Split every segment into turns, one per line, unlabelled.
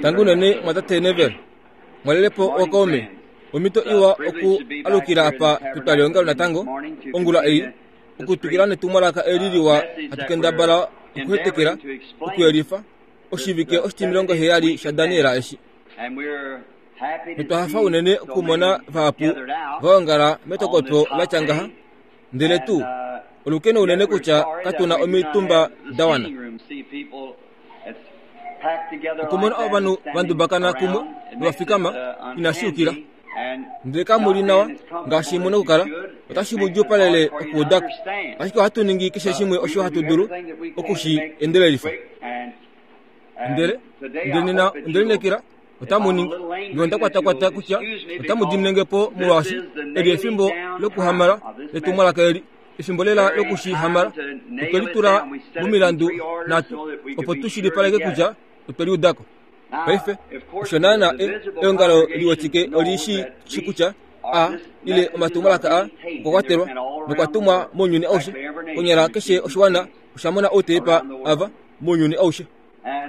Tangi unene mwatate Neville. Mwalele po okaume. Omhito iwa oku alukila apa petwalihongalo natango ongula ei, okutwikila netumwalaka eli liwa hatu kendabala okuhetekela, okuyelifa, oshivike oshitimilongo heyali shaDaniel eshi. Notwa hafa unene okumona vahapu va ongala metokotwo la tya ngaha, ndele tuu olukeno unene kutya katu na omitumba da wana. Okumona ovanhu va ndubakana kumwe nova fikama inashi yukila, ndele kamu li nawa ngaashi mu na okukala, otashi mu djuupalele okuuda ko. Ashike ohatu ningi keshe shimwe osho hatu dulu oku shi endelelifa. Ndele, ndele nena onde lineekela otamu ningi nge onda kwatakwata kutya otamu dimine nge po molwaashi eli efimbo lokuhamala letumwalaka eli, efimbo lela loku shi hamala. Otwe litula momilandu nhatu opo tu shilipaleke kutya otwe liuda ko. Paife, osho naana e, eongalo liwetike oli shi shi kutya a ile omatumwalaka a okwa kwatelwa nokwa tumwa mounyuni aushe. Konyala keshe oshiwana osha mona outeepa ava mounyuni aushe.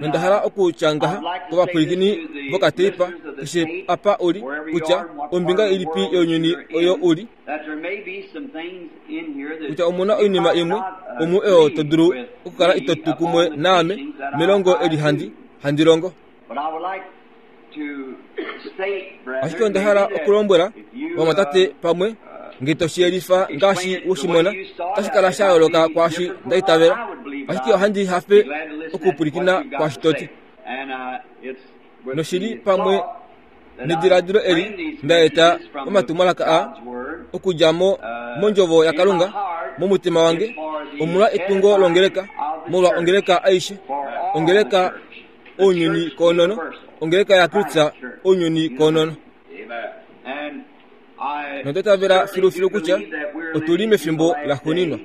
Nonda hala okutya ngaha kovapwilikini vokateipa keshe apa u li, kutya ombinga ilipi younyuni oyo u li, kutya omu na oinima imwe omu oyo to dulu okukala ito tu kumwe naame melongo eli handi, handi longo. Ashike onda hala okulombwela vamwatate pamwe nge to shi yelifa ngaashi we shi mona, otashi kala sha yooloka kwaashi nda itavela. Ashike ohandi hafe okupwilikina kwaashi to ti. Noshili pamwe nediladilo eli nda eta omatumwalaka aa okudja mo mondjovo yaKalunga momutima wange, omolwa etungo longeleka, molwa ongeleka aishe, ongeleka ounyuni koonono, ongeleka yaKristus ounyuni koonono. Nonda itavela filufilu kutya otu li mefimbo laxuuninwa.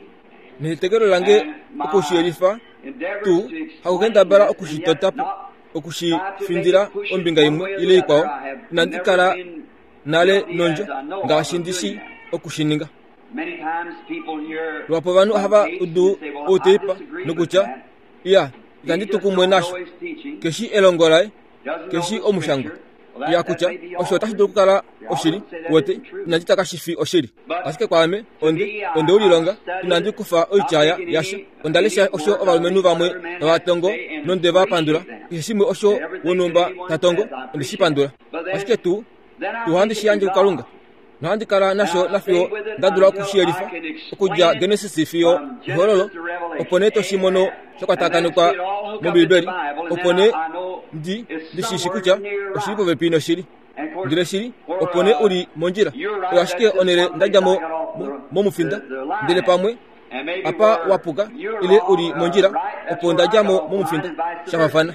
Nehetekelo lange oku shi yelifa tuu hakukendabala oku shi tota po, oku shi findila ombinga imwe ile ikwao, inandi kala nale nondjo ngaashi ndi shi oku shi ninga. Luhapu ovanhu ohava udu outeipa nokutya, Iya, itandi tu kumwe nasho. Keshi elongo laye, keshi omushangwa. Ya kutya osho otashi dulu okukala oshili, wete, inandi tya kashi fi oshili. Ashike kwaame, onde, onde u lilonga, inandi kufa oitya ya, yasha. Onda lesha osho ovalumenhu vamwe tava tongo nonde va pandula. Keshe shimwe osho wonhumba ta tongo, onde shi pandula. Ashike tuu, tuu ohandi shi yandje kuKalunga. Nohandi kala nasho nafiyo nda dula oku shi yelifa, okudja Genesis fiyo Ehololo, opo nee to shi mono sha kwatakanekwa mOmbiibeli, opo nee ndi, ndi shi shi kutya oshi li popepi noshili. Ndele shili, opo nee u li mondjila. Oyo ashike onhele nda dja mo, mo, momufinda. Ndele pamwe apa wa puka, ile u li mondjila, opo nda dja mo momufinda. Sha faafana.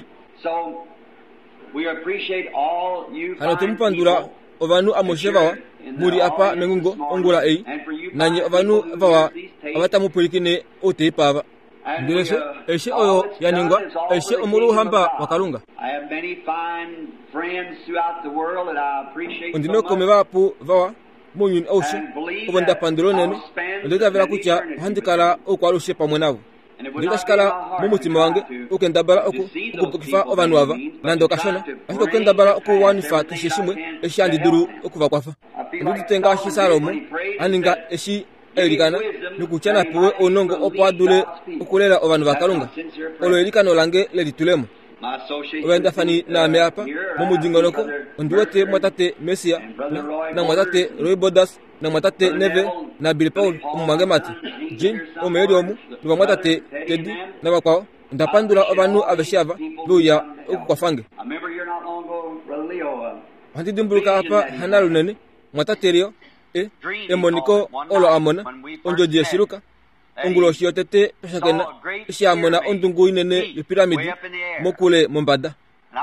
Hano otwe mu pandula ovanhu amushe vawa mu li apa mengungo ongula ei, nanye ovanhu vawa ava tamu pwilikine outeipa ava. Ndele she, aishe oyo ya ningwa, aishe omolwouhamba waKalunga. Ondi na ookaume vahapu vawa mounyuni aushe ovo nda pandula unene, nonda itavela kutya ohandi kala oukwaalushe pamwe navo. Ndele itashi kala momutima wange okukendabala oku, okupukifa ovanhu ava nande okashona, ashike okukendabala okuwanifa keshe shimwe eshi handi dulu oku va kwafa. Ondi udite ngaashi Salomo a ninga eshi a ilikana nokutya na pewe ounongo opo a dule okulela ovanhu vaKalunga. Olo eilikano lange lelitulemo. Ovaendafani naame apa momudingonoko, ondi wete mumwatate Mercier na, namumwatate Roy Borders, namwatate Neville naBilly Paul, omumwangemati, Gene, omo e li omu, novamwatate Teddy navakwao. Onda pandula ovanhu aveshe ava ve uya okukwafa nge. Ohandi dimbuluka apa Hannah lunene, mwatate Leo, e, emoniko olo a mona, ondjodi yeshiluka, onguloshi yotete twa shakena, eshi a mona ondungu inene yopiramidi mokule mombada.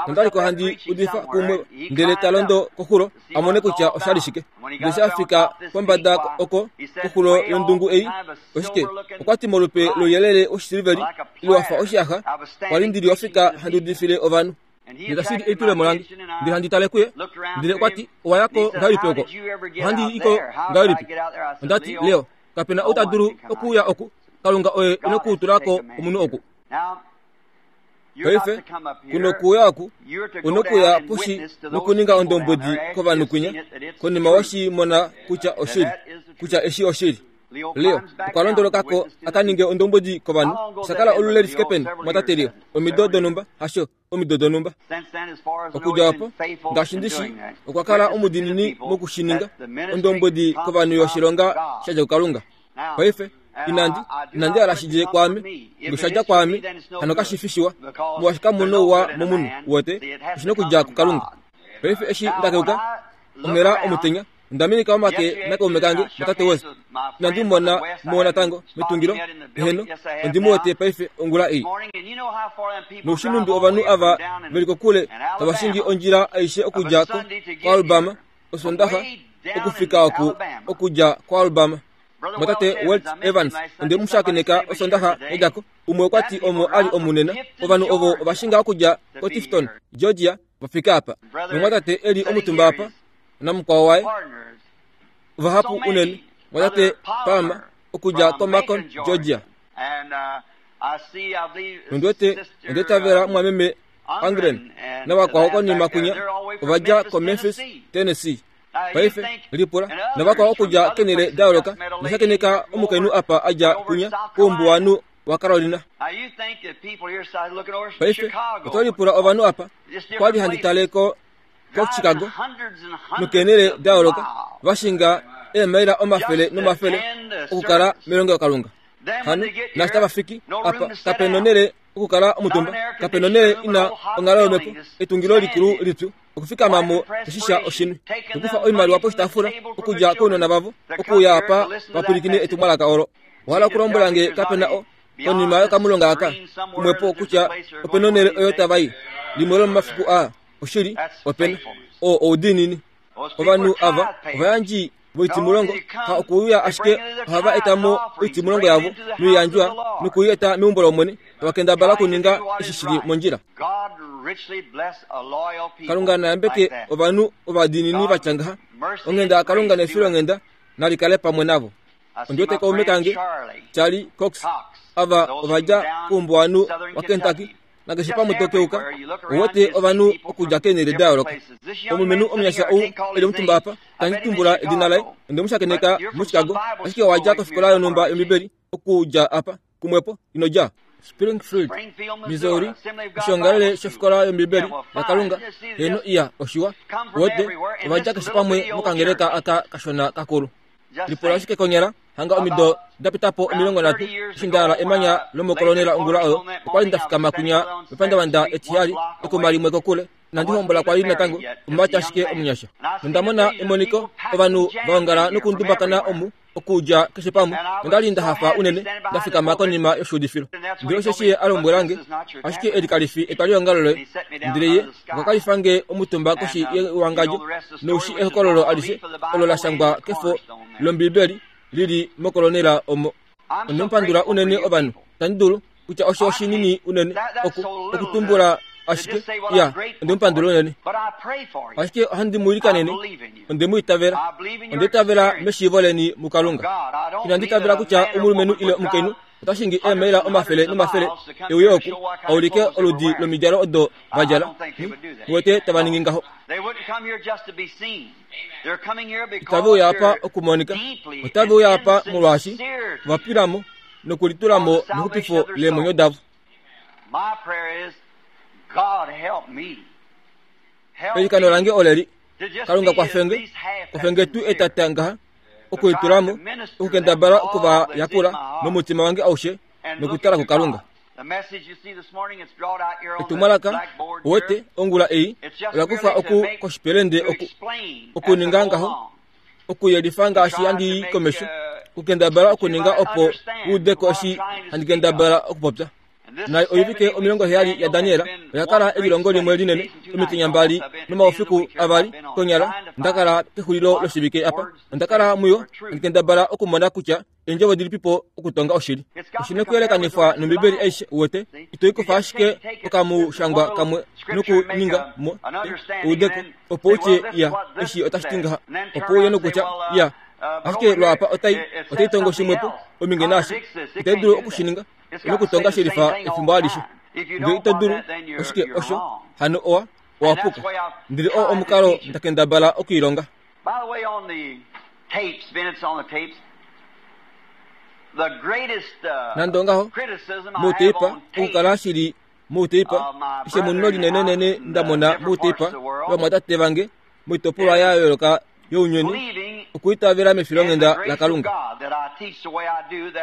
Onda li ko handi udifa kumwe ndele ta londo koxulo a mone kutya osha li shike. Ndele eshi a fika pombada oko koxulo yondungu ei, oshike, okwa ti molupe louyelele woshisiliveli ile wa fa oshiyaxa, kwa li ndi li ofika handi udifile ovanhu. Ndele tashi li elitulemo lange, ndele handi tale kuye, ndele okwa ti, Owa ya ko ngahelipi oko? Ohandi i ko ngahelipi? Onda ti, Leo, kape na ou ta dulu okuuya oku. Kalunga oye e nokutula ko omunhu oku. Paife, kunokuuya oku, unokuya poshi nokuninga ondombwedi kovanhu kwinya, konima weshi mona kutya oshili, kutya eshi oshili. Leo okwa londoloka ko a ka ninge ondombwedi kovanhu. Osha kala olule li fike peni, mwatate Leo? Omido donhumba, hasho? Omido donhumba. Okudja opo, ngaashi ndi shi, okwa kala omudiinini moku shi ninga, ondombwedi kovanhu yoshilonga sha dja kuKalunga. Paife, inandi, inandi hala shi dje kwaame. Nge sha dja kwaame, hano kashi fi shiwa, molwaashi kamu nouwa momunhu, uwete, oshi nokudja kuKalunga. Paife eshi nda keuka, onghela omutenya, Onda minika omake nakaume kange natate West. Inandi mu mona mo natango metungilo. Eheno, ondi mu wete paife ongula ei. Noushinumbi ovanhu ava ve li kokule tava shingi ondjila aishe okudja ko koAlabama Osondaxa okufika oku okudja koAlabama. Mwatate Welt Evans onde mu shakeneka Osondaxa ya dja ko. Umwe okwa ti omo a li omunena. Ovanhu ovo ova shinga okudja koTifton, Georgia, va fika apa. Nomwatate e li omutumba apa namukwao waye, vahapu unene, mwatate Palmer okudja koMacon, Georgia. Nondi wete onda itavela mumwameme Angren navakwao konima kwinya ova dja koMemphis, Tennessee. Paife, lipula navakwao okudja kenhele da yooloka, noshakeneka omukainhu apa a dja kwinya koumbuwanhu waCarolina. Paife, oto lipula ovanhu apa, kwa li handi tale ko koChicago nokeenhele da yooloka, va shinga eemaila omafele nomafele okukala melongelokalunga. Hano, naashi tava fiki apa, kape nonhele okukala omutumba, kape nonhele ina onghalo yomhepo, etungilo likulu lipyu, okufikama mo toshisha oshinwi, nokufa oimaliwa poshitaafula okudja kounona vavo, okuuya apa va pwilikine etumwalaka olo. Owa hala okulombwela nge kape na o, konima yokamulonga aka, kumwepo kutya ope nonhele oyo tava i, limwe lomomafiku aa? Oshili, ope na. Oo oudiinini. Ovanhu ava ovayandji voitimulongo, ha okuuya ashike ohava eta mo oitimulongo yavo noiyandjwa noku i eta meumbo lOmwene, tava kendabala okuninga eshi shi li mondjila. Kalunga na yambeke ovanhu ovadiinini va tya ngaha. Onghenda yaKalunga nefilonghenda nali kale pamwe navo. Ondi wete kaume kange, Charlie Cox, ava ova dja koumbuwanhu waKentucky, nakeshe pamwe to keuka, ou wete ovanhu okudja keenhele da yooloka. Omulumenhu omunyasha ou e li omutumba apa, itandi tumbula edina laye, onde mu shakeneka muChicago, ashike owa dja kofikola yonhumba yOmbibeli okudja apa, kumwepo, ino dja? Springfield, Missouri, oshiongalele shofikola yOmbibeli yaKalunga, heeno iya, oshiwa. Uwete, ova dja keshe pamwe mokangeleka aka kashona kakulu. Lipula ashike konyala hanga omido da pita po 30 eshi nda yala emanya lomokolonela ongula oyo, okwa li nda fikama kwinya mepandavanda etiheyali, ekuma limwe kokule. Inandi hombola kwa li natango, omumati ashike omunyasha. Nonda mona emoniko, ovanhu va ongala nokundumbakana omu okudja keshe pamwe, nonda li nda hafa unene nda fikama konima yoshuudifilo. Ndele osheshi ye a lombwela nge, ashike eli kali fi etwalihongalo loye. Ndele ye okwa kalifa nge omutumba koshi yewangadjo, noushi ehokololo alishe olo la shangwa kefo lOmbibeli li li mokolonela omo. Onde mu pandula unene ovanhu, itandi dulu kutya osho oshinini unene oku okutumbula ashike ya onde mu pandula unene. Ashike ohandi mu ilikanene, onde mu itavela, onda itavela meshiivo leni muKalunga. Inandi itavela kutya omulumenhu ile omukainhu ota shingi eemaila omafele nomafele e uye oku a ulike oludi lomidjalo odo va djala. Mu wete tava ningi ngaho. Itave uya apa okumonika, otave uya apa molwaashi ova pwila mo nokulitula mo mexupifo leemwenyo davo. Eilikano lange oleli, Kalunga kwafenge, kwafenge tuu etata ngaha okulitula mo, okukendabala oku va yakula nomutima wange aushe nokutala kuKalunga. Etumwalaka, uwete, ongula ei, ola kufa oku koshipelende oku, okuninga ngaho, okuyelifa ngaashi handi i komesho, okukendabala okuninga opo u ude ko eshi handi kendabala okupopya. Na oivike 70 yaDaniel oya kala elilongo limwe linene, omitenya mbali nomaufiku avali konyala nda kala kexulilo loshivike apa. Onda kala muyo handi kendabala okumona kutya eendjovo dilipipo okutonga oshili. Oshi nokuyelekanifwa nOmbibeli aishe, uwete. Ito i kufa ashike okamushangwa kamwe nokuninga mo eudeko, opo u tye, Ya, eshi otashi ti ngaha. Opo uye nokutya, Ya, ashike lwaapa otai, otai tongo shimwepo, ominge naashi. Itai dulu oku shi ninga. Nokutonga shelifa efimbo alishe. Ngee ito dulu, oshike osho? Hano owa, owa puka. Ndele oo omukalo nda kendabala okuilonga. Nande ongaho, mouteipa, okukala shili mouteipa, eshemuno linenenene nda mona mouteipa lovamwatate vange moitopolwa ya yooloka younyuni, okuitavela mefilonghenda laKalunga.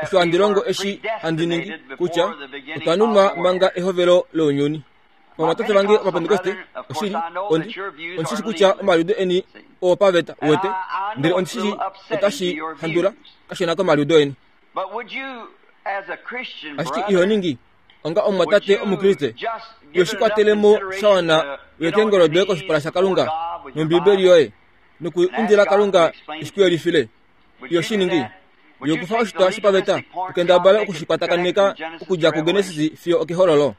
Osho handi longo eshi handi ningi, kutya otwa nunwa manga ehovelo lounyuni. Ovamwatate vange Ovapentekoste, oshili, ondi, ondi shi shi kutya omaliudo eni oopaveta, uwete, ndele ondi shi shi otashi handula kashona komaliudo eni. Ashike iho ningi, onga omumwatate Omukriste, iho shi kwatele mo sha wana u ye keengolo doye koshipala shaKalunga nOmbiibeli yoye, noku indila Kalunga e shi ku yelifile? Iho shi ningi? Iho kufa oshitwa shopaveta u kendabale oku shi kwatakaneka okudja kuGenesis fiyo okEhololo?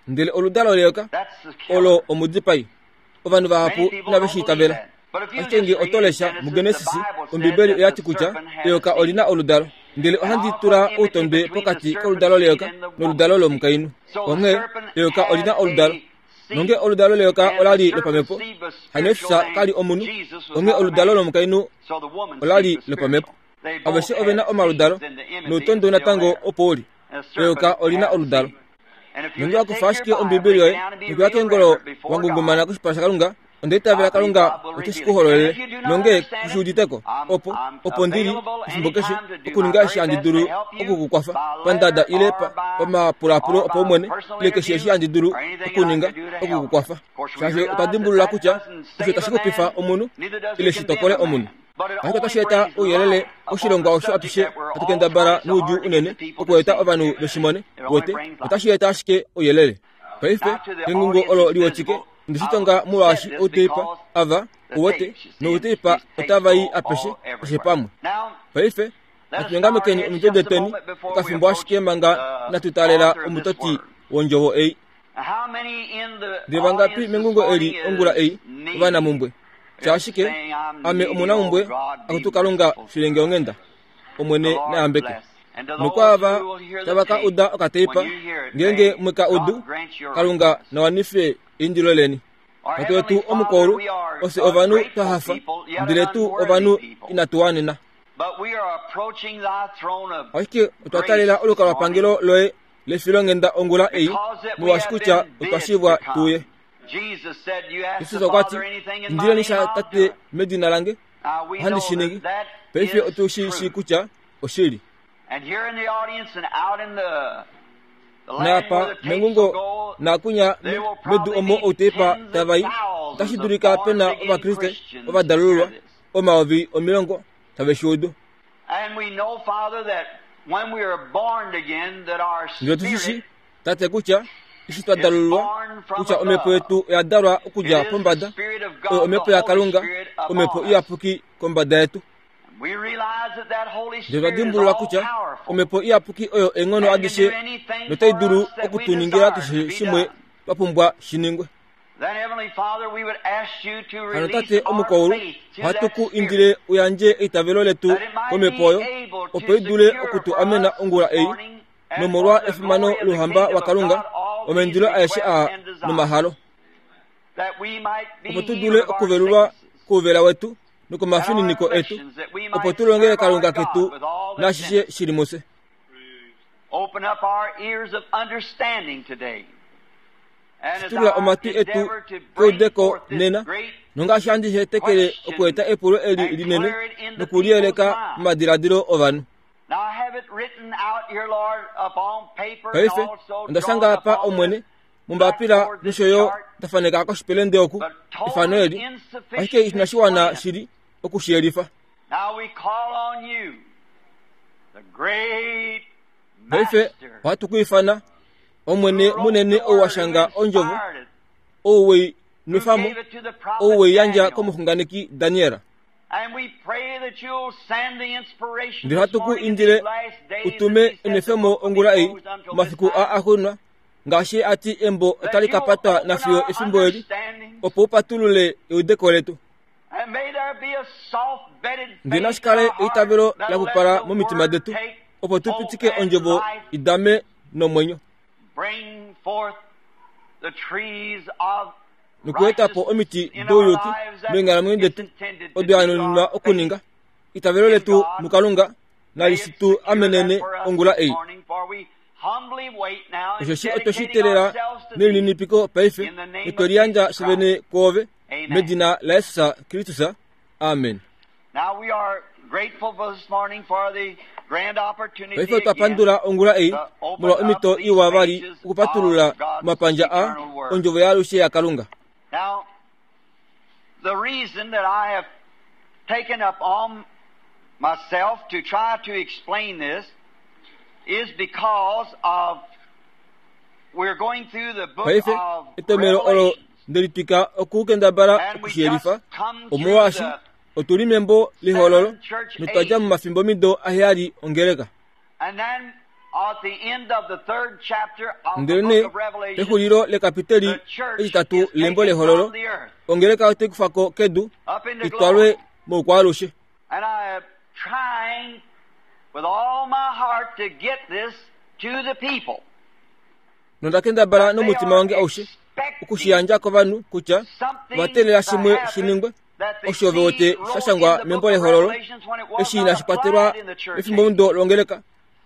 Ndele oludalo leyoka olo omudipai. Ovanhu vahapu inave shi itavela. Ashike nge oto lesha muGenesis, Ombibeli oya ti kutya eyoka oli na oludalo. Ndele ohandi tula outondwe pokati koludalo leyoka noludalo lomukainhu. Onghee, eyoka oli na oludalo. Nonge oludalo leyoka ola li lopamhepo, hano Jesus ka li omunhu, onghee oludalo lomukainhu ola li lopamhepo. Aveshe ove na omaludalo, noutondwe natango opo u li. Eyoka oli na oludalo. Nonge wa kufa ashike Ombibeli yoye nokuya keengolo wa ngungumana koshipala shaKalunga, onda itavela Kalunga ote shi ku hololele. Nonge ku shi udite ko, opo, opo ndi li, efimbo keshe, okuninga eshi handi dulu oku ku kwafa, pandada ile pa, pamapulaapulo opaumwene, ile keshe eshi handi dulu okuninga oku ku kwafa. Shaashi otwa dimbulula kutya osho tashi xupifa omunhu, ile shi tokole omunhu. Ashike otashi eta ouyelele oshilongwa osho atushe hatu kendabala noudjuu unene okueta ovanhu ve shi mone. Wete, otashi eta ashike ouyelele. Paife, engungo olo liwetike, onde shi tonga molwaashi outeipa ava, uwete, nouteipa otava i apeshe, keshe pamwe. Paife, natu nyongamekeni omitwe detweni okafimbo ashike manga inatu taalela omutoti wondjovo ei. Ndele vangapi mengungo eli ongula ei ovanamumbwe? Tya ashike, Ame omunamumbwe, akutu Kalunga, filenge onghenda. Omwene na yambeke. Nokwaava tava ka uda okateipa, ngeenge mwe ka udu, Kalunga na wanife eindilo leni. Tate wetu omukwaulu, ofye ovanhu twa hafa, ndele tuu ovanhu inatu wanena. Ashike otwa talela olukalwapangelo loye lefilonghenda ongula ei, molwaashi kutya otwa shivwa tu uye. Jesus okwa ti, Indileni sha Tate medina lange, ohandi shi ningi. Paife otu shi shii kutya oshili. Naapa mengungo naakunya medu omo outeipa tava i, otashi dulika pe na Ovakriste ovadalululwa 10,000 tave shi udu. Ndele otu shi shii, Tate, kutya eshi twa dalululwa, kutya omhepo yetu oya dalwa okudja pombada, oyo omhepo yaKalunga, omhepo iyapuki kombada yetu. Ndele twa dimbulula kutya omhepo iyapuki oyo eenghono adishe notai dulu oku tu ningila keshe shimwe twa pumbwa shi ningwe. Hano Tate omukwaulu, ohatu ku indile u yandje eitavelo letu komhepo oyo, opo i dule oku tu amena ongula ei, nomolwa efimano louhamba waKalunga, omaindilo aeshe aa nomahalo, opo tu dule okuvelulwa kouvela wetu nokomafininiko etu, opo tu longele Kalunga ketu naashishe shi li mufye. Shitulula omatwi etu keudeko nena, nongaashi handi hetekele okueta epulo eli linene nokuliyeleka momadiladilo ovanhu. Paife, onda shanga apa, Omwene, mombapila nosho yo nda faneka koshipelende oku, efano eli, ashike inashi wana shili oku shi yelifa. Paife ohatu ku ifana, Omwene munene ou wa shanga Ondjovo, ou wei nwefa mo, ou wei yandja komuxunganeki Daniel. Ndele ohatu ku indile u tume enwefemo ongula ei, omafiku aa axuuninwa, ngaashi a ti embo otali ka patwa nafiyo efimbo eli, opo u patulule eudeko letu. Ndele nashi kale eitavelo la pupala momitima detu, opo tu pitike ondjovo i dame nomwenyo. Nokueta po omiti douyuki meenghalamwenyo detu odo ya nuninwa okuninga. Itavelo letu muKalunga nali shi tu amenene ongula ei. Osheshi otwe shi teelela nelininipiko paife, notwe liyandja fyevene kwoove, medina laJesus Kristus. Amen. Paife otwa pandula ongula ei molwa omhito iwa vali okupatulula omapandja a Ondjovo yaalushe yaKalunga.
The reason that I have taken up on myself to try to explain this is because of we're going through the book
Paife
of
etomhelo olo
Revelations.
nde litwika okukendabala okushiyelifa omolwaashi otu li membo lehololo notwa dja momafimbomido aheyali ongeleka.
And then at the end of the third chapter of the
Ndelenee
book of Revelation,
pexulilo lekapiteli
the church
etitatu
is
lembo
taken
lehololo
from the earth
ongeleka otai kufa ko kedu
up into
itwalwe
glory.
moukwaalushe.
And I am trying with all my heart to get this to the people.
Nonda kendabala nomutima wange aushe okushiyandja kovanhu kutya ova teelela shimwe shi ningwe osho ve wete sha shangwa membo lehololo eshi inashi kwatelwa mefimbomudo longeleka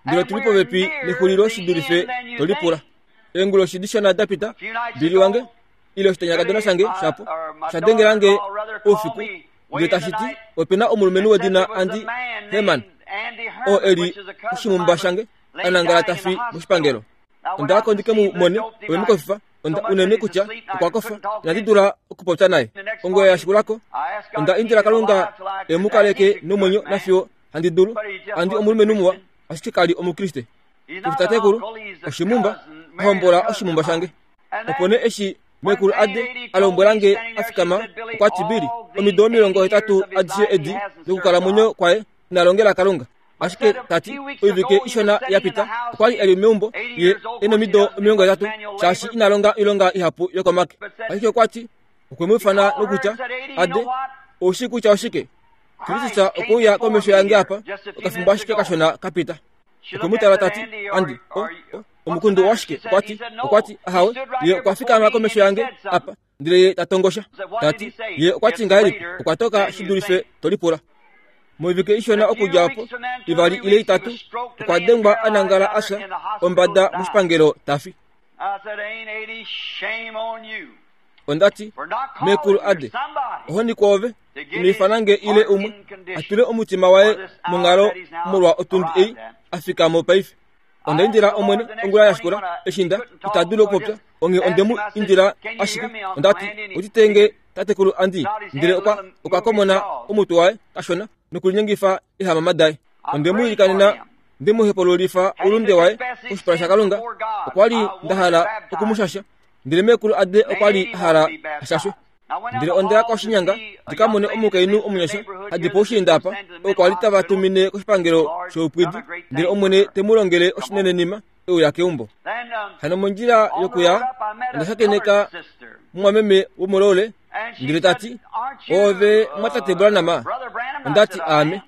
ndele otu li popepi nexulilo shi dulife to lipula. Eenguloshi dishona da pita, Billy wange, ile oshitanyakadona shange shapo, osha dengela nge oufiku ndele tashi ti ope na omulumenhu wedina Andy Herman oo e li oshimumba shange a nangala ta fi moshipangelo. Onda ya ko ndi ke mu mone, ove mu kofifa, onda unene kutya okwa kofa, inandi dula okupopya naye. Ongula ya shikula ko, onda indila Kalunga e mu kaleke nomwenyo nafiyo handi dulu. Andi omulumenhu muwa, ashike ka li Omukriste. Kefi tatekulu, oshimumba, a hombola oshimumba shange. Opo nee eshi meekulu Ade a lombwela nge a fikama, okwa ti, Billy, omido 80 adishe edi dokukalamwenyo kwaye ina longela Kalunga. Ashike ta ti, oivike ishona ya pita, okwa li e li meumbo, ye e nomido 80, shaashi ina longa oilonga ihapu yokomake. Ashike okwa ti, okwe mu ifana nokutya, Ade, ou shii kutya oshike? Kristus okwe uya komesho yange apa, okafimbo ashike kashona ka pita. Okwe mu tala ta ti, Andi, o, o, omukundu owashike? Okwa ti, okwa ti, ahawe, ye okwa fikama komesho yange apa, ndele ye ta tongosha. Ta ti, ye okwa ti ngahelipi? Okwa toka shi dulife to lipula. Moivike ishona okudja opo, ivali ile itatu, okwa dengwa a nangala a fya ombada moshipangelo ta fi. Onda ti, Meekulu Ade, ohoni kwoove, ino ifana nge ile umwe a tule omutima waye monghalo molwa otundi ei a fika mo paife. Onda indila Omwene ongula ya shikula eshi nda ita dulu okupopya, onghee onde mu indila ashike. Onda ti, Udite nge tatekulu Andy, ndele okwa okwa komona omutwe waye kashona nokulinyengifa eehamama daye. Onde mu ilikanena nde mu hepululifa oulunde waye koshipala shaKalunga. Okwa li nda hala oku mu shasha, ndele meekulu Ade okwa li a hala a shashwe. Ndele onda ya koshinyanga ndi ka mone omukainhu omunyasha ha di poushiinda apa, oo kwa li tava tumine koshipangelo shoupwidi, ndele Omwene te mu longele oshinenenima e uya keumbo. Hano mondjila yokuya onda shakeneka mumwameme womoloole, ndele ta ti, Oove mwatate Branham? Onda ti, Aame.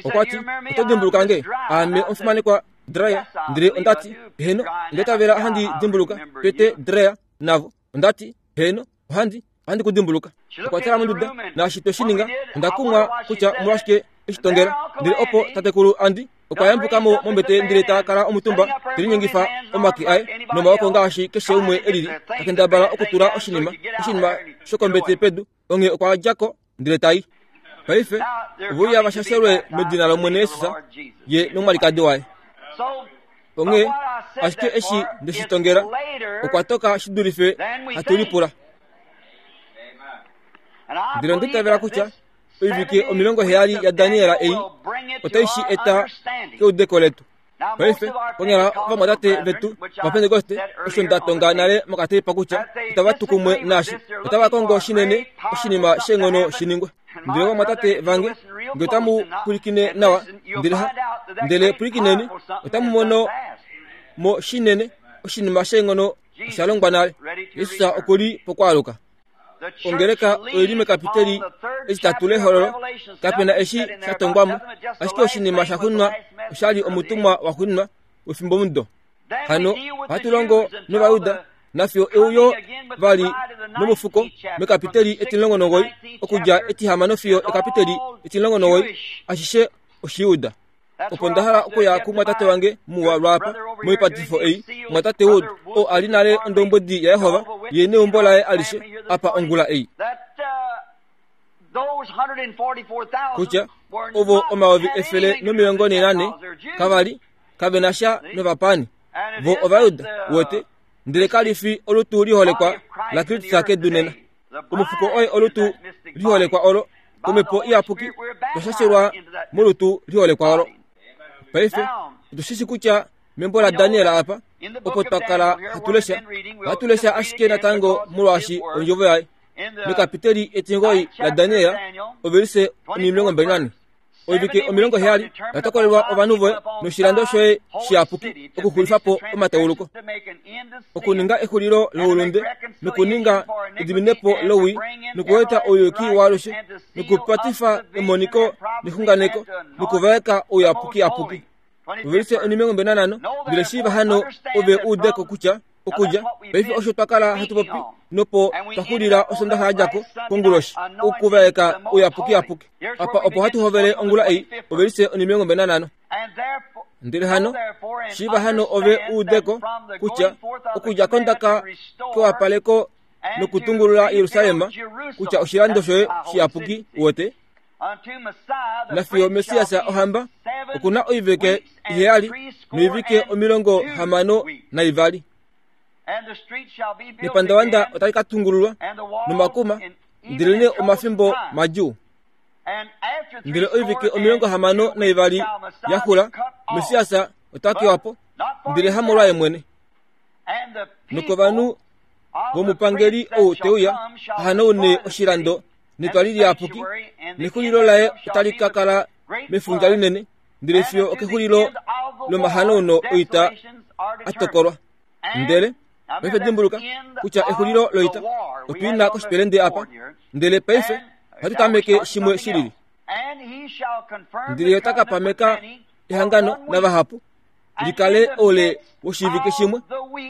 Okwa ti, Oto dimbuluka nge? Aame omufimanekwa Dreyer. Ndele onda ti, Heeno, onda itavela handi dimbuluka Pete Dreyer navo. Onda ti, Heeno, ohandi, ohandi ku dimbuluka. Okwa tala monduda, naashi twe shi ninga, onda kumwa kutya omolwashike e shi tongela. Ndele opo tatekulu Andy okwa yambuka mo mombete ndele ta kala omutumba, te linyengifa omake aye nomaoko ngaashi keshe umwe e lili, ta kendabala okutula oshinima, oshinima shokombete pedu. Onghee okwa dja ko ndele ta i. Paife ove uya va shashelwe medina lOmwene Jesus, ye nomwalikadi waye. Onghee ashike eshi nde shi tongela, okwa toka shi dulife hatu lipula. Ndele onda itavela kutya oivike 70 yaDaniel ei otai shi eta keudeko letu. Paife, konyala ovamwatate vetu Ovapentekoste, osho nda tonga nale mokateipa kutya itava tu kumwe naashi, otava kongo shinene oshinima sheenghono shi ningwe. Ndele ovamwatate vange, nge otamu pwilikine nawa, ndele ha, ndele pwilikineni, otamu mono mo shinene oshinima sheenghono osha longwa nale. Jesus oku li pokwaaluka. Ongeleka oi li mekapiteli etitatu lehololo. Kape na eshi sha tongwa mo, ashike oshinima sha xunwa osha li omutumwa wa xunwa wefimbomudo. Hano ohatu longo nOvayuda nafiyo euyo vali nomufuko mekapiteli 19 okudja etihamano fiyo ekapiteli 19 ashishe Oshijuda. Opo nda hala okuya kumwatate wange muwa lwaapa moipatifo ei, mwatate Wood, oo a li nale ondombwedi yaJehova, ye neumbo laye alishe, apa ongula ei. Kutya, ovo 144,000 kava li, kave na sha novapaani. Vo Ovajuda, uwete, ndele kali fi olutu liholekwa laKristus kedu nena. Omufuko oye olutu liholekwa olo, Omhepo Iyapuki twa shashelwa molutu liholekwa olo. Paife, otu shi shi kutya membo laDaniel apa, opo twa kala hatu lesha, ohatu lesha ashike natango molwaashi ondjovo yaye. Mekapiteli etingoi laDaniel, ovelise 24. Oivike 70 oya tokolelwa ovanhu voye noshilando shoye shiyapuki okuxulifa po omatauluko, okuninga exulilo loulunde nokuninga ediminepo lowii nokueta ouyuki waalushe nokupatifa emoniko nexunganeko nokuvaeka ouyapukiyapuki. Ovelise 25 Ndele shiiva hano ove u ude ko kutya okudja paife osho twa kala hatu popi nopo twa xulila osondaxa ya dja ko konguloshi okuvaeka ouyapukiyapuki. Apa opo hatu hovele ongula ei, ovelise 25. Ndele hano, shiiva hano ove u ude ko kutya okudja kondaka kewapaleko nokutungulula Jerusalem, kutya oshilando shoye shiyapuki, uwete, Nafiyo Messias ohamba oku na oivike iheyali noivike 62. Nepandavanda otali ka tungululwa nomakuma, ndelenee omafimbo madjuu. Ndele oivike 62 ya xula, Messias ota kewa po, ndele hamolwaye mwene. Nokovanhu vomupangeli ou te uya a hanaune oshilando netwali liyapuki, nexulilo laye otali ka kala mefundja linene, ndele fiyo okexulilo lomahanauno oita a tokolwa. Ndele paife dimbuluka kutya exulilo loita otu i na koshipelende apa, ndele paife ohatu tameke shimwe shi lili. Ndele ye ota ka pameka ehangano navahapu li kale oule woshivike shimwe,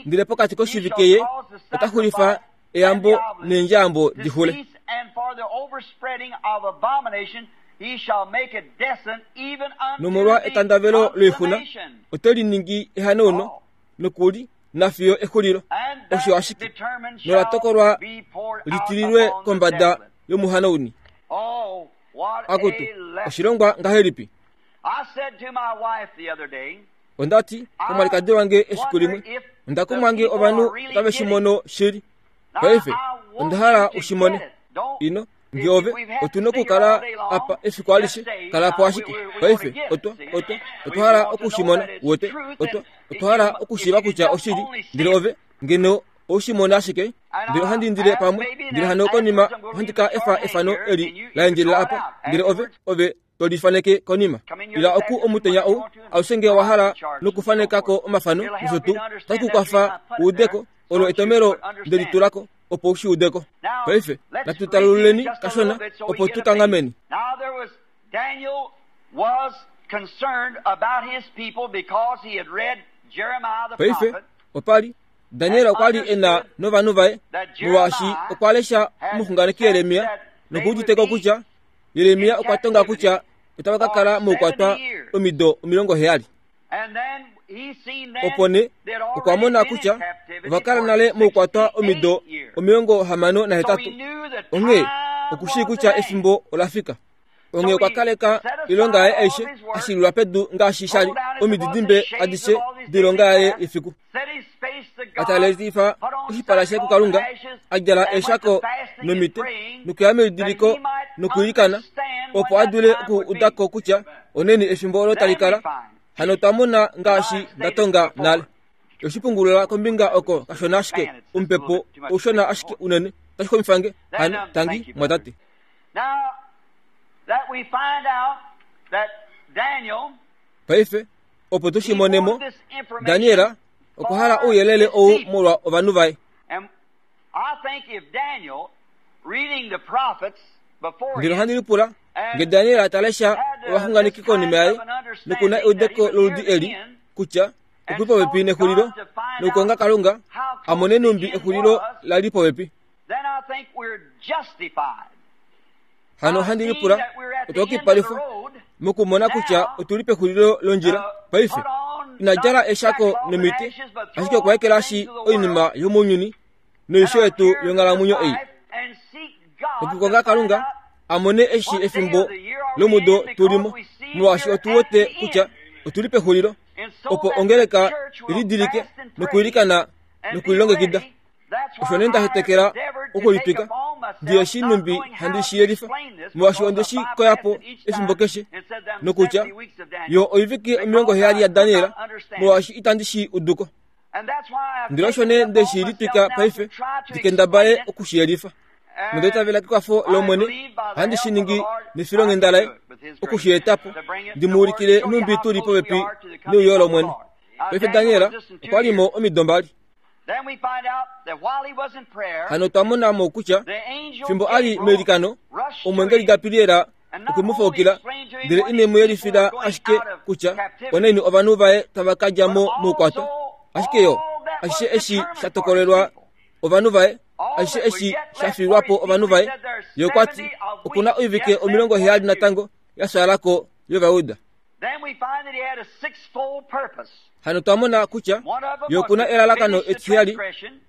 ndele pokati koshivike ye ota xulifa eyambo neendjayambo di xule. Nomolwa etandavelo loixuna ote li ningi ehanauno noku li na fiyo exulilo. Osho ashike nola tokolwa li tililwe kombada yomuhanauni. Akutu, oshilongwa ngahelipi! Onda ti komwalikadi wange efiku limwe, onda kumwa nge ovanhu otave shi mono shili. Paife, onda hala u shi mone. Ino, nge ove, otu nokukala apa efiku alishe, kala po ashike. Paife, otwa, otwa, otwa hala oku shi mona, uwete, otwa, otwa hala okushiiva kutya oshili, ndele ove, ngeno ou shi mona ashike, ndele ohandi indile pamwe, ndele hano konima ohandi ka efa efano eli la endjelela apa, ndele ove, ove to li faneke konima. Ila oku omutenya ou, aushe nge wa hala nokufaneka ko omafano nosho tuu, otashi ku kwafa u ude ko. Olo etomelo nde li tula ko, opo u shi ude ko. Paife, natu talululeni kashona, opo tu kanghameni. Paife, opa li, Daniel okwa li e na novanhu vaye, molwaashi okwa lesha omuxunganeki Jeremia noku udite ko kutya Jeremia okwa tonga kutya otava ka kala moukwatwa omido 70. Opo nee okwa mona kutya ova kala nale moukwatwa omido 68. Onghee oku shii kutya efimbo ola fika. Onghee okwa kaleka oilonga yaye aishe a shilulwa pedu ngaashi sha li omididimbe adishe doilonga yaye yefiku. A talelifa oshipala shaye kuKalunga, a djala eeshako nomite, nokuya melidiliko nokwiilikana, opo a dule okuuda ko kutya oneni efimbo olo tali kala. Hano twa mona ngaashi nda tonga nale. Oshi pungulula kombinga oko kashona ashike, omupepo oushona ashike unene, otashi xumifa nge. Hano, tangi, mwatate. Paife, opo tu shi mone mo, Daniel okwa hala ouyelele ou molwa ovanhu vaye. Ndele ohandi lipula nge Daniel ta lesha ovaxunganeki konima yaye noku na eudeko loludi eli kutya. oku li popepi nexulilo, nokukonga Kalunga a mone nhumbi exulilo la li popepi. Hano ohandi lipula, otwa yukipalifwa mokumona kutya otu li pexulilo londjila paife. Ina djala eshako nomiti, ashike okwa ekelashi oinima yomounyuni noisho yetu yonghalamwenyo ei. Nokukonga Kalunga a mone eshi efimbo lomudo tu li mo, molwaashi otu wete kutya otu li pexulilo, opo ongeleka i lidilike nokwiilikana nokulilongekida. Osho nee nda hetekela okulitwika, ndi eshi nhumbi handi shi yelifa, molwaashi onde shi koya po efimbo keshe, nokutya yo oivike 70 yaDaniel, molwaashi itandi shi udu ko. Ndele osho nee nde shi litwika paife, ndi kendabale oku shi yelifa. Nonda itavela kekwafo lOmwene, ohandi shi ningi nefilonghenda laye, oku shi eta po, ndi mu ulikile nhumbi tu li popepi neuyo lOmwene. Paife Daniel okwa li mo omido mbali. Hano otwa mona mo kutya fimbo a li meilikano, omwengeli Gabriel okwe mu faukila, ndele ine mu yelifila ashike kutya onaini ovanhu vaye tava ka dja mo moukwatwa, ashike yo ashishe eshi sha tokolelwa ovanhu vaye, ashishe eshi sha fiilwa po ovanhu vaye. Ye okwa ti oku na oivike 70 natango ya fyaala ko yOvayuda. Hano twa mona kutya ye oku na elalakano etiheyali,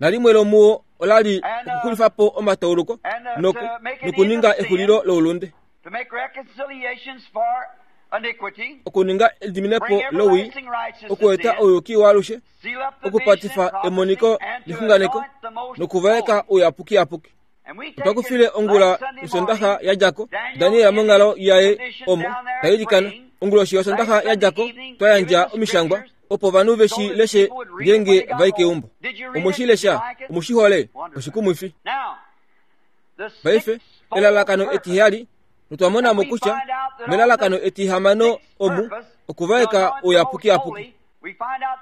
nalimwe lomuwo ola li okuxulifa po omatauluko noku, nokuninga exulilo loulunde, okuninga ediminepo lowii, okueta ouyuki waalushe, okupatifa emoniko lexunganeko nokuvaeka ouyapukiyapuki. Otwa kufile ongula yOsondaxa ya dja ko, Daniel monghalo yaye omo ta ilikana. Onguloshi yOsondaxa ya dja ko, twa yandja omishangwa opo ovanhu ve shi leshe ngeenge va i keumbo. Omwe shi lesha? Omu shi hole? Oshikumwifi. Paife, elalakano etiheyali, notwa mona mo kutya melalakano etihamano omu okuvaeka ouyapukiyapuki.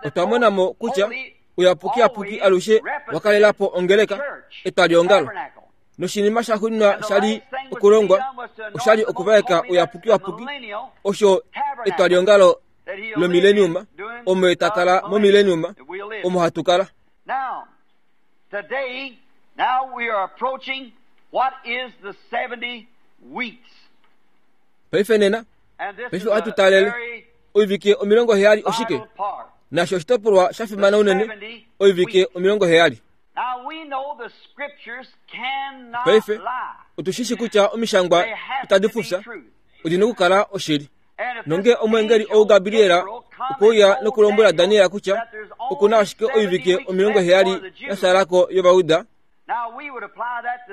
Otwa mona mo kutya Uyapukiyapuki alushe wa kalela po ongeleka, etwaliongalo. Noshinima sha xuuninwa sha li okulongwa osha li okuvaeka Uyapukiyapuki, osho etwaliongalo lomileniuma, omo ye ta kala momileniuma, omo hatu kala.
Today, now we are approaching what is the 70 weeks.
Paife nena, paife ohatu taalele oivike 70 oshike? Nasho oshitopolwa sha fimana unene, oivike 70. Paife otu shi shi kutya omishangwa itadi fufya, odi na okukala oshili. Nonge omweengeli ou Gabriel okwe uya nokulombwela Daniel kutya oku na ashike oivike 70 ya fyaala ko yOvayuda,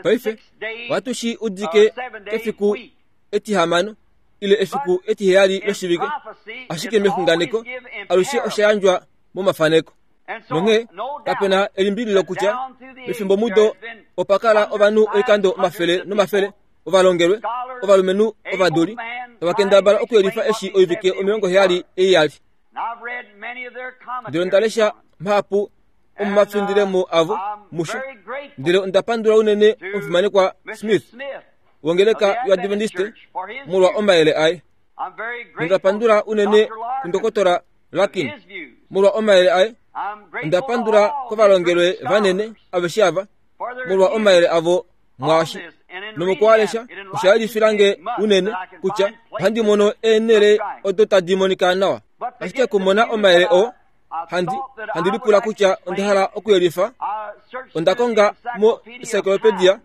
paife ohatu shi udike kefiku etihamano ile efiku etiheyali loshivike, ashike mexunganeko alushe osha yandjwa momafaneko. Nonghee kape na elimbililo kutya mefimbomudo opa kala ovanhu oikando omafele nomafele ovalongelwe, ovalumenhu ovaduli, tava kendabala okuyelifa eshi oivike 70 ei ya li. Ndele onda lesha mahapu omomafindilemo avo musho, ndele onda pandula unene omufimanekwa Smith wongeleka yoAdventiste molwa omayele aye. Onda pandula unene kundokotola Larkin molwa omayele aye. Onda pandula kovalongelwe vanene aveshe ava molwa omayele avo mwaashi. Nomokualesha osha yelifila nge unene kutya ohandi mono eenhele odo tadi monika nawa. Ashike okumona omayele oo, handi, handi lipula kutya onda hala okuyelifa. Onda konga mo-encyclopedia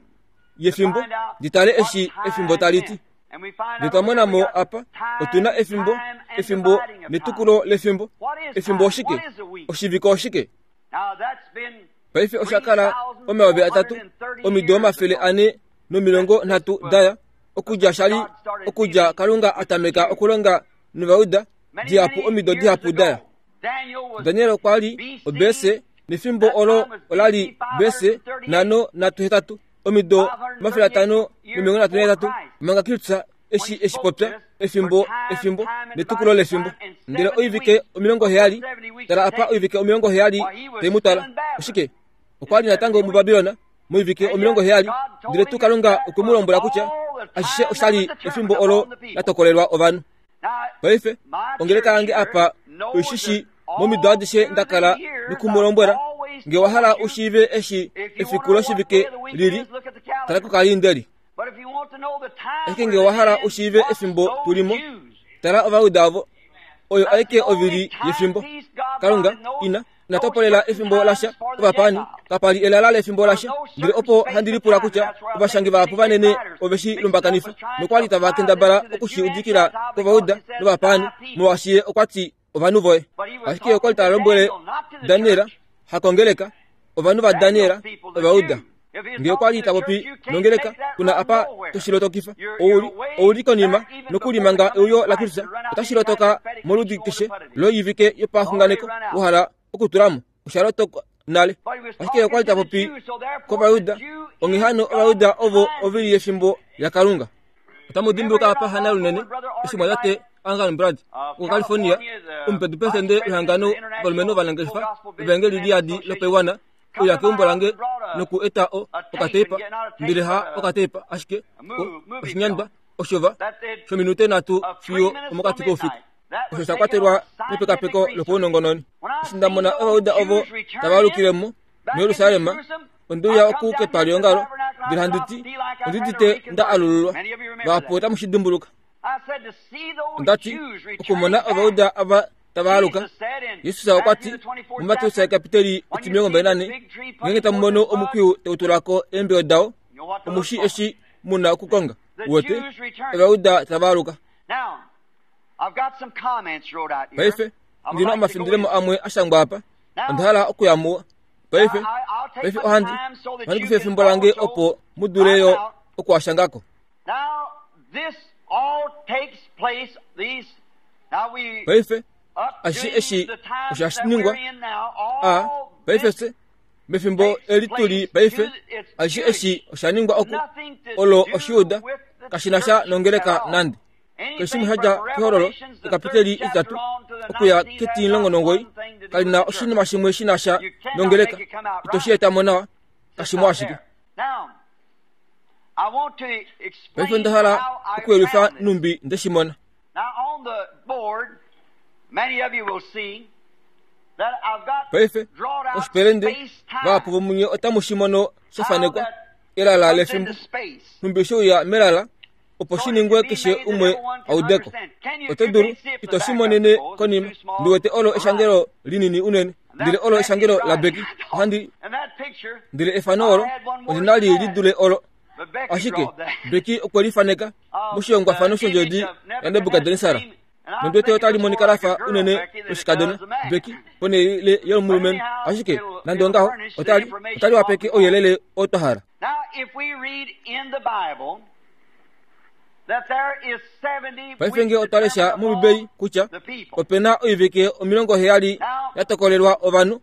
yefimbo ndi tale eshi efimbo tali ti. Ndele twa mona mo apa, otu na efimbo, efimbo netukulo lefimbo. Efimbo oshike? Oshivike oshike? Paife osha kala 3000 omido 430 daya okudja sha li okudja Kalunga a tameka okulonga nOvayuda dihapu omido dihapu daya. Daniel okwa li obese nefimbo olo ola li bese 538 omido 538 manga Kristus eshi eshi popya efimbo efimbo netukulo lefimbo. Ndele oivike 70, tala apa oivike 70 tai mu twala. Oshike? Okwa li natango muBabilon moivike 70, ndele tuu Kalunga okwe mu lombwela kutya ashishe osha li efimbo olo la tokolelwa ovanhu. Paife, ongeleka yange apa oi shi shii. Momido adishe nda kala noku mu lombwela, nge wa hala u shiive eshi efiku loshivike li li, tala kokalindeli. Ashike nge wa hala u shiive efimbo tu li mo, tala Ovajuda ovo. Oyo aike ovili yefimbo. Kalunga ina ina topolela efimbo lasha ovapaani, kapa li elala lefimbo lasha. Ndele opo handi lipula kutya ovashangi vahapu vanene ove shi lumbakanifa nokwa li tava kendabala oku shi udikila kOvajuda novapaani, molwaashi ye okwa ti ovanhu voye. Ashike okwa li ta lombwele Daniel, hakongeleka, ovanhu vaDaniel, Ovajuda. Nge okwa li ta popi nongeleka, kuna apa to shi lotokifa. Ou, ou li konima, nokuli manga euyo laKristus, otashi lotoka moludi keshe loivike yopaxunganeko wa hala okutula mo. Osha lotoka nale. Ashike okwa li ta popi kOvajuda, onghee hano Ovajuda ovo ovili yefimbo yaKalunga. Otamu dimbuluka apa hana lunene eshi mwatate Angan Brad wokuCalifornia, omupedupresidente wehangano valumenhu ovanangeshefa evaengeli liyadi lopaiwana, uya keumbo lange noku eta o okateipa, ndele ha okateipa ashike oshinyandwa osho va shominute nhatu fiyo omokati koufiku osho sha kwatelwa mepekapeko lopaunongononi. Eshi nda mona Ovajuda ovo tava alukile mo muJerusalem, onde uya oku ketwaliongalo ndele handi ti, Ondi udite nda alululwa. Vahapu otamu shi dimbuluka. Onda ti, Okumona Ovajuda ava tava aluka. Jesus okwa ti muMateus kapiteli 24, ngeenge tamu mono omukwiyu tau tula ko eembeyo dao, omu shi eshi mu na okukonga. Uwete, Ovajuda tava aluka. Paife, ndi na omafindilemo amwe a shangwa apa. Onda hala okuya muo. Paife, paife ohandi, ohandi kufa efimbo lange opo mu dule yo oku a shanga ko. Paife, ashishe eshi osho hashi ningwa, a, paife fye, mefimbo eli tu li paife, ashishe eshi osha ningwa oku, olo Oshiuda, kashi na sha nongeleka nande. Keshe shimwe sha dja kehololo ekapiteli etitatu okuya ketimulongo nomugoyi kali na oshinima shimwe shi na sha nongeleka. Ito shi eta mo nawa, kashi mo ashike. Paife onda hala okuyelifa nhumbi nde shi mona. Paife, koshipelende, vahapu vomunye otamu shi mono sha fanekwa, elala lefimbo, nhumbi she uya melala, opo shi ningwe keshe umwe a ude ko. Oto dulu, ito shi monene konima. Ndi wete olo eshangelo linini unene, ndele olo eshangelo laBecky. Ohandi, ndele efano olo, ondi na li li dule olo. Ashike, Becky okwe li faneka moshihongwafano shondjodi yaNebukadnesar. Nondi wete otali monika la fa unene loshikadona, Becky, ponhele yomulumenhu. Ashike, nande ongaho, otali, otali wapeke ouyelele oo twa hala. Paife nge otwa lesha mOmbibeli kutya ope na oivike 70 ya tokolelwa ovanhu,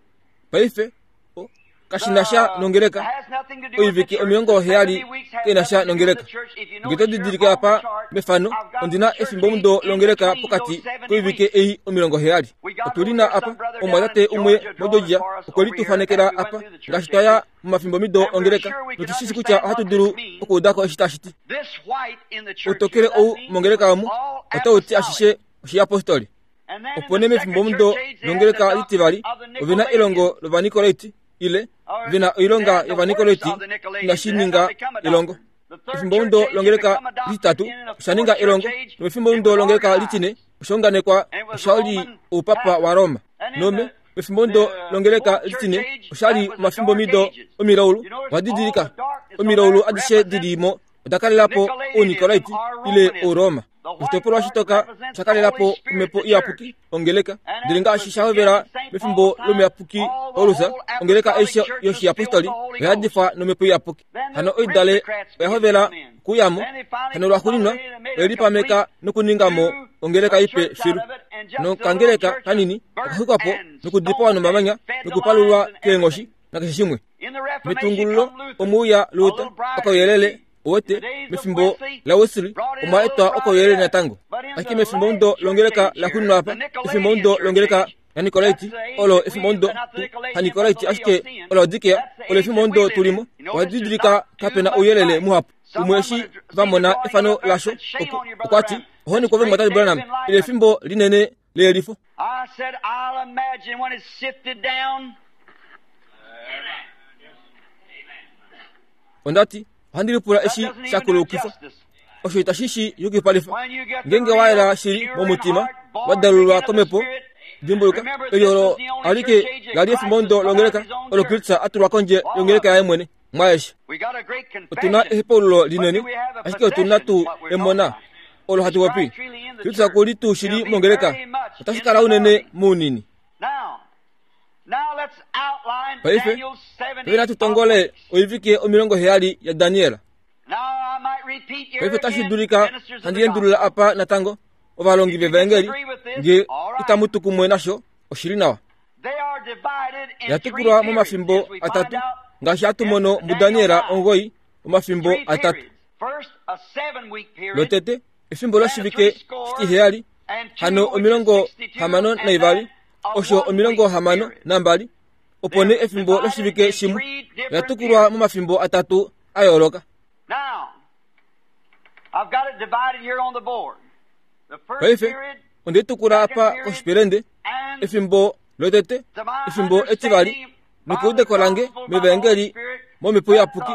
paife kashi na sha nongeleka. Oivike 70 kai na sha nongeleka. Nge to didilike apa mefano, ondi na efimbomudo longeleka pokati koivike ei 70. Otu li na apa omumwatate umwe moGeorgia okwe li tu fanekela apa ngaashi twa ya momafimbomido ongeleka notu shi shi kutya ohatu dulu okuuda ko eshi tashi ti. Outokele ou mongeleka omu otau ti ashishe oshiyapostoli. Opo nee mefimbomudo longeleka litivali ove na elongo lOvanikolaiti ile ve na oilonga yOvanikolaiti inashi ninga elongo. Efimbomudo longeleka lititatu osha ninga elongo, nomefimbomudo longeleka litine osha unganekwa osha li oupapa waRoma. Nome Pefimbomudo longeleka litine osha li omafimbomido omilaulu. Owa didilika omilaulu adishe di li mo oda kalela po Ounikolaiti ile Ouroma. Oshitopolwa shitoka osha kalela po omhepo iyapuki, ongeleka. Ndele ngaashi sha hovela mefimbo lomuyapuki Paulus, ongeleka aishe yoshiyapostoli oya yadifwa nomhepo iyapuki. Hano oidale oya hovela okuuya mo, hano lwaxuuninwa oye lipameka nokuninga mo ongeleka ipe filu. Nokangeleka kanini oka xwikwa po nokudipawa nomamanya nokupalulwa keenghoshi nakeshe shimwe. Metungululo omwe uya Luther, okauyelele, uwete, mefimbo laWesley omwa etwa okauyelele natango. Ashike mefimbomudo longeleka laxuuninwa apa, efimbomudo longeleka laNikolaiti, olo efimbomudo haNikolaiti ashike oLaodikea, olo efimbomudo tu li mo. Owa didilika kape na ouyelele muhapu. Umwe eshi va mona efano lasho, okwa ti, Ohoni kwove Mwatate Branham, ele efimbo linene leyelifo.
I said, I'll imagine when it's sifted down.
Onda ti, ohandi lipula eshi sha kulukifwa. Osho itashi shi yukipalifa. Ngeenge wa yela shili momutima, wa dalulwa komhepo, dimbuluka, eli olo alike la li efimbo longeleka olo Kristus a tulwa kondje yongeleka yaye mwene. Mwaeshi otu na ehepaululo linene, ashike otu na tuu emona olo hatu popi. Kristus oku li tuu shili mongeleka, otashi kala unene mounini. Paife, paife natu tongole oivike 70 yaDaniel. Paife otashi dulika handi endulula apa natango ovalongi vevaengeli, nge itamu tu kumwe nasho, oshi li nawa. Yatukulwa momafimbo atatu, ngaashi hatu mono muDaniel 9, omafimbo atatu. Lotete, efimbo loshivike shitiheyali, hano 62, osho 62, opo nee efimbo loshivike shimwe. Yatukulwa momafimbo atatu a yooloka. Paife, onde tukula apa koshipelende, efimbo lotete, efimbo etivali, nokeudeko lange mevaengeli momhepo iyapuki,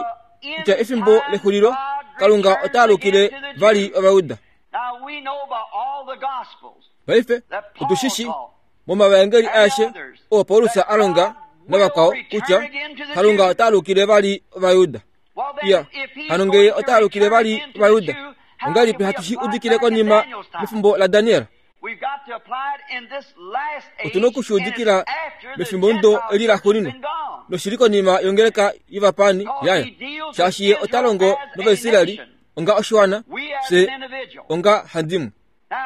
kutya efimbo lexulilo Kalunga ota alukile vali Ovayuda. Paife, otu shi shii momavaengeli aeshe oo Paulus a longa navakwao kutya Kalunga ota alukile vali Ovayuda. Iya, hano ngee ota alukile vali Ovayuda, ongahelipi hatu shi udikile konima mefimbo laDaniel? Otu na oku shi udikila mefimbomudo eli laxuuninwa, noshi li konima yongeleka yovapaani yaya, shaashi ye ota longo nOvaisraeli onga oshiwana, fye onga handimwe.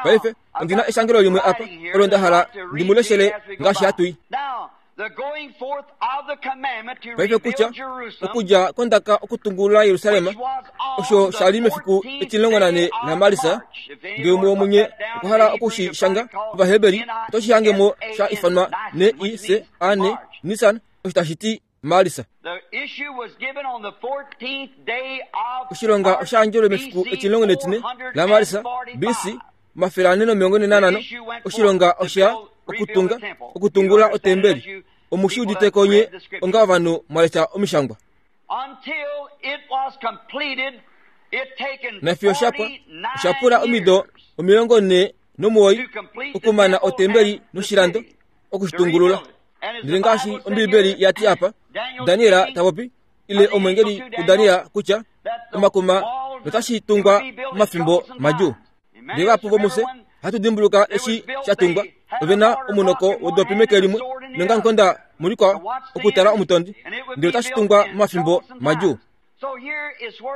Paife, ondi na eshangelo limwe apa olo nda hala ndi mu leshele ngaashi hatu i. Paife kutya okudja kondaka okutungulula Jerusalem, osho sha li mefiku 14 laMarsa, ngee umwe womunye okwa hala oku shi shanga Ovaheberi, oto shi hange mo sha ifanwa N-I-S-A-N, Nisan, osho tashi ti Marsa. Oshilonga osha yandjelwe mefiku 14 laMarsa, BC 445, oshilonga osha okutunga, okutungula otembeli. Omu shi udite ko nye onga ovanhu mwa lesha omishangwa. Nafiyo sha pwa, osha pula omido 49 okumana otembeli noshilando oku shi tungulula. Ndele ngaashi Ombiibeli ya ti apa, Daniel ta popi, ile omwengeli kuDaniel kutya omakuma notashi tungwa momafimbo madjuu. Ndele vahapu vomufye ohatu dimbuluka eshi sha tungwa, ove na omunoko wodopi meke limwe nongankonda mulikwao okutala omutondi, ndele otashi tungwa momafimbo madjuu.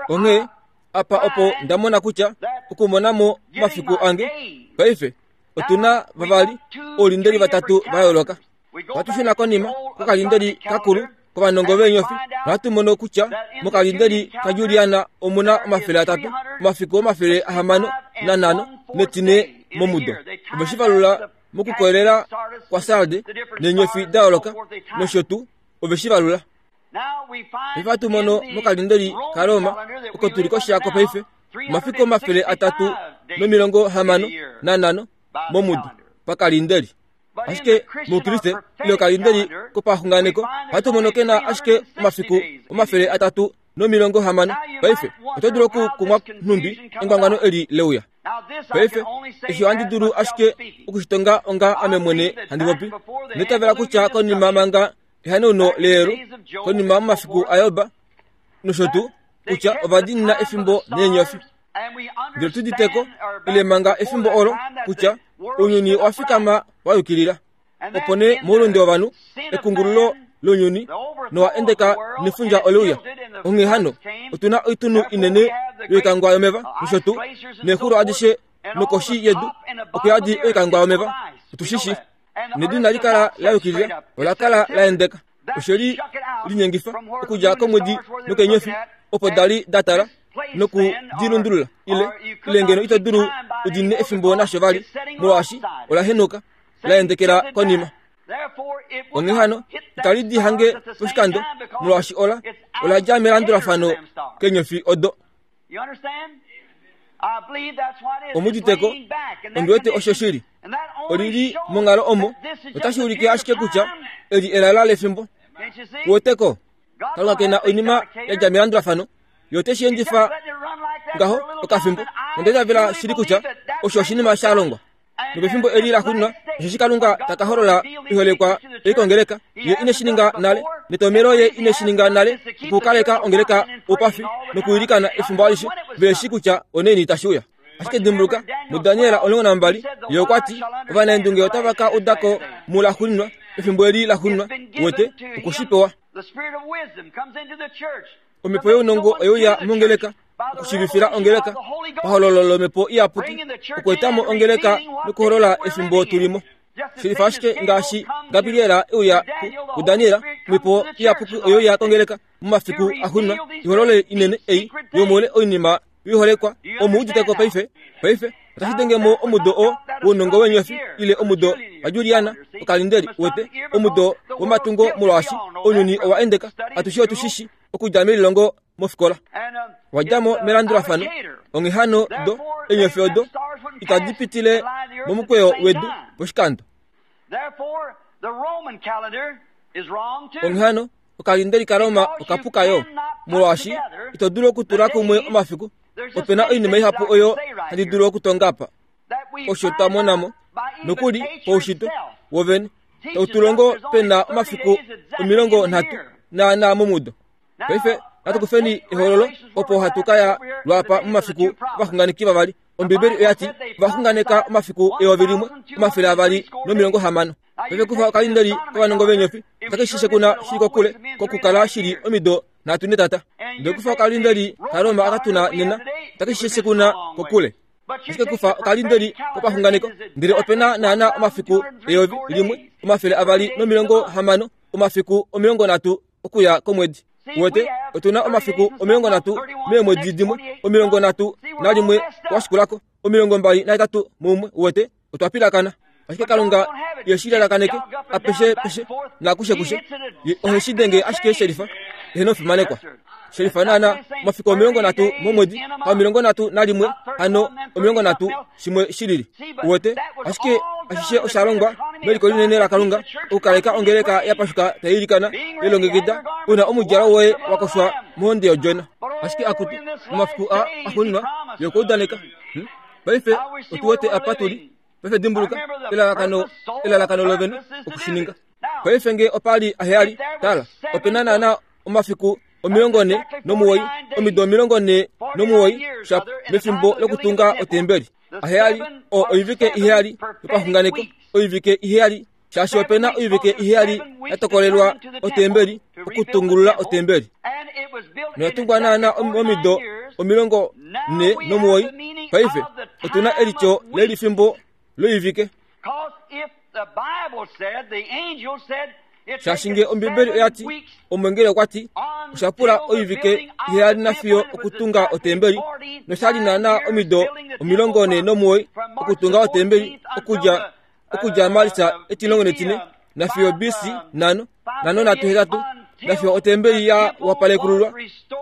Onghee apa opo nda mona kutya okumona mo omafiku ange paife otu na vavali oulindeli vatatu va yooloka. Ohatu shuna konima kokalindeli kakulu kovanongo veenyofi nohatu mono kutya mokalindeli kaJuliana omu na 300, omafiku 605 netine momudo. Ove shi valula mokukolelela kwaSarde neenyofi da yooloka nosho tuu, ove shi valula. Paife ohatu mono mokalindeli kaRoma oko tu li koshi yako paife, omafiku 365 momudo pakalindeli. Ashike mOukriste ile okalindeli kopaxunganeko ohatu mono ke na ashike omafiku 360. Paife oto dulu okukumwa nhumbi engwangwano eli leuya. Paife eshi ohandi dulu ashike okushitonga onga ame mwene handi popi. Onda itavela kutya konima manga ehanauno leyelu, konima momafiku aJob nosho tuu, kutya ova diinina efimbo neenyofi. Ndele tu udite ko, ile manga efimbo olo, kutya ounyuni owa fikama wa yukilila. Opo nee moulunde wovanhu, ekungululo lounyuni nowa endeka nefundja ole uya. Onghee hano, otu na oitunhu inene yoikangwa yomeva nosho tuu, neexulo adishe nokoshi yedu oku yadi oikangwa yomeva. Otu shi shii. Nedu inali kala la yukilila, ola kala la endeka. Oshe li linyengifa okudja komwedi nokeenyofi opo da li da tala noku di lundulula, ile, ile ngeno ito dulu u diinine efimbo nasho vali, molwaashi ola henuka, la endekela konima. Onghee hano, itali di hange poshikando, molwaashi ola, ola dja melandulafano keenyofi odo. Omu udite ko? Ondi wete osho shili. Oli li monghalo omo otashi ulike ashike kutya eli elala lefimbo. Uweteko? Kalunga ke na oinima ya dja melandulafano. Ye ote shi endifa ngaho okafimbo. Onda itavela shili kutya osho oshinima sha longwa. Nopefimbo eli la xuninwa, osheshi Kalunga ta ka holola oiholekwa ei kongeleka, Ye ine shi ninga nale, netomhelo Ye ine shi ninga nale, okukaleka ongeleka oupafi nokuilikana efimbo alishe, ve shii kutya onaini tashi uya. Ashike dimbuluka, muDaniel 12, Ye okwa ti, Ovanaendunge otava ka uda ko mulaxuninwa, efimbo eli laxuninwa, uwete, oku shi pewa. Omhepo younongo oye uya mongeleka okushivifila ongeleka pahololo lomhepo iyapuki okueta mo ongeleka nokuholola efimbo tu li mo. Shilifa ashike ngaashi Gabriel e uya kuDaniel, omhepo iyapuki oye uya kongeleka momafiku axuuninwa i holole inene ei yomoule oinima yoiholekwa. Omu udite ko paife? Paife otashi denge mo omudo oo wounongo weenyofi ile omudo waJuliana okalindeli, uwete, omudo womatungo molwaashi ounyuni owa endeka. Atushe otu shi shi okudja melilongo mofikola. Wa dja mo melandulafano, onghee hano do eenyofi odo itadi pitile momukweyo wedu poshikando. Onghee hano okalindeli kaRoma oka puka yo, molwaashi ito dulu okutula kumwe omafiku. Ope na oinima ihapu oyo handi dulu okutonga apa. Osho twa mona mo, nokuli poushitwe wovene, tau tu longo pe na omafiku 30 naanaa momudo. Paife natu kufeni ehololo opo hatu ka ya lwaapa momafiku ovaxunganeki vavali. Ombibeli oya ti ovaxunganeka omafiku 1260. Paife kufa okalindeli kovanongo veenyofi otake shi shekuna shili kokule kokukala shili omido nhatu netata. Ndele kufa okalindeli kaRoma aka tuna nena otake shi shekuna kokule. Ashike kufa okalindeli kopaxunganeko ndele ope na naana omafiku 1260 omafiku 30 okuya komwedi. Uwete, otu na omafiku 30 meemwedi dimwe, 31 washikulako, 28 muumwe. Uwete, otwa pilakana. Ashike Kalunga ye shi lalakaneke apeshe peshe nakushe kushe. Ye ohe shi denge ashike shelifa, eheno fimanekwa. Shelifa naana omafiku 30 momwedi, ha 31, hano 30 shimwe shi lili. Uwete, ashike ashishe osha longwa meliko linene laKalunga okukaleka ongeleka ya pashuka tai ilikana, lilongekida, u na omudjalo woye wa koshwa mohonde yOdjona. Ashike akutu, momafiku aa axuuninwa, Ye okwa udaneka. Hmm? Paife otu wete apa tu li. Paife dimbuluka, elalakano, elalakano lovene oku shi ninga. Paife nge opa li aheyali, tala, ope na naana omafiku 49, omido 49 sha mefimbo lokutunga otembeli. Aheyali, o oivike iheyali yopaxunganeko, oivike iheyali, shaashi ope na oivike iheyali ya tokolelwa otembeli, okutungulula otembeli. Noya tungwa naana omido 49. Paife otu na elityo lelifimbo loivike. Shaashi nge Ombibeli oya ti, omwengeli okwa ti, osha pula oivike iheyali nafiyo okutunga otembeli, nosha li naana omido 49 okutunga otembeli okudja okudja Marsa 14 nafiyo BC 5 5 38 nafiyo otembeli ya wapalekululwa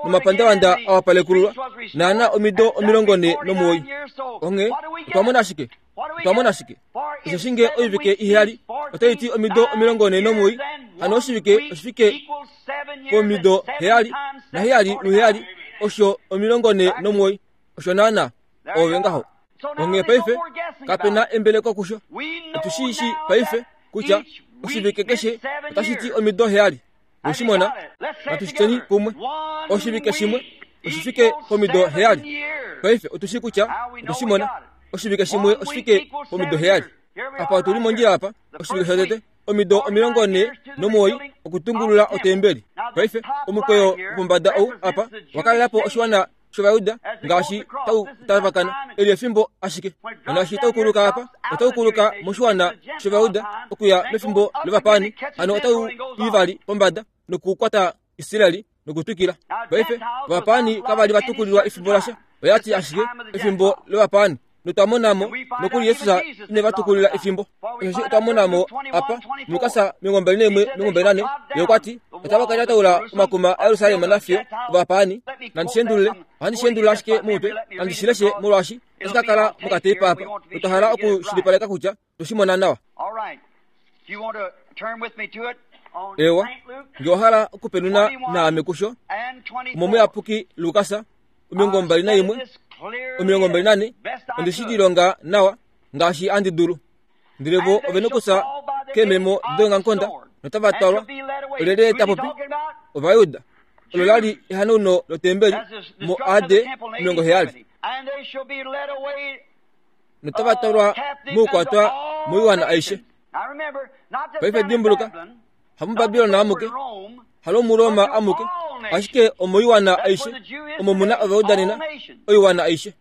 nomapandavanda a wapalekululwa naana omido 49. Onghee otwa mona shike? Otwa mona shike? Osheshi nge oivike iheyali otai ti omido 49, hano oshivike oshifike pomido heyali, naheyali luheyali osho 49. Osho naana ove ngaho. Onghee paife kape na embeleko kusho. Otu shi shii paife kutya oshivike keshe otashi ti omido heyali. We shi mona? Natu shi tyeni kumwe. Oshivike shimwe oshi fike pomido heyali. Paife otu shii kutya otwe shi mona. Oshivike shimwe oshi fike pomido heyali. Apa otu li mondjila apa, oshivike shotete, omido 49 okutungulula otembeli. Paife omukweyo wopombada ou apa wa kalela po oshiwana shOvayuda ngaashi tau tavakana eli efimbo ashike. Naashi tau kuluka apa, otau kuluka moshiwana shOvayuda okuya mefimbo lovapaani, hano otau i vali pombada nokukwata Israel nokutwikila. Paife, ovapaani kava li va tukulilwa efimbo lasha, oya ti ashike efimbo lovapaani. Notwa mona mo nokuli Jesus ine va tukulila efimbo. Osheshi otwa mona mo apa muLukas 21:24, ye okwa ti, Otava ka lyataula omakuma aJerusalem nafiyo ovapaani. Nandi shi endulule, ohandi shi endulula ashike momutwe, nandi shi leshe molwaashi. Otashi ka kala mokateipa apa, notwa hala okushilipaleka kutya otwe shi mona nawa. Eewa, nge owa hala okupenuna naame kusho, omomuyapuki Lukas 21, 24, onde shi lilonga nawa ngaashi handi dulu. Ndele vo ove nokufya keememo deongamukonda notava twalwa. Olyelye ta popi? Ovajuda. Olo la li ehanauno lotembeli moAD 70. Notava twalwa moukwatwa moiwana aishe. Paife dimbuluka, hamuBabilon amuke, halomuRoma amuke, ashike omoiwana aishe omo mu na Ovajuda nena, oiwana aishe.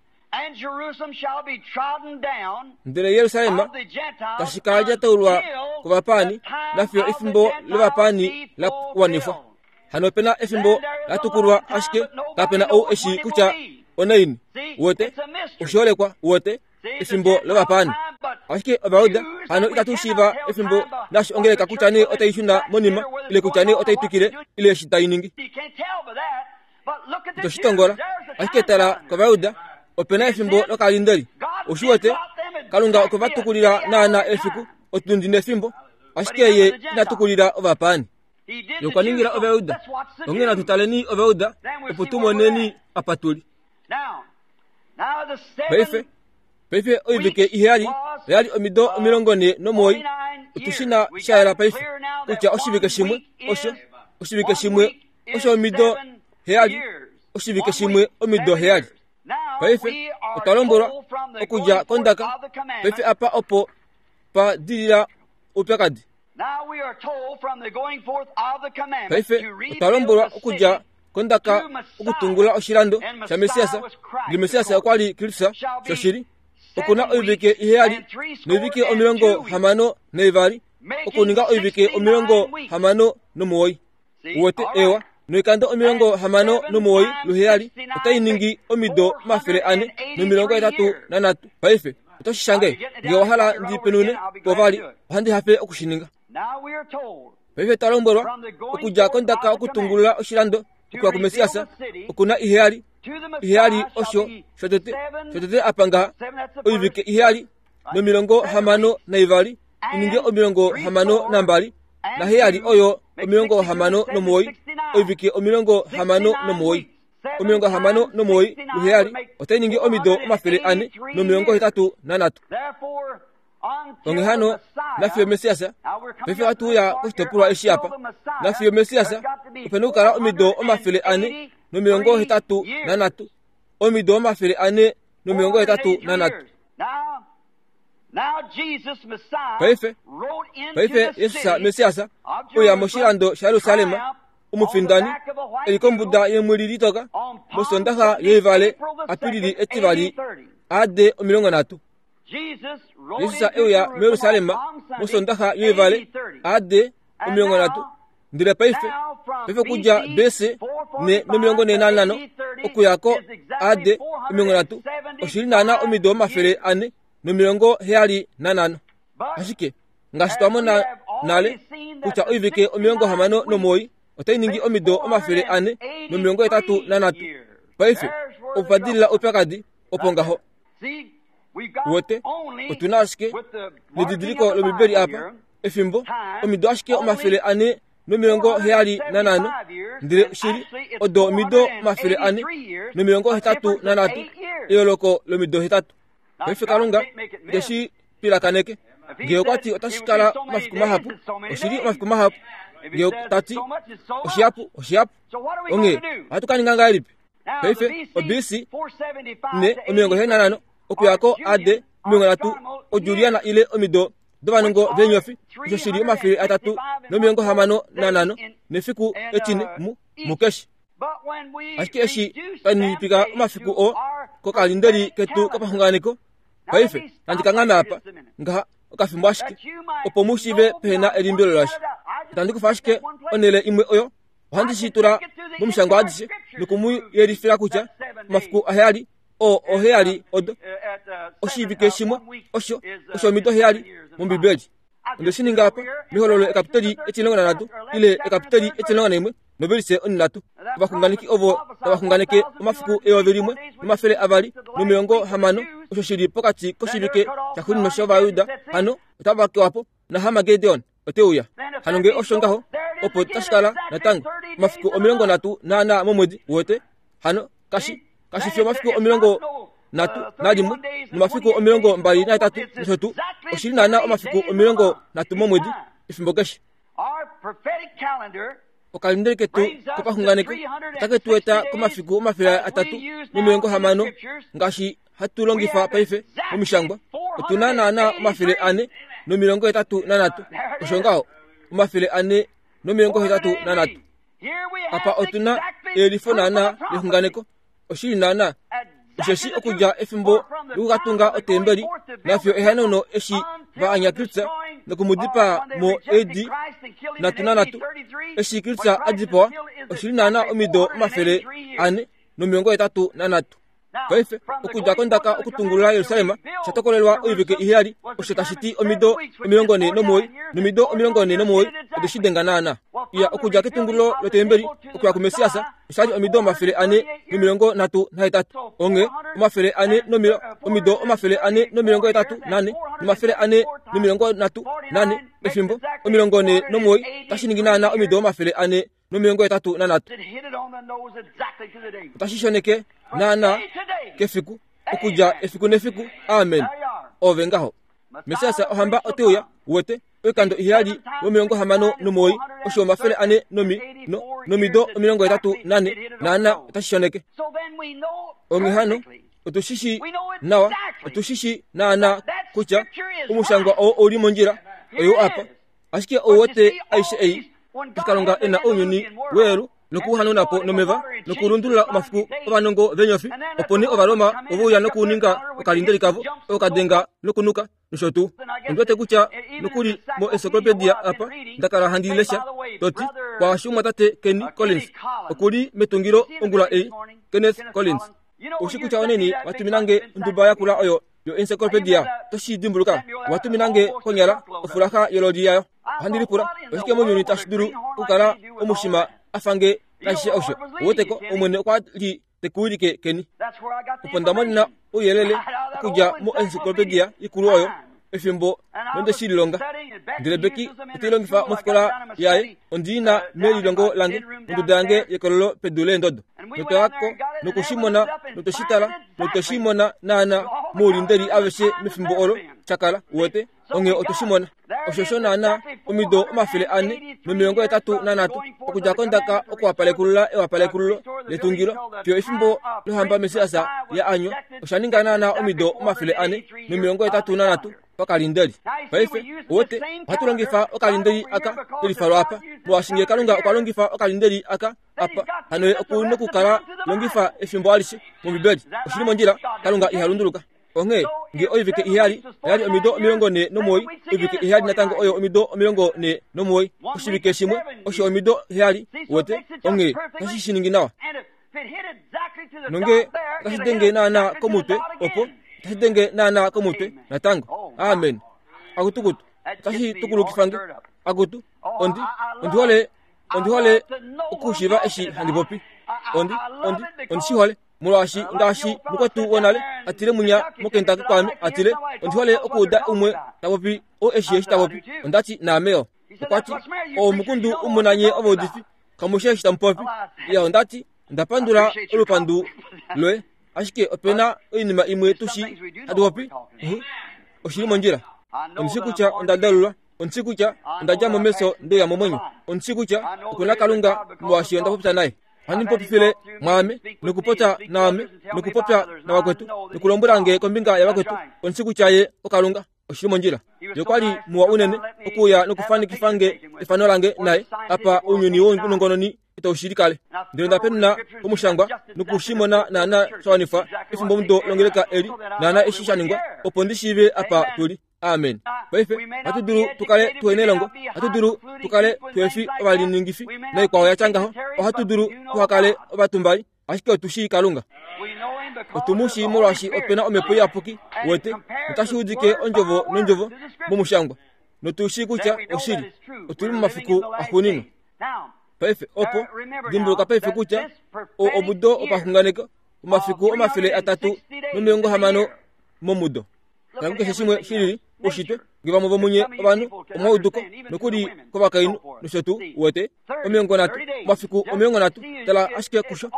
Ndele Jerusalem tashi kala lyataulwa kovapaani nafiyo efimbo lovapaani la wanifwa. Hano ope na efimbo la tukulwa ashike kape na ou eshi kutya onaini. Uwete? Oshiholekwa, uwete, efimbo lovapaani. Ashike Ovajuda hano itatu shiiva efimbo naashi ongeleka kutya nee otai shuna monima ile kutya nee otai twikile ile eshi tai ningi. Ito shi tongola. Ashike tala kOvayuda, ope na efimbo lokalindeli. Ou shi wete? Kalunga okwe va tukulila naana efiku, otundi nefimbo, ashike Ye ina tukulila ovapaani. Ye okwa ningila Ovayuda. Onghee natu taleni Ovayuda opo tu moneni apa tu li. Paife, paife oivike iheyali oya li omido 49. Otu shi na sha yela paife kutya oshivike shimwe osho oshivike shimwe osho omido heyali, oshivike shimwe omido heyali. Paife otwa lombwelwa okudja kondaka, paife apa opo pa dilila oupyakadi. Paife otwa lombwelwa okudja kondaka okutungula oshilando shaMessias, ndele Messias okwa li Kristus shoshili. Oku na oivike iheyali noivike 62 okuninga oivike 69. Uwete, ewa, noikando 69 luheyali otai ningi omido 483. Paife, oto shi shange? Nge owa hala ndi penune po vali, ohandi hafe oku shi ninga. Paife twa lombwelwa, okudja kondaka okutungulula oshilando okuya kuMessias, oku na iheyali, iheyali osho shotete, shotete apa ngaha, oivike iheyali no62 i ninge 62, naheyali oyo 69, oivike 69. 69 luheyali otai ningi omido 483. Onghee hano, nafiyo Messias, paife ohatu uya koshitopolwa eshi apa, nafiyo Messias, ope na okukala omido 483, omido 483. Paife, paife Jesus Messias uya moshilando shaJerusalem, omufindani, e li kombuda yemwili litoka, mosondaxa yoivale Apilili etivali AD 30. Jesus e uya muJerusalem mosondaxa yoivale AD 30. Ndele paife, paife okudja BC 445 okuya ko AD 30 oshi li naana omido 475. Ashike ngaashi twa mona nale kutya oivike 69 otai ningi omido 483. Paife opa dilila oupyakadi opo ngaho. Wete, otu na ashike nedidiliko lOmbibeli apa, efimbo, omido ashike 475, ndele shili odo omido 483, eyooloko lomido hetatu. Paife Kalunga te shi pilakaneke. Nge okwa ti otashi kala omafiku mahapu, oshi li omafiku mahapu. Nge ta ti oshihapu, oshihapu. Onghee ohatu ka ninga ngahelipi? Paife oBC 475 okuya ko AD 30 oJuliana ile omido dovanongo veenyofi osho shi li 365 nefiku etine mu mukeshi. Ashike eshi twa ninipika omafiku oo kokalindeli ketu kopaxunganeko, paife nandi kanghame apa ngaha okafimbo ashike opo mu shiive pehe na elimbilo lasha. Itandi kufa ashike onhele imwe oyo Ohandi shi tula momushangwa adishe noku mu yelifila kutya omafiku aheyali oo oheyali odo oshivike shimwe osho osho omido heyali mOmbibeli. Onde shi ninga apa mehololo ekapiteli etimulongo nanhatu ile ekapiteli 11 novelise onhinhatu. Ovaxunganeki ovo tava xunganeke omafiku 1260 osho shi li pokati koshivike shaxuuninwa shOvayuda, hano otava kewa po, naHarmagedon ote uya. Hano nge osho ngaho, opo tashi kala natango omafiku 34 momwedi wotete, hano kashi kashi fi omafiku 31 nomafiku 28 nosho tuu, oshi li naana omafiku 30 momwedi, efimbo keshe. Okalindeli ketu kopaxunganeko otake tu eta komafiku 360 ngaashi hatu longifa paife momishangwa. Otu na naana 483, osho ngaho, 483. Apa otu na eyelifo naana lexunganeko, oshili naana, osheshi okudja efimbo lokukatunga otembeli nafiyo ehanauno eshi va anya Kristus noku mu dipaa mo AD 33, eshi Kristus a dipawa, oshili naana omido 483. Paife, okudja kondaka okutungulula Jerusalem osha tokolelwa oivike iheyali, osho tashi ti omido 49, nomido 49 ode shi denga naana. Iya, okudja ketungululo lotembeli okuya kuMessias osha li omido 438. Onghee omido 484 nomathele 434 efimbo 49 otashi ningi naana omido 483. Otashi shoneke naana kefiku, okudja efiku nefiku. Amen. Ove ngaho. Messias ohamba ote uya, uwete, oikando iheyali lwo69, osho 400 nomi, no, nomido 84, naana otashi shoneke. Onghee hano, otu shi shii nawa, otu shi shii naana kutya omushangwa oo ou li mondjila, oyou apa. Ashike ou wete aishe ei, eshi Kalunga e na ounyuni weelu nokuuhanauna po nomeva nokulundulula omafiku ovanongo veenyofi, opo nee Ovaroma ove uya nokuninga okalindeli kavo oko ka denga nokunuka nosho tuu. Ondi wete kutya nokuli moencyclopedia apa nda kala handi lesha, to ti, Kwaasho omumwatate Kenny Collins oku li metungilo ongula ei, Kenneth Collins. Ou shi kutya oneni wa tumina nge onduba yakula oyo yoencyclopedia? Oto shi dimbuluka? Wa tumina nge konyala ofulaxa yololi yayo. Ohandi lipula, oshike mounyuni tashi dulu okukala omushima a fa nge naashishe osho? Ou wete ko, Omwene okwa li te ku wilike keni. Opo nda monena ouyelele okudja moencyclopedia ikulu oyo, efimbo nonde shi lilonga. Ndele Becky ote i longifa mofikola yaye. Ondi i na melilongo lange, monduda yange yekololo pedu leendodo. Notwa ya ko noku shi mona notwe shi tala notwe shi mona naana moulindeli aveshe mefimbo olo sha kala, uwete. Onghee otwe shi mona. Osho osho naana omido 483 okudja kondaka okuwapalekulula ewapalekululo letungilo fiyo efimbo lohamba Messias ya anywa, osha ninga naana omido 483 pakalindeli. Paife, uwete, ohatu longifa okalindeli aka kelifalwa apa, molwaashi nge Kalunga okwa longifa okalindeli aka apa, hano ye oku nokukala longifa efimbo alishe mOmbibeli. Oshi li mondjila, Kalunga iha lunduluka. Onghee, nge oivike iheyali oya li omido 49, oivike iheyali natango oyo omido 49. Oshivike shimwe osho omido heyali, uwete. Onghee, otashi shi ningi nawa. Nonge otashi denge naana komutwe, opo otashi denge naana komutwe natango. Amen. Akutukutu, otashi tukulukifa nge. Akutu, ondi, ondi hole, ondi hole okushiiva eshi handi popi. Ondi, ondi, ondi shi hole. Molwaashi ngaashi mukwetu wonale a tile munya moKentucky kwaame, a tile, Ondi hole okuuda umwe ta popi oo e shii eshi ta popi. Onda ti, Naame yo. Okwa ti, Oo omukundu u mu na nye ovaudifi, kamu shii eshi tamu popi. Iya, onda ti, Onda pandula olupandu loye, ashike ope na oinima imwe tu shii hatu popi. Uh-huh. Oshi li mondjila. Ondi shii kutya onda dalulwa. Ondi shii kutya onda dja mo mefyo nde uya momwenyo. Ondi shii kutya oku na Kalunga molwaashi onda popya naye. Ohandi mu popifile mwaame, nokupopya naame, nokupopya navakwetu, nokulombwela nge kombinga yavakwetu. Ondi shii kutya ye oKalunga. Oshi li mondjila. Ye okwa li muwa unene okuuya nokufanikifa nge efano lange naye apa ounyuni wounongononi itau shi likale. Ndele onda penuna pomushangwa noku shi mona naana sha wanifwa efimbomudo longeleka eli, naana eshi sha ningwa, opo ndi shiive apa tu li. Amen. Paife, ohatu dulu tu kale tuhe nelongo, ohatu dulu tu kale tuhe fi ovaliningifi naikwao ya tya ngaho, ohatu dulu tuha kale ovatumbali, ashike otu shii Kalunga. Otu mu shii molwaashi ope na Omhepo Iyapuki, wete, notashi udike ondjovo nondjovo momushangwa, notu shii kutya oshili. Otu li momafiku axuuninwa. Paife, opo, dimbuluka paife kutya oo omudo wopaxunganeko, omafiku 360. momudo. Tala kukeshe shimwe shilili, ushitwe, nge vamwe vomunye ovanhu omwa uduko, nokuli kovakainhu nosho tuu, uwete, 30, omafiku 30, tala ashike kusho,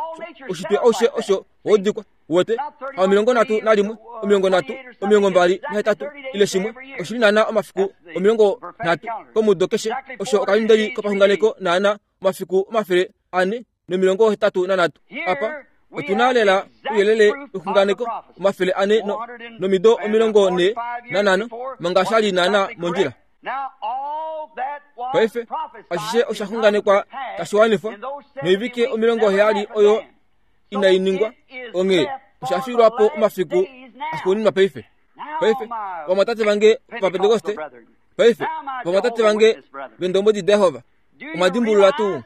ushitwe aushe osho waudikwa, uwete, ha 31, 30, 28 ile shimwe, oshili naana omafiku 30 komudo keshe, osho okalindeli kopaxunganeko naana omafiku 483. Apa otu na lela ouyelele wexunganeko 400 nomido 45 manga sha li naana mondjila. Paife ashishe osha xunganekwa tashi wanifwa noivike 70 oyo inai ningwa, onghee osha fiilwa po omafiku axuuninwa paife. Paife ovamwatate vange Ovapentekoste, paife ovamwatate vange vEndombwedi daJehova, omwa dimbulula tuu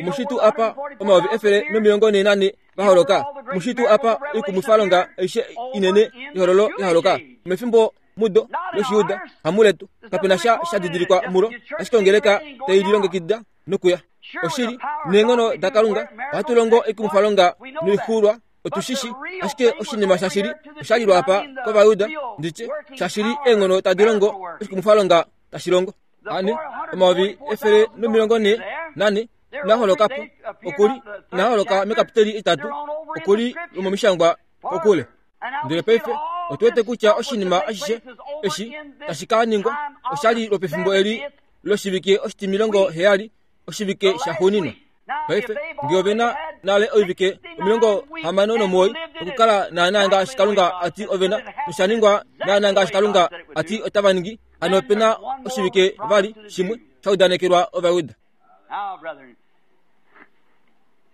omushitu apa 144 va holoka, omushitu apa oikumwifalonga aishe inene yehololo ya holoka mefimbo mudo lOshiyuda hamuletu, kape na sha sha didilikwa mulo, ashike ongeleka tai lilongekida nokuya. Oshili, neenghono daKalunga ohatu longo oikumwifalonga noixuulwa, otu shi shi, ashike oshinima shashili osha lilwa apa kOvayuda, nditye, shashili eenghono tadi longo oshikumwifalonga tashi longo. Ane, 1444 ina holoka po, okuli ina holoka mekapiteli itatu, okuli lomomishangwa kokule. Ndele paife otu wete kutya oshinima ashishe eshi tashi ka ningwa osha li lwopefimbo eli loshivike oshitimilongo heyali, oshivike shaxuuninwa. Paife nge ove na nale oivike 69 okukala naana ngaashi Kalunga a ti ove na, nosha ningwa naana ngaashi Kalunga a ti otava ningi, hano ope na oshivike vali shimwe sha udanekelwa Ovayuda.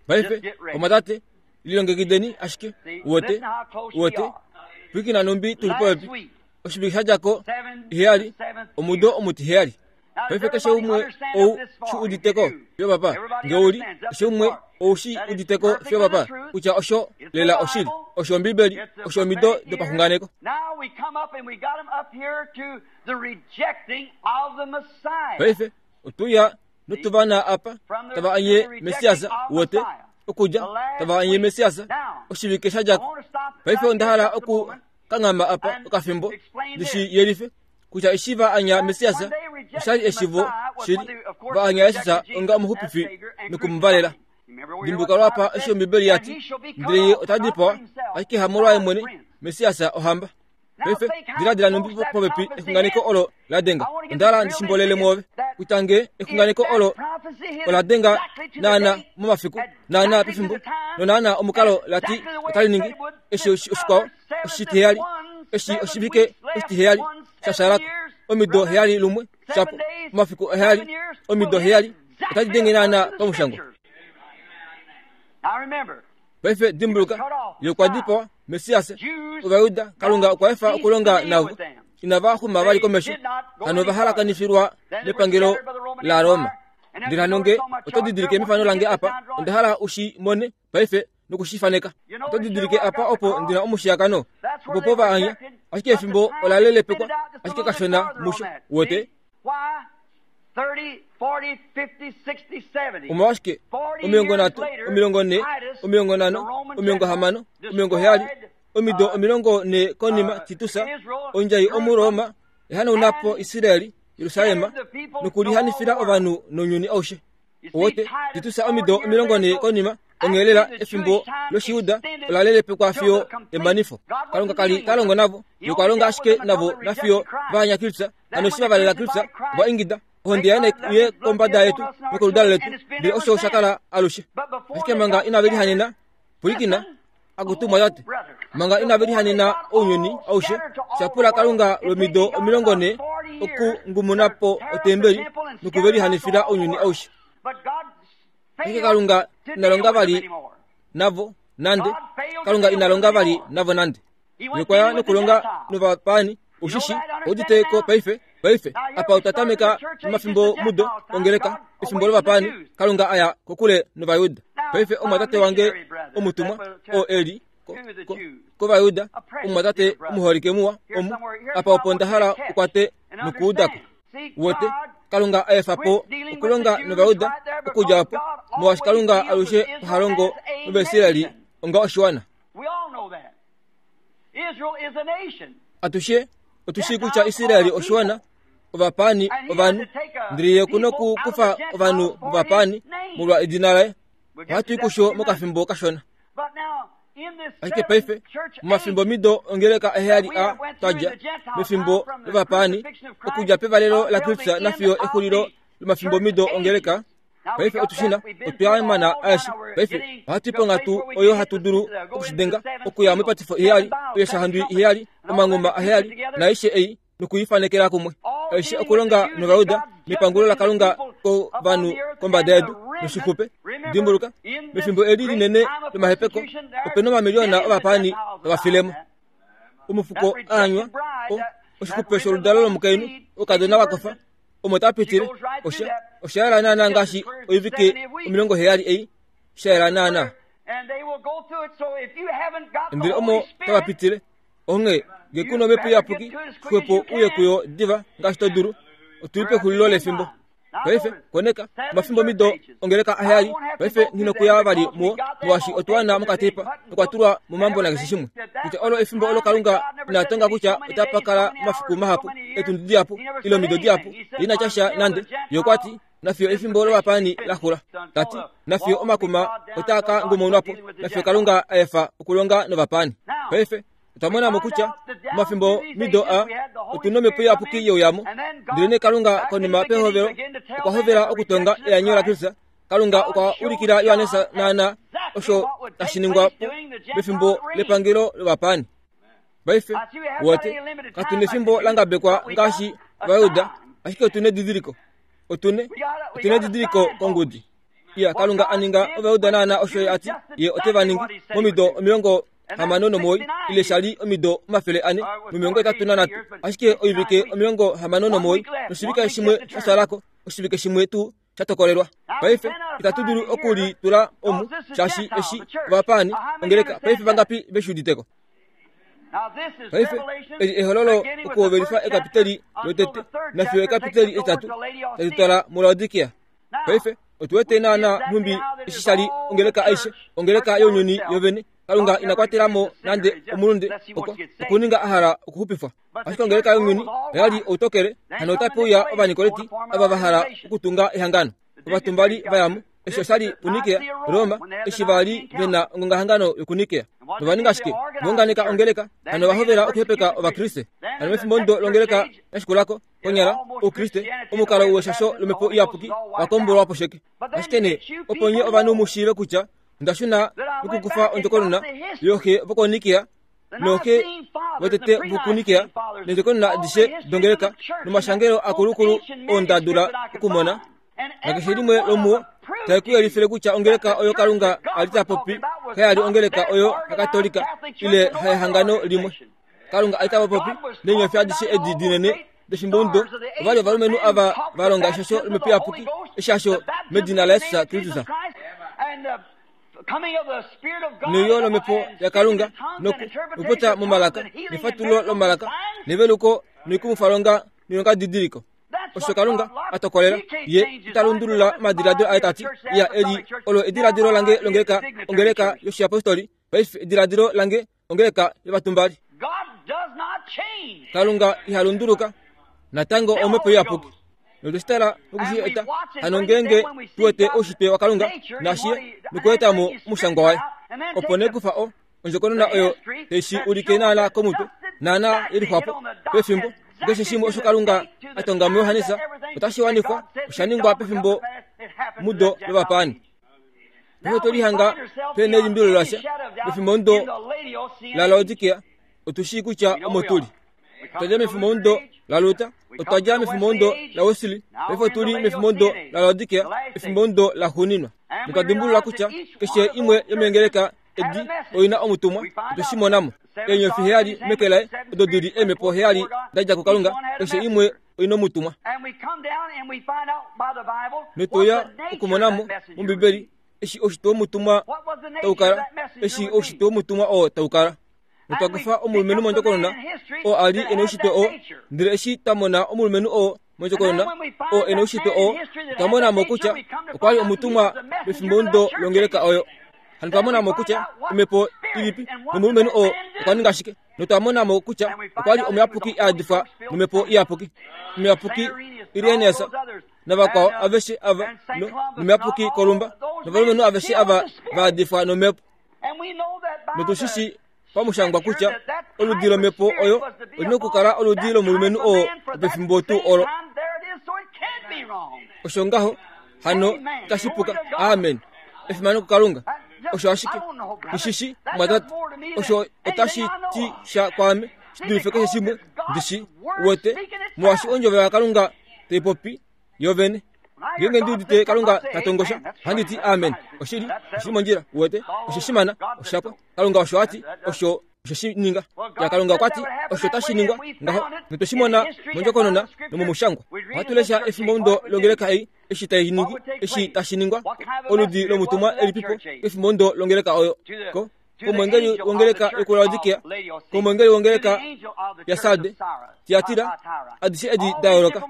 Paife, omwatate, lilongekideni ashike, uwete, uwete, pwiikina nhumbi tu li popepi. Oshivike sha dja ko, heyali, omudo omutiheyali. Paife keshe umwe ou shi udite ko, fiyo papa, nge u li, keshe umwe ou shi udite ko fiyo papa, kutya osho lela oshili, osho Ombibeli, osho omido dopaxunganeko. Paife otu ya notu va na apa tava anye Messias, wote, okudja tava anye Messias, oshivike sha dja ko. Paife onda hala oku kanghama apa okafimbo ndi shi yelife kutya eshi va anya Messias osha li eshivo shili, va anya Jesus onga omuxupifi noku mu valela. Dimbuka lwapa eshi Ombibeli ya ti, ndele ye ota dipawa, ashike hamolwaye mwene, Messias ohamba. Paife diladila nhumbi popepi exunganeko olo la denga. Onda hala ndi shimbolele mwoove kutya nge exunganeko olo ola denga naana momafiku, naana pefimbo, nonaana omukalo la ti otali ningi, eshi oshikwao oshitiheyali, eshi oshivike oshitiheyali sha shalako, omido heyali lumwe shapo, omafiku heyali, omido heyali, otadi denge naana pamushangwa. Paife dimbuluka, ye okwa dipawa, Messias, Ovajuda, Kalunga okwa efa okulonga navo. Inava xuma vali komesho, hano ova halakanifilwa nepangelo laRoma. Ndele hano nge oto didilike mefano lange apa, onda hala u shi mone paife noku shi faneka. Oto didilike apa opo ndi na omushiyakano, opo po va anya, ashike efimbo ola lelepekwa ashike kashona musho. Uwete? Omolwashike 30, 40, 50, 60, 70, omido 40 konima Titus, ondjai Omuroma, ehanauna po Israel, Jerusalem, nokulihanifila ovanhu nounyuni aushe. Owote, Titus omido 40 konima, onghee lela efimbo lOshijuda ola lelepekwa fiyo emanifo. Kalunga ka li ta longo navo, ye okwa longa ashike navo nafiyo va anya Kristus. Hano eshi va valela Kristus, ova ingida, Ohonde yaye nai uye kombada yetu nokoludalo letu. Ndele osho osha kala alushe. Ashike manga inave lihanena, pwilikina, akutu mwatate, manga inave lihanena ounyuni aushe, sha pula Kalunga lwomido 40 okungumuna po otembeli noku ve lihanifila ounyuni aushe. Ashike Kalunga ina longa vali navo nande. Kalunga ina longa vali navo nande. Ye okwa ya nokulonga novapaani. Ushishi, oudite ko paife, paife, apa otwa tameka nomafimbo mudo ongeleka, efimbo lovapaani, Kalunga a ya kokule nOvayuda. Paife omwatate wange omutumwa, oo e li ko, ko, kOvayuda, omumwatate omuholike muwa, omu, apa opo nda hala u kwate nokuuda ko. Uwete, Kalunga a efa po okulonga nOvayuda okudja opo, molwaashi Kalunga alushe oha longo nOvaisraeli onga oshiwana. Atushe otu shii kutya Israel oshiwana, ovapaani ovanhu, ndele ye oku nokukufa ovanhu vovapaani molwa edina laye. Ohatu i kusho mokafimbo kashona. Ashike paife, momafimbomido ongeleka aheyali a twa dja, mefimbo lovapaani, okudja pevalelo laKristus nafiyo exulilo lomafimbomido ongeleka, Paife otu shi na, otwa mana aeshe. Paife ohatu i ponghatu oyo hatu dulu okushidenga, okuya moipatifo iheyali, oiyaxahandwi iheyali, omanghuma aheyali, naaishe ei, noku i fanekela kumwe. Aishe okulonga nOvayuda mepangulo laKalunga kovanhu kombada yedu noshixupe. Dimbuluka, mefimbo eli linene lomahepeko, ope na omamiliyona ovapaani tava file mo. Omufuko a anywa, o, oshixupe sholudalo lomukainhu, okadona wa kofa, omo ta pitile osha osha yela naana ngaashi oivike 70 ei sha yela naana ndele omo tava pitile onghee nge ku na omhepo iyapuki xwepo uye kuyo diva ngaashi to dulu otu li pexulilo lefimbo paife koneka omafimbo mido ongeleka aheyali paife nghi nokuya vali muwo molwaashi otwa wana mokateipa nokwa tulwa momambo nakeshe shimwe kutya olo efimbo olo Kalunga ina tonga kutya otapa kala omafiku mahapu, etundi dihapu, ile omido dihapu, ye ina tya sha nande. Ye okwa ti, Nafiyo efimbo lovapaani la xula. Ta ti, Nafiyo omakuma otaa ka ngumaunwa po, nafiyo Kalunga a efa okulonga novapaani. Paife, otwa mona mo kutya momafimbo mido a otu nomhepo iyapuki yeuyamo. Ndelenee Kalunga konima pehovelo okwa hovela okutonga eanyo laKristus Kalunga okwa ulikila Johannes naana osho tashi ningwa po pefimbo lepangelo lovapaani. Paife, wote, katu nefimbo la ngabekwa ngaashi Ovajuda, ashike otu nedidiliko. Otu ne, otu nedidiliko kongudi. Iya, Kalunga a ninga Ovajuda naana osho ye a ti ye ote va ningi momido 69 ile sha li omido 483, ashike oivike 69 noshivike shimwe sha shala ko, oshivike shimwe tuu sha tokolelwa. Paife, itatu dulu oku li tula omu, shaashi eshi ovapaani, ongeleka, paife vangapi ve shi udite ko? Paife, eli ehololo okuhovelifa ekapiteli lotete nafiyo ekapiteli etitatu tali twala muLaodikia. Paife, otu wete naana nhumbi eshi sha li ongeleka aishe, ongeleka younyuni yovene. Kalunga ina kwatela mo nande omulunde oko okuninga a hala okuxupifwa. Ashike ongeleka younyuni oya li outokele, hano otape uya Ovanikoleti ava va hala okutunga ehangano. Ovatumbali va ya mo. Eshi osha li puNikea, Roma, eshi va li ve na ongongahangano yokuNikea. Nova ninga shike? Va unganeka ongeleka, hano va hovela okuhepeka Ovakriste. Hano mefimbo ndo longeleka ya shikula ko, konyala, Oukriste, omukalo weshasho lOmhepo Iyapuki wa kombolwa po sheke. Ashike nee, opo nye ovanhu mu shiive kutya onda shuna nokukufa ondjokonona yooxe vokoNikea, nooxe votete vokuNikea, neendjokonona adishe dongeleka, nomashangelo akulukulu oo nda dula okumona, nakeshe limwe lomuo tae ku yelifile kutya ongeleka oyo Kalunga a li ta popi kaya li ongeleka oyo yaKatolika ile hayehangano limwe. Kalunga a li ta popi neenyofi adishe edi dinene dofimbomudo ova li ovalumenhu ava va longa eshasho lomhepo iyapuki, eshasho medina laJesus Kristus. Neuyo lomhepo yaKalunga nokupopya momalaka nefatululo lomalaka neveluko noikumwifalonga noilongadidiliko. Osho Kalunga a tokolela, ye ita lundulula omadiladilo aye ta ti, Iya, eli olo ediladilo lange longeleka, ongeleka yoshiyapostoli, paife ediladilo lange ongeleka yovatumbali. Kalunga iha lunduluka natango omhepo iyapuki. Notwe shi tala noku shi eta hano ngeenge tu wete oushitwe waKalunga naashi nokueta mo omushangwa waye. Opo nee kufa o ondjokonona oyo tai shi ulike naana komutwe naana ye lixwapo pefimbo keshe shimwe osho Kalunga a tonga muJohannes otashi wanifwa osha ningwa pefimbo mudo lovapaani. Paife otwe lihanga pe nelimbililo lasha mefimbo ndo laLaodikea. Otu shii kutya omo tu li. Otwa dja mefimbo ndo laLuther, otwa dja mefimbo ndo laWesley, paife otu li mefimbo ndo laLaodikea, efimbo ndo laxuuninwa. Notwa dimbulula kutya keshe imwe yomeengeleka edi oi na omutumwa, otwe shi mona mo. Eenyofi heyali meke laye, odo di li eemhepo heyali da dja kuKalunga, keshe imwe oi na omutumwa. Notwe uya okumona mo mOmbibeli eshi oushitwe womutumwa tau kala, eshi oushitwe womutumwa oo tau kala. Notwa kufa omulumenhu mondjokonona oo a li e na oushitwe oo, ndele eshi twa mona omulumenhu oo mondjokonona oo e na oushitwe oo, otwa mona mo kutya okwa li omutumwa pefimbo ndo longeleka oyo. Hano twa mona mo kutya omhepo ilipi nomulumenhu oo okwa ninga shike. Notwa mona mo kutya okwa li omuyapuki a yadifwa nomhepo iyapuki. Omuyapuki Irenaeus navakwao aveshe ava nomuyapuki Kolumba novalumenhu aveshe ava va yadifwa nomhepo. Notu shi shii pamushangwa kutya oludi lomhepo oyo oli na okukala oludi lomulumenhu oo pefimbo tuu olo. Osho ngaho hano itashi puka. Amen. Efimano kuKalunga. Osho ashike nishishi mwatate. Osho otashi ti sha kwaame shi dulife keshe shimwe ndi shi wete, molwaashi ondjovo yaKalunga tai popi yo vene. Ngeenge ndi udite Kalunga ta tongosha, ohandi ti amen. Oshili, oshili mondjila, uwete, oshe shi mana, osha pwa. Kalunga osho a ti, osho oshe shi ninga. Ya Kalunga okwa ti, osho tashi ningwa ngaho, notwe shi mona mondjokonona nomomushangwa. Ohatu lesha efimbomudo longeleka ei, eshi tai ningi, eshi tashi ningwa, oludi lomutumwa elipipo kefimbomudo longeleka oyo. Ko, komwengeli wongeleka yokuLaodikea, komwengeli wongeleka yaSarde, Tiatira, adishe edi da yooloka.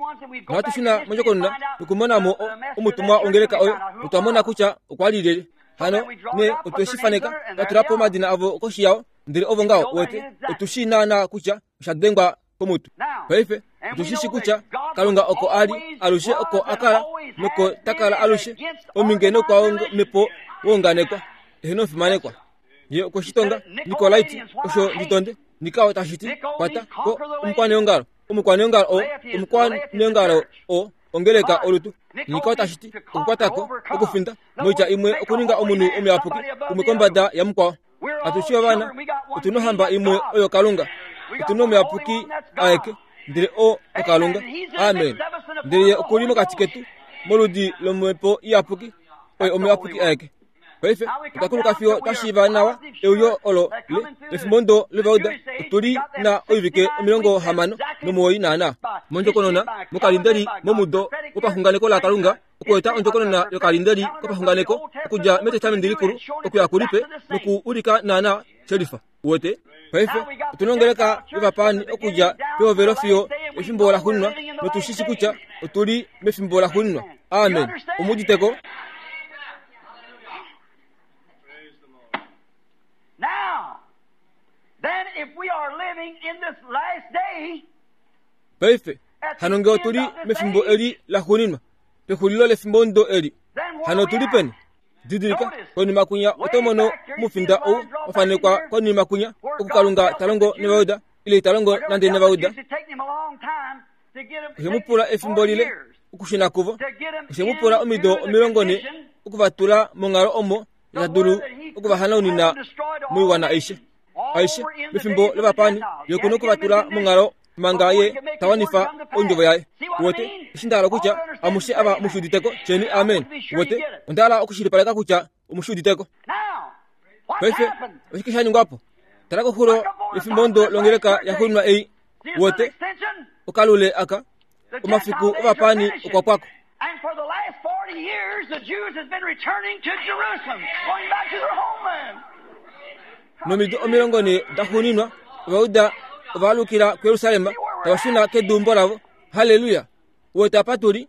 Nohatu shuna mondjokonona nokumona mo omutumwa wongeleka oyo, notwa mona kutya okwa li lyelye. Hano ne otwe shi faneka, twa tula po omadina avo koshi yao, ndele ovo ngaho, wete, otu shii naanaa kutya osha dengwa komutu. Paife, otu shi shi kutya Kalunga oko a li alushe, oko a kala noko ta kala alushe, ominge noukwaomhepo wounganekwa, eheno omufimanekwa. Ye okwe shi tonga, Nikolaiti, osho ndi tonde. Nikao tashi ti, kwata ko omukwaneongalo. Omukwaneongalo oo, omukwaneongalo oo, ongeleka olutu. Nikao tashi ti, okukwata ko, okufinda, moitya imwe okuninga omunhu omuyapuki, umwe kombada yamukwao. Atushi ovana, otu nohamba imwe oyo Kalunga. Otu nomuyapuki aeke, ndele o oKalunga. Amen. Ndele ye oku li mokati ketu, moludi lomhepo iyapuki, oye omuyapuki aeke. Paife otwa kuluka fiyo twa shiiva nawa euyo olo le lefimbo ndo levauda. Otu li na oivike 69 naana mondjokonona mokalindeli momudo wopaxunganeko laKalunga okueta ondjokonona yokalindeli kopaxunganeko okudja mEtestamenti Likulu okuya kuLipe noku ulika naana shelifa. Uwete? Paife otu na ongeleka yovapaani okudja pehovelo fiyo efimbo laxuuninwa, notu shi shi kutya otu li mefimbo laxuuninwa. Amen. Omu udite ko? Paife, hano nge otu li mefimbo eli laxuuninwa, pexulilo lefimbomudo eli, hano otu li peni? Didilika, konima kwinya oto mono omufinda ou wa fanekwa konima kwinya, oku Kalunga ta longo nOvayuda, ile ita longo nande nOvayuda. Oshe mu pula efimbo lile okushuna kuvo. Oshe mu pula omido 40 oku va tula monghalo omo ta dulu oku va hanaunina moiwana aishe. Aishe, mefimbo lovapaani, ye oku na oku va tula monghalo manga ye ta wanifa ondjovo yaye. Uwete eshi nda hala kutya amushe ava mu shi udite ko? Tyeni amen. Uwete, onda hala okushilipaleka kutya omu shi udite ko. Paife oshike sha ningwa po? Tala koxulo yefimbomudo longeleka yaxuuninwa ei. Uwete, okalule aka, omafiku ovapaani okwa pwa ko.
And for the last 40 years, the Jews has been returning to Jerusalem, going back to their homeland.
Nomido 40 daxuuninwa, Ovayuda ova alukila kuJerusalem, tava shuna keduumbo lavo. Halleluya! Uwete apa tu li?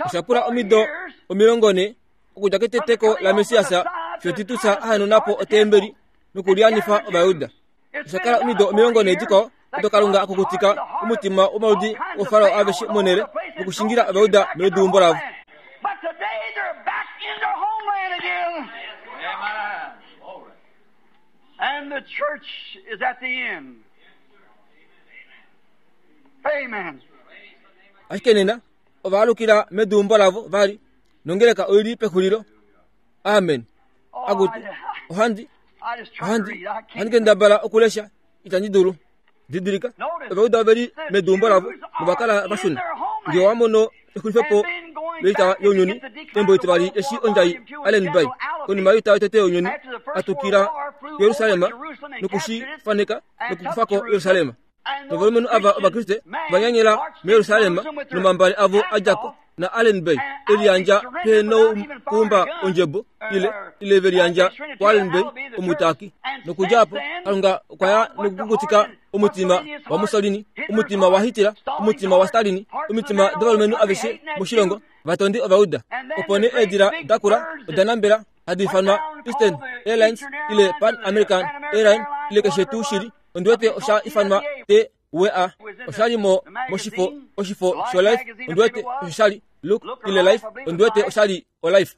Osha pula omido 40 okudja keteteko laMessias fiyo Titus a hanauna po otembeli nokulyanifa Ovayuda. Osha kala omido 40 dikwao odo Kalunga a kukutika omutima womaludi ooFarao aveshe monhele nokushingila Ovayuda meduumbo lavo.
But today they're back in their homeland again. And the church is at the end. Amen.
Ashike nena ova alukila meduumbo lavo vali nongeleka oi li pexulilo. Amen. Akutu, ohandi ohandi ohandi kendabala okulesha itandi dulu. Didilika, Ovayuda ove li meduumbo lavo nova kala va shuna. Nge owa mono exulifepo loita younyuni, embo etivali eshi ondjai Allen Bay konima yoita yotete younyuni a tukila Jerusalem noku shi faneka nokukufa ko Jerusalem. Novalumenhu ava Ovakriste va nyanyela muJerusalem nomambale avo a dja ko na Allen Bay e liyandja pehe nokuumba ondjebo ile ile ve liyandja kuAllen Bay omutaaki. Nokudja opo Kalunga okwa ya nokukukutika omutima waMussolini, omutima waHitler, omutima waStalin, omitima dovalumenhu aveshe moshilongo, vatondi Ovayuda. Opo nee eedila dakula oda nambela. hadi ifanwa Eastern Airlines ile Pan American Airline ile keshe tuu shili, ondi wete osha ifanwa TWA. Osha li mo moshifo oshifo shoLife, ondi wete osho sha li Look ile Life, ondi wete osha li oLife.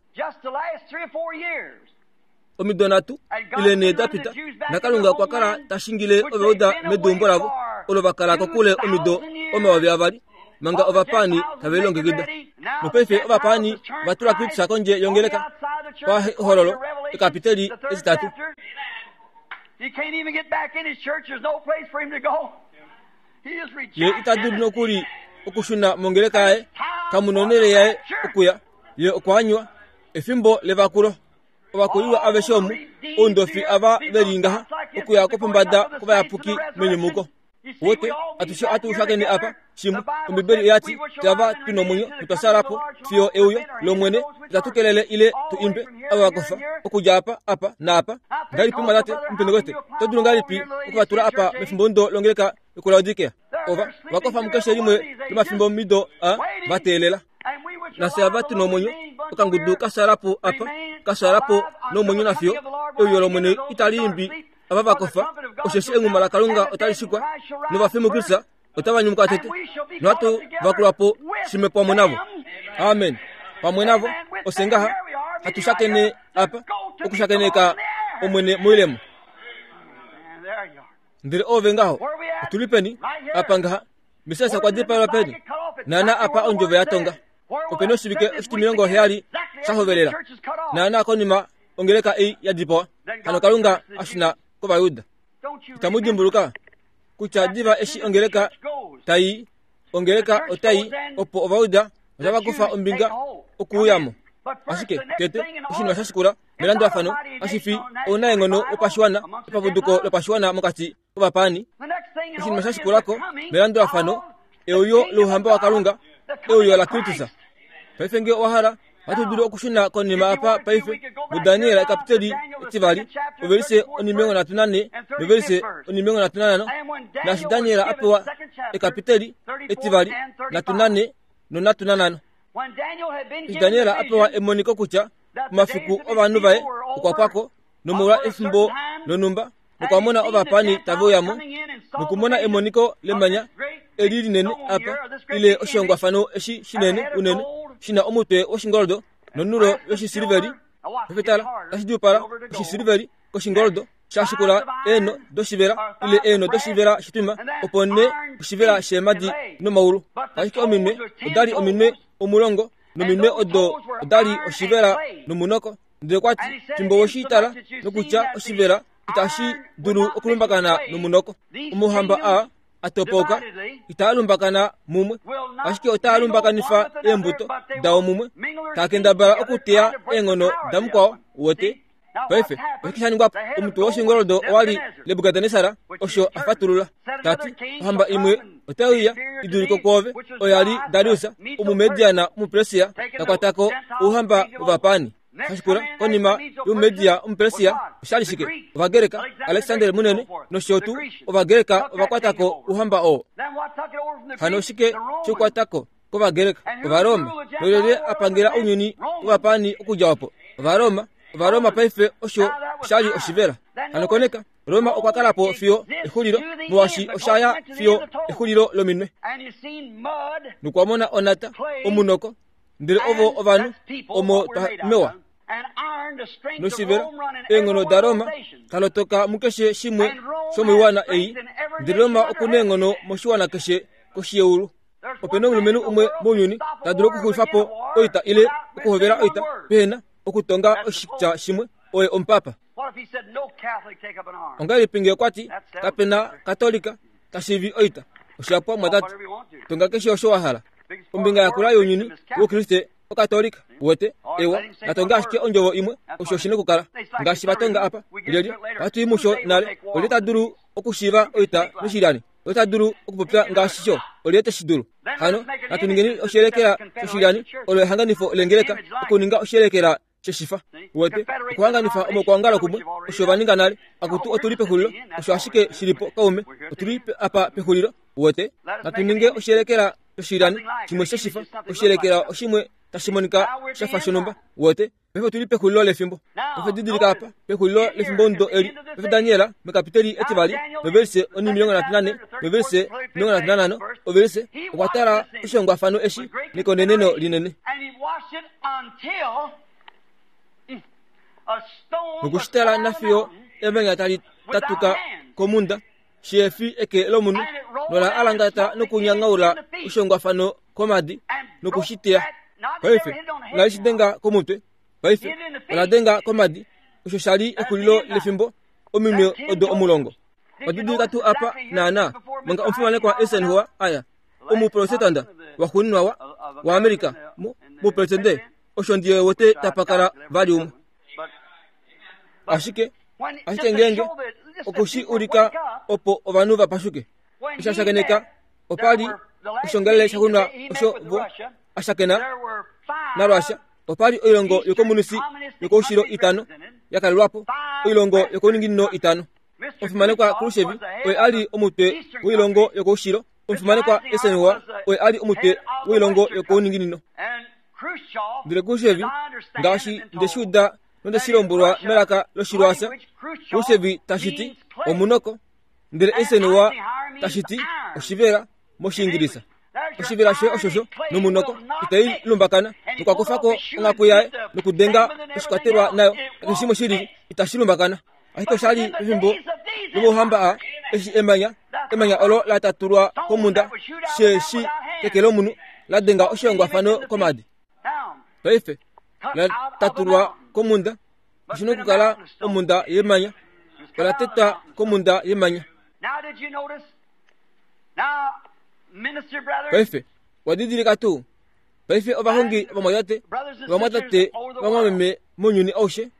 Omido nhatu ile nhee da pita, naKalunga okwa kala ta shingile Ovayuda meduumbo lavo olo va kala kokule omido 2000 manga ovapaani tave lilongekida. Nopaife ovapaani va tula Kristus kondje yongeleka pahololo ekapiteli etitatu. Ye ita dulu nokuli okushuna mongeleka yaye, kamu nonhele yaye okuya. Ye okwa anywa efimbo levakulo. Ovakulilwa aveshe omu, oundofi ava ve li ngaha, okuya kopombada kovayapuki menyumuko. Wote, atushe atu shakene apa, shimwe, Ombibeli oya ti, Twava tu nomwenyo notwa sala po fiyo euyo lOmwene, itatu kelele ile tu imbe ava va kofa, okudja apa, apa, naapa. Ngahelipi omumwatate Omupentekoste, oto dulu ngahelipi oku va tula apa mefimbomudo longeleka yokuLaodikea? Ova, va kofa mukeshe limwe lomafimbomido a va teelela. Nafye ava tu nomwenyo, okangudu ka sala po apa, ka sala po nomwenyo nafiyo euyo lOmwene itali imbi ava va kofa, osheshi enghuma laKalunga otali shikwa, novafi muKristus otava nyumuka tete, nohatu vakulwa po shimwe pamwe navo. Amen. Pamwe navo, ofye ngaha hatu shakene apa, okushakeneka Omwene moilemo. Ndele ove ngaho, otu li peni? Apa ngaha. Messias okwa dipaelwa peni? Naana apa ondjovo ya tonga. Openi oshivike oshitimilongo heyali sha hovelela? Naana konima ongeleka ei ya dipawa, hano Kalunga a shuna kOvayuda. Itamu dimbuluka kutya diva eshi ongeleka tai ongeleka otai opo Ovayuda otava kufa ombinga okuuya mo. Ashike tete oshinima sha shikula melandulafano kashi fi ounaenghono wopashiwana epapuduko lopashiwana mokati kovapaani. Oshinima sha shikula ko melandulafano euyo louhamba waKalunga, euyo laKristus. Paife nge owa hala, ohatu dulu okushuna konima apa paife muDaniel ekapiteli etivali, ovelise onimilongo nhatu nanhe novelise onimilongo nhatu nanhano, naashi Daniel a pewa ekapiteli etivali nhatu nanhe nonhatu nanhano. Eshi Daniel a pewa emoniko kutya omafiku ovanhu vaye okwa pwa ko, nomolwa efimbo lonhumba nokwa mona ovapaani tave uya mo nokumona emoniko lemanya eli linene apa ile oshihongwafano eshi shinene unene shi na omutwe woshingoldo nonulo yoshisiliveli pefetala tashi djuupala oshisiliveli koshingoldo sha shikula eenho doshivela ile eenho doshivela shitwima opo nee oshivela sheemadi nomaulu ashike ominwe odali ominwe omulongo nominwe odo odali oshivela nomunoko Ndele okwa ti, Fimbo we shi tala nokutya oshivela itashi dulu okulumbakana nomunoko, omauhamba aa a topauka itaa lumbakana mumwe, ashike otaa lumbakanifa eembuto dao mumwe, taa kendabala okuteya eenghono damukwao. Uwete? Paife, oshike sha ningwa po? Omutwe woshingoldo owa li Nebukadnesar, osho a fatulula, ta ti, Ohamba imwe otai uya i dulike kwoove, oya li Darius, Omumediana Omupersia, ta kwata ko ouhamba wovapaani. Shashikula, konima yOmumedia Omupersia, osha li shike? Ovagreka, Alexander Munene nosho tuu, Ovagreka ova kwata ko ouhamba oo. Hano oshike she kwata ko kOvagreka? Ovaroma. Nolyelye a pangela ounyuni wovapaani okudja opo? Ovaroma. Ovaroma paife osho sha li oshivela. Hano koneka, Roma okwa kala po fiyo exulilo, molwaashi osha ya fiyo exulilo lominwe. Nokwa mona onata, omunoko, ndele ovo ovanhu omo twa mewa. Noshivela, eenghono daRoma talotoka mukeshe shimwe shomoiwana ei, ndele Roma oku neenghono moshiwana keshe koshi yeulu. Ope na omulumenhu umwe mounyuni ta dulu okuxulifa po oita ile okuhovela oita pehena okutonga oshitya shimwe, oye omupapa. Ongahelipi nge okwa ti, Kape na Katolika ta shiivi oita? Osha pwa, mwatate. Tonga keshe osho wa hala. Ombinga yakula younyuni wOukriste Okatolika. Uwete? Ewa, natonga ashike ondjovo imwe, osho shi nokukala. Ngaashi va tonga apa. Lyelye? Ohatu i musho nale. Olye ta dulu okushiiva oita noshilyani? Olye ta dulu okupopya ngaashi sho? Olye te shi dulu? Hano, natu ningeni oshiyelekela shoshilyani, olo ehanganifo lengeleka, okuninga oshiyelekela sheshifa. Uwete, okuhanganifa omaukwaongalo kumwe, osho va ninga nale. Akutu, otu li pexulilo. Osho ashike shi li po, kaume. Otu li apa pexulilo. Uwete? Natu ninge oshiyelekela shoshilyani, shimwe sheshifa, oshiyelekela oshimwe. tashi monika sha fa shonhumba. Uwete? Paife otu li pexulilo lefimbo. Paife didilika apa, pexulilo lefimbomudo eli. Paife Daniel, mekapiteli etivali, novelise onimilongo nhatu nane, novelise 35, ovelise, okwa tala oshihongwafano eshi nekoneneno linene. Noku shi tala nafiyo emanya tali tatuka komunda, shihefi eke lomunhu, nola alangata nokunyangaula oshihongwafano komadi noku shi teya. Paife, ola li shi denga komutwe. Paife, ola denga komadi. Osho sha li exulilo lefimbo, ominwe odo 10. Wadidilika tuu apa, naana, manga omufimanekwa Eisenhower a ya, omuprotestanta waxuuninwa wa, waAmerica, mu, mupresidente, osho ndi wete tapa kala vali umwe. Ashike, ashike ngeenge oku shi ulika opo ovanhu va pashuke. Eshi a shakeneka, opa li oshongalele shaxuuninwa osho vo a shakena naRussia. Opa li oilongo yokomunisi yokoushilo itano ya kalelwa po, oilongo yokouninginino itano. Omufimanekwa Khrushchev oye a li omutwe woilongo yokoushilo, omufimanekwa Eisenhower oye a li omutwe woilongo yokouninginino. Ndele Khrushchev, ngaashi nde shi uda nonde shi lombwelwa melaka lOshirussia, Khrushchev tashi ti omunoko, ndele Eisenhower tashi ti oshivela mOshiingilisa. Oshivela shoye oshosho nomunoko itai lumbakana, nokwa kufa ko onghaku yaye nokudenga oshikwatelwa nayo, keshe shimwe shi lili itashi lumbakana. Ashike osha li pefimbo lomauhamba aa, eshi emanya, emanya olo la tatulwa komhunda, sheshi keke lomunhu, la denga oshihongwafano komadi. Paife, la tatulwa komhunda, oshi na okukala omhunda yemanya. Ola tetwa komhunda yemanya. Paife, owa didilika tuu? Paife ovahongi ovamwatate, ovamwatate ovamwameme mounyuni aushe,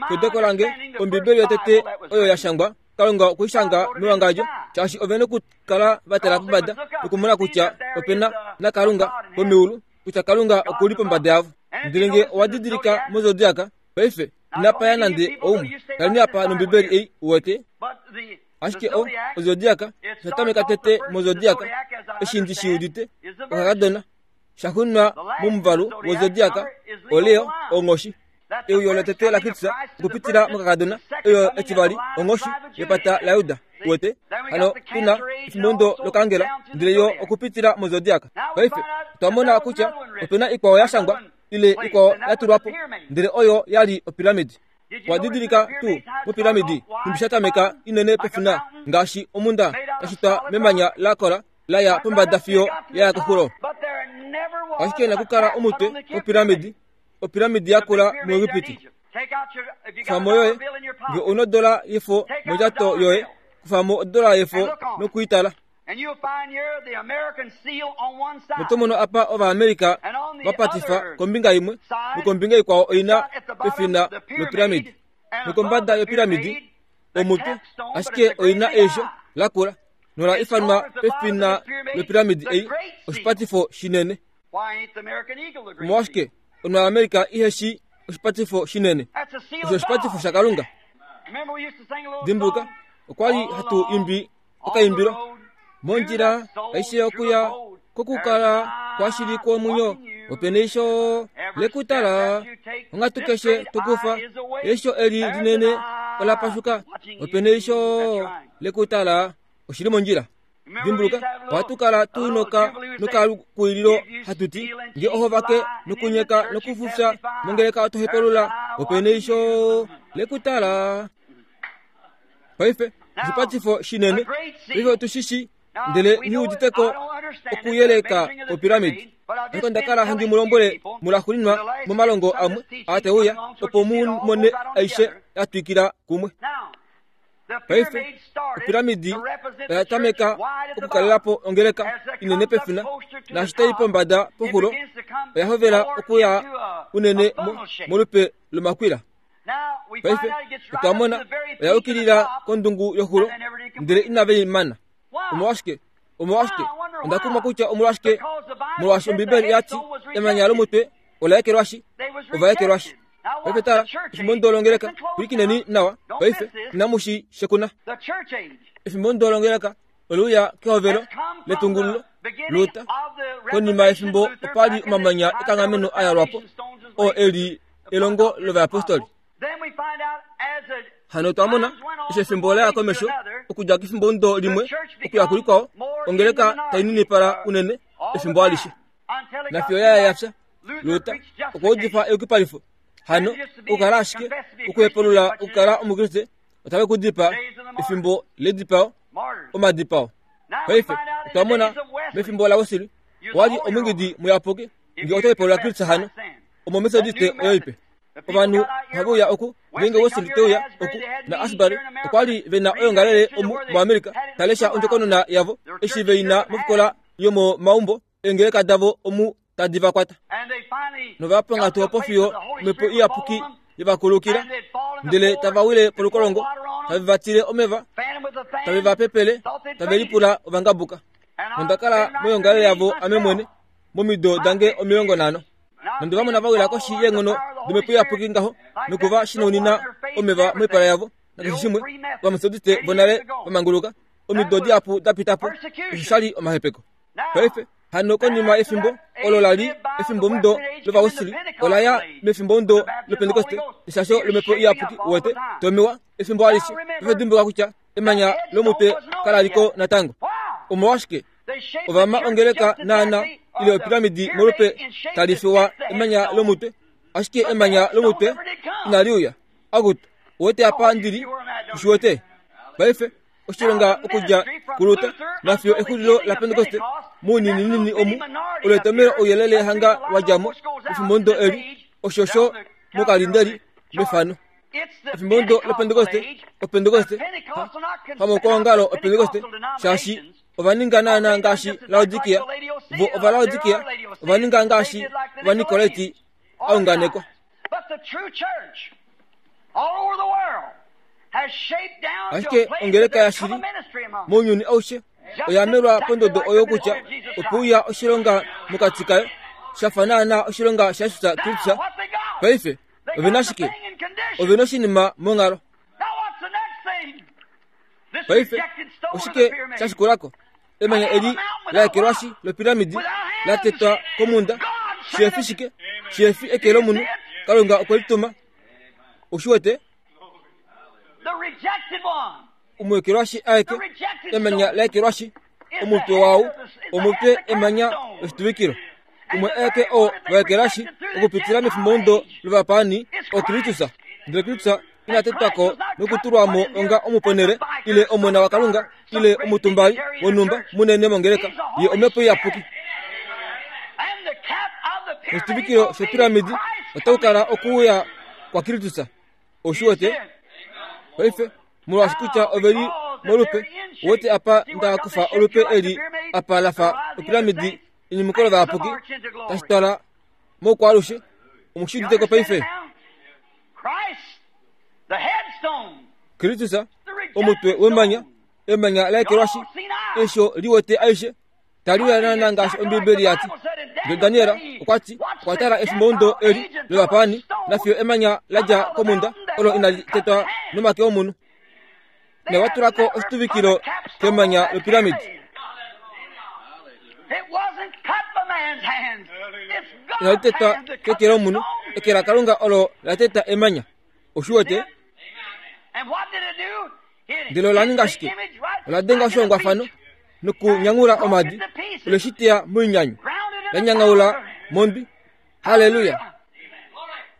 Keudeko lange, Ombibeli yotete oyo ya shangwa, Kalunga okwe i shanga mewangadjo, shaashi ove nokukala va tala pombada nokumona kutya ope na naKalunga womeulu, kutya Kalunga oku li pombada yavo. Ndele nge owa didilika mozodiaka, paife, inapa ya nande oumwe. Kaleni apa nOmbibeli ei, uwete. Ashike o, ozodiaka, osha tameka tete mozodiaka, eshi ndi shi udite, okakadona, sha xunwa momuvalu wozodiaka, oLeo, onghoshi. Euyo lotete laKristus okupitila mokakadona, euyo etivali, onghoshi yepata laJuda. Uwete? Hano tu na efimbomudo lokangela, ndele yo okupitila mozodiaka. Paife, otwa mona kutya ope na ikwao ya shangwa, ile ikwao ya tulwa po, ndele oyo ya li opiramidi. Owa didilika tuu mopiramidi nhumbi sha tameka inene pefina, ngaashi omhunda ya shitwa memanya la kola, la ya pombada fiyo ya ya koxulo? Ashike nakukala omutwe wopiramidi opiramidi yakula muEgipiti. Kufa mo yoye, nge u nodola yefo mondjato yoye, kufa mo odola yefo noku i tala. Noto mono apa Ovaamerica va patifa kombinga imwe, nokombinga ikwao oi na pefina lopiramidi. Nokombada yopiramidi, omutwe, ashike oi na eisho lakula, nola ifanwa pefina lopiramidi ei oshipatifo shinene. Omolwashike Omuamerica ihe shi oshipatifo shinene? Osho oshipatifo shaKalunga. Dimbuluka, okwa li hatu imbi okaimbilo mondjila aishe okuya kokukala kwashili kwomwenyo ope neisho lekutala onghatu keshe tokufa eisho eli linene ola pashuka ope neisho lekutala oshili mondjila Dimbuluka, ohatu kala tu noka nokalukuililo hatu ti, Nge oho vake nokunyeka nokufufya mongeleka oto hepelula, ope neisho lekutala. Paife, oshipatifo shinene, paife otu shi shi, ndele nghi udite ko okuyeleka opiramidi. Ashike onda kala handi mu lombwele mulaxuuninwa momalongo amwe aa te uya, opo mu mone aishe ya twikila kumwe. Paife, opiramidi oya tameka okukalela po ongeleka inene pefina, naashi tai pombada poxulo, oya hovela okuya unene molupe lomakwila. Paife, otwa mona oya yukilila kondungu yoxulo, ndele inave i mana. Omolwashike? Omolwashike? Onda kumwa kutya omolwashike, molwaashi Ombibeli oya ti, Emanya lomutwe ola ekelwashi, ova ekelwashi. Paife tala, efimbo ndolongeleka, pwilikineni nawa, paife, inamu shi shekuna. Efimbo ndolongeleka ole uya kehovelo letungululo. Luther, konima yefimbo opa li omamanya ekanghameno a yalwa po, oo e li elongo lovayapostoli. Hano otwa mona eshi efimbo la ya komesho okudja kefimbomudo limwe okuya kulikwao, ongeleka tai ninipala unene efimbo alishe. Nafiyo ya ya ya fya, Luther okwa udifa eyukipalifo. Hano okukala ashike okuhepulula okukala Omukriste otave ku dipaa efimbo ledipao, omadipao. Paife otwa mona mefimbo laWesley owa li omwingidi muyapuki nge oto hepulula Kristus hano omomethodiste oyo ipe. Ovanhu ohave uya oku ngeenge Wesley te uya oku na Asbury okwa li ve na oyoongalele omu moAmerica ta lesha ondjokonona yavo eshi ve i na mofikola yomomaumbo eengeleka davo omu tadi va kwata nova ponga opo fiyo omhepo iyapuki ye va kulukila ndele tava wile polukolongo tave va tile omeva tave va pepele tave lipula ovangabuka nonda kala moyongalele yavo ame mwene momido dange 50 nonde va mona va wila koshi yeenghono domhepo iyapuki ngaho noku va shinaunina omeva moipala yavo nakeshe shimwe ovametodiste vonale va manguluka omido dihapu da pita po osho sha li omahepeko Paife, hano konima yefimbo olo la li efimbomudo lOvawesley, ola ya mefimbomudo lOpentekoste, eshasho lOmhepo Iyapuki, uwete, tomewa, efimbo alishe. Paife dimbuluka kutya emanya lomutwe kala li ko natango. Omolwashike? Ova ma ongeleka naana ile opiramidi molupe tali fewa emanya lomutwe, ashike emanya lomutwe inali uya. Akutu, uwete apa ndi li? Ushi wete? Paife, oshilonga okudja kuLuther nafiyo exulilo laPentekoste mounininini omu olo etomelo ouyelele hanga wa dja mo efimbomudo eli oshosho mokalindeli mefano efimbomudo lopentekoste opentekoste hamokwoongalo opentekoste shaashi ova ninga naana ngaashi Laodikia vo Ovalaodikia ova ninga ngaashi Ovanikolaiti a unganekwa. Ashike ongeleka yashili mounyuni aushe oya melwa pondodo oyo kutya ope uya oshilonga mokati kayo sha fa naanaa oshilonga shaJesus Kristus. Paife ove na shike? Ove na oshinima monghalo. Paife oshike sha shikula ko? Emanya eli la ekelwashi lopiramidi la tetwa komhunda shihefi shike? Shihefi eke lomunhu. Kalunga okwe li tuma. Oshi wete? Omuekelwashi aeke, emanya la ekelwashi, omutwe wau, omutwe emanya loshituvikilo. Umwe aeke oo va ekelashi okupitila mefimbomudo lovapaani oKristus. Ndele Kristus ina tetwa ko nokutulwa mo onga omuponele ile omona waKalunga ile omutumbali wonhumba munene mongeleka ye omhepo iyapuki. Oshituvikilo shopiramidi otaku kala okuuya kwaKristus. Oshi wete? Paife, molwaashi kutya ove li molupe, wete apa nda kufa olupe eli apa la fa opiramidi enyumuko lovayapuki tashi twala moukwaalushe. Omu shi udite ko paife? Kristus, omutwe wemanya, emanya la ekelwashi, eisho li wete aishe, tali uya naana ngaashi Ombiibeli ya ti. Ndele Daniel okwa ti okwa tala efimbomudo eli lovapaani nafiyo emanya la dja komhunda olo inali tetwa nomake omunhu. Nova tula ko oshituvikilo kemanya lopiramidi. Inali tetwa keke lomunhu, eke laKalunga olo la teta emanya. Oshi wete? Ndele ola ninga shike? Ola denga oshihongwafano nokunyangula omadi, ole shi teya moinyanyu, la nyangaula mondwi. Halleluya!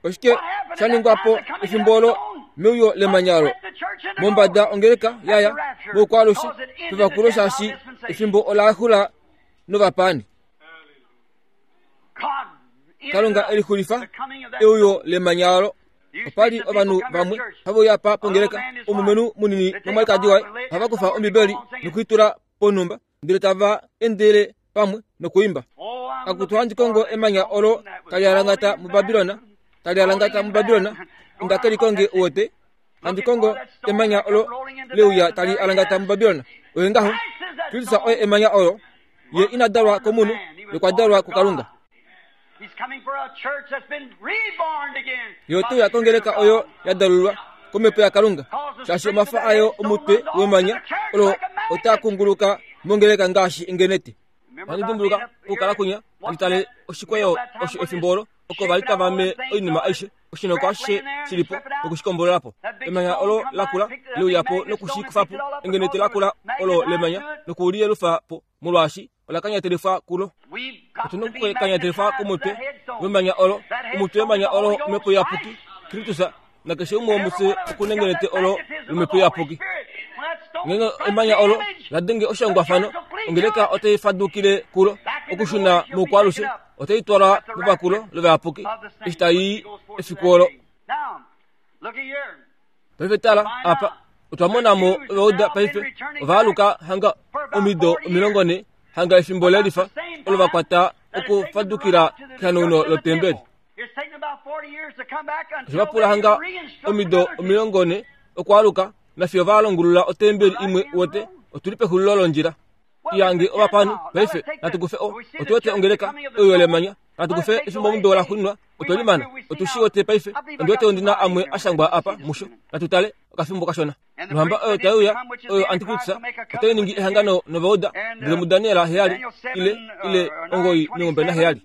Oshike sha ningwa po efimbo olo meuyo lemanya olo? Mombada ongeleka yaya moukwaalushe pevakulo shaashi efimbo ola xula novapaani. Kalunga e lixulifa euyo lemanya olo. Opa li ovanhu vamwe have uya pa pongeleka, omulumenhu munini nomwalikadi waye ohava kufa Ombibeli nokuitula ponhumba ndele tava endele pamwe nokuimba. Akutu handi kongo emanya olo tali alangata muBabilona, tali alangata muBabilona, inda ke li konge uwete. Handi kongo emanya olo leuya tali alangata muBabilona. Oye ngaho, Kristus oye emanya olo. Ye ina dalwa komunhu, ye okwa dalwa kuKalunga. Ye ote uya kongeleka oyo ya dalulwa komhepo yaKalunga, shaashi omafa ayo omutwe wemanya olo otaa kunguluka mongeleka ngaashi engenete. Ohandi dimbuluka okukala kwinya handi tale oshikweyo osho efimbo olo oko va li tava me oinima aishe, oshinoko ashishe shi li po noku shi kombolola po. Emanya olo la kula le uya po noku shi kufa po, engenete la kula olo lemanya noku li yelufa po, molwaashi ola kanyatelifwa kulo. Otu na okukanyatelifwa komutwe wemanya olo, omutwe wemanya olo Omhepo Iyapuki, Kristus, nakeshe umwe womufye oku na engenete olo lOmhepo Iyapuki. Ngeenge emanya olo la denge oshihongwafano, ongeleka otai fadukile kulo, okushuna moukwaalushe, otai twalwa mevakulo lovayapuki eshi tai i efiku olo. Paife tala apa, otwa mona mo ovauda paife ova aluka hanga omido 40 hanga efimbo lelifa olo va kwata okufadukila kehanauno lotembeli. Oshe va pula hanga omido 40 okwaaluka nafiyo va longulula otembeli imwe wote otu li pexulilo londjila. Iyange ovapani paife natu kufe o otu wete ongeleka oyo lemanya natu kufe efimbo omudo la xuninwa otwe limana otu shi wete paife ondi wete ondi na amwe a shangwa apa musho natu tale okafimbo kashona nohamba oyo tai uya oyo antikritus otai ningi ehangano novauda ndele muDaniel 7 ile ile 9:27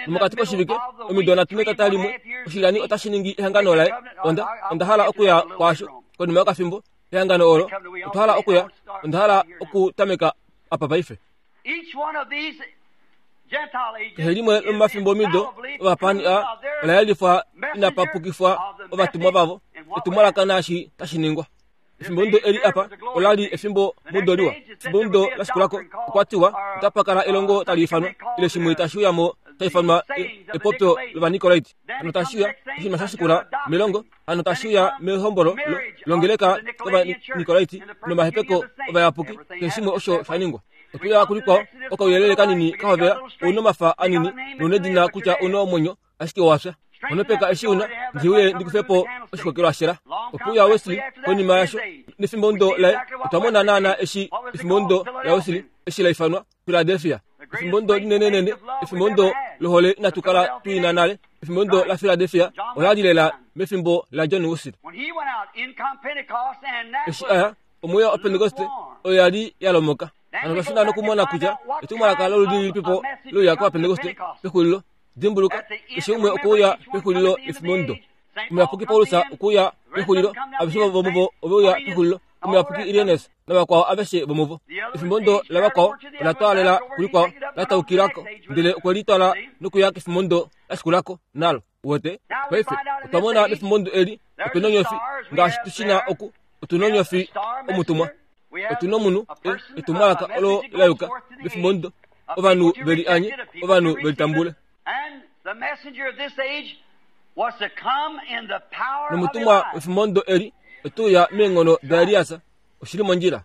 nomokati koshivike omido nhatu netata limwe oshilani otashi ningi ehangano laye onda onda hala okuya kwaasho konima yokafimbo ehangano olo otwa hala okuya onda hala okutameka apa paife Kehe limwe lomomafimbo omido ovapani a ola yelifwa inapa pukifwa ovatumwa vavo etumwalaka naashi tashi ningwa. Efimbomudo eli apa ola li efimbo mudo liwa. Efimbomudo la shikulako okwa tiwa otapa kala elongo tali ifanwa ile shimwe tashi uya mo sha ifanwa epopyo lOvanikolaiti. Hano tashi uya oshinima sha shikula melongo, hano tashi uya mehombolo longeleka lOvanikolaiti nomahepeko ovayapuki, keshe shimwe osho sha ningwa. Otwe uya kulikwao, okauyelele kanini ka hovela, ou na omafa anini, nou nedina kutya ou na omwenyo, ashike owa fya. Onopeka eshi una, ndi uye ndi kufe po oshikokelwa shela. Ope uya Wesley konima yasho, nefimbomudo laye, otwa mona naana eshi efimbomudo laWesley eshi la ifanwa, Philadelphia. Efimbomudo linenenene, efimbomudo lohole inatu kala tu ina nale. Efimbomudo laPhiladelphia ola li lela mefimbo laJohn Wesley. Eshi a ya, omweya Opentekoste oyo ya li ya lomoka. Hano otwa shuna nokumona kutya etumwalaka loludi lilipipo leuya kOvapentekoste pexulilo. Dimbuluka, keshe umwe okwe uya pexulilo lefimbomudo. Omuyapuki Paulus okwe uya pexulilo, aveshe vomuvo ove uya pexulilo, omuyapuki Irenaeus navakwao aveshe vomuvo. Efimbomudo lavakwao ola twaalela kulikwao, la taukila ko, ndele okwe li twala nokuya kefimbomudo la shikula ko, nalo. Uwete? Paife, otwa mona mefimbomudo eli, otu nonyofi, ngaashi tu shi na oku, otu nonyofi omutumwa. Otu nomunhu, e, etumwalaka olo la yuka mefimbomudo. Ovanhu ve li anye, ovanhu ve li tambule. Nomutumwa wefimbomudo eli ote uya meenghono daElias, oshi li mondjila.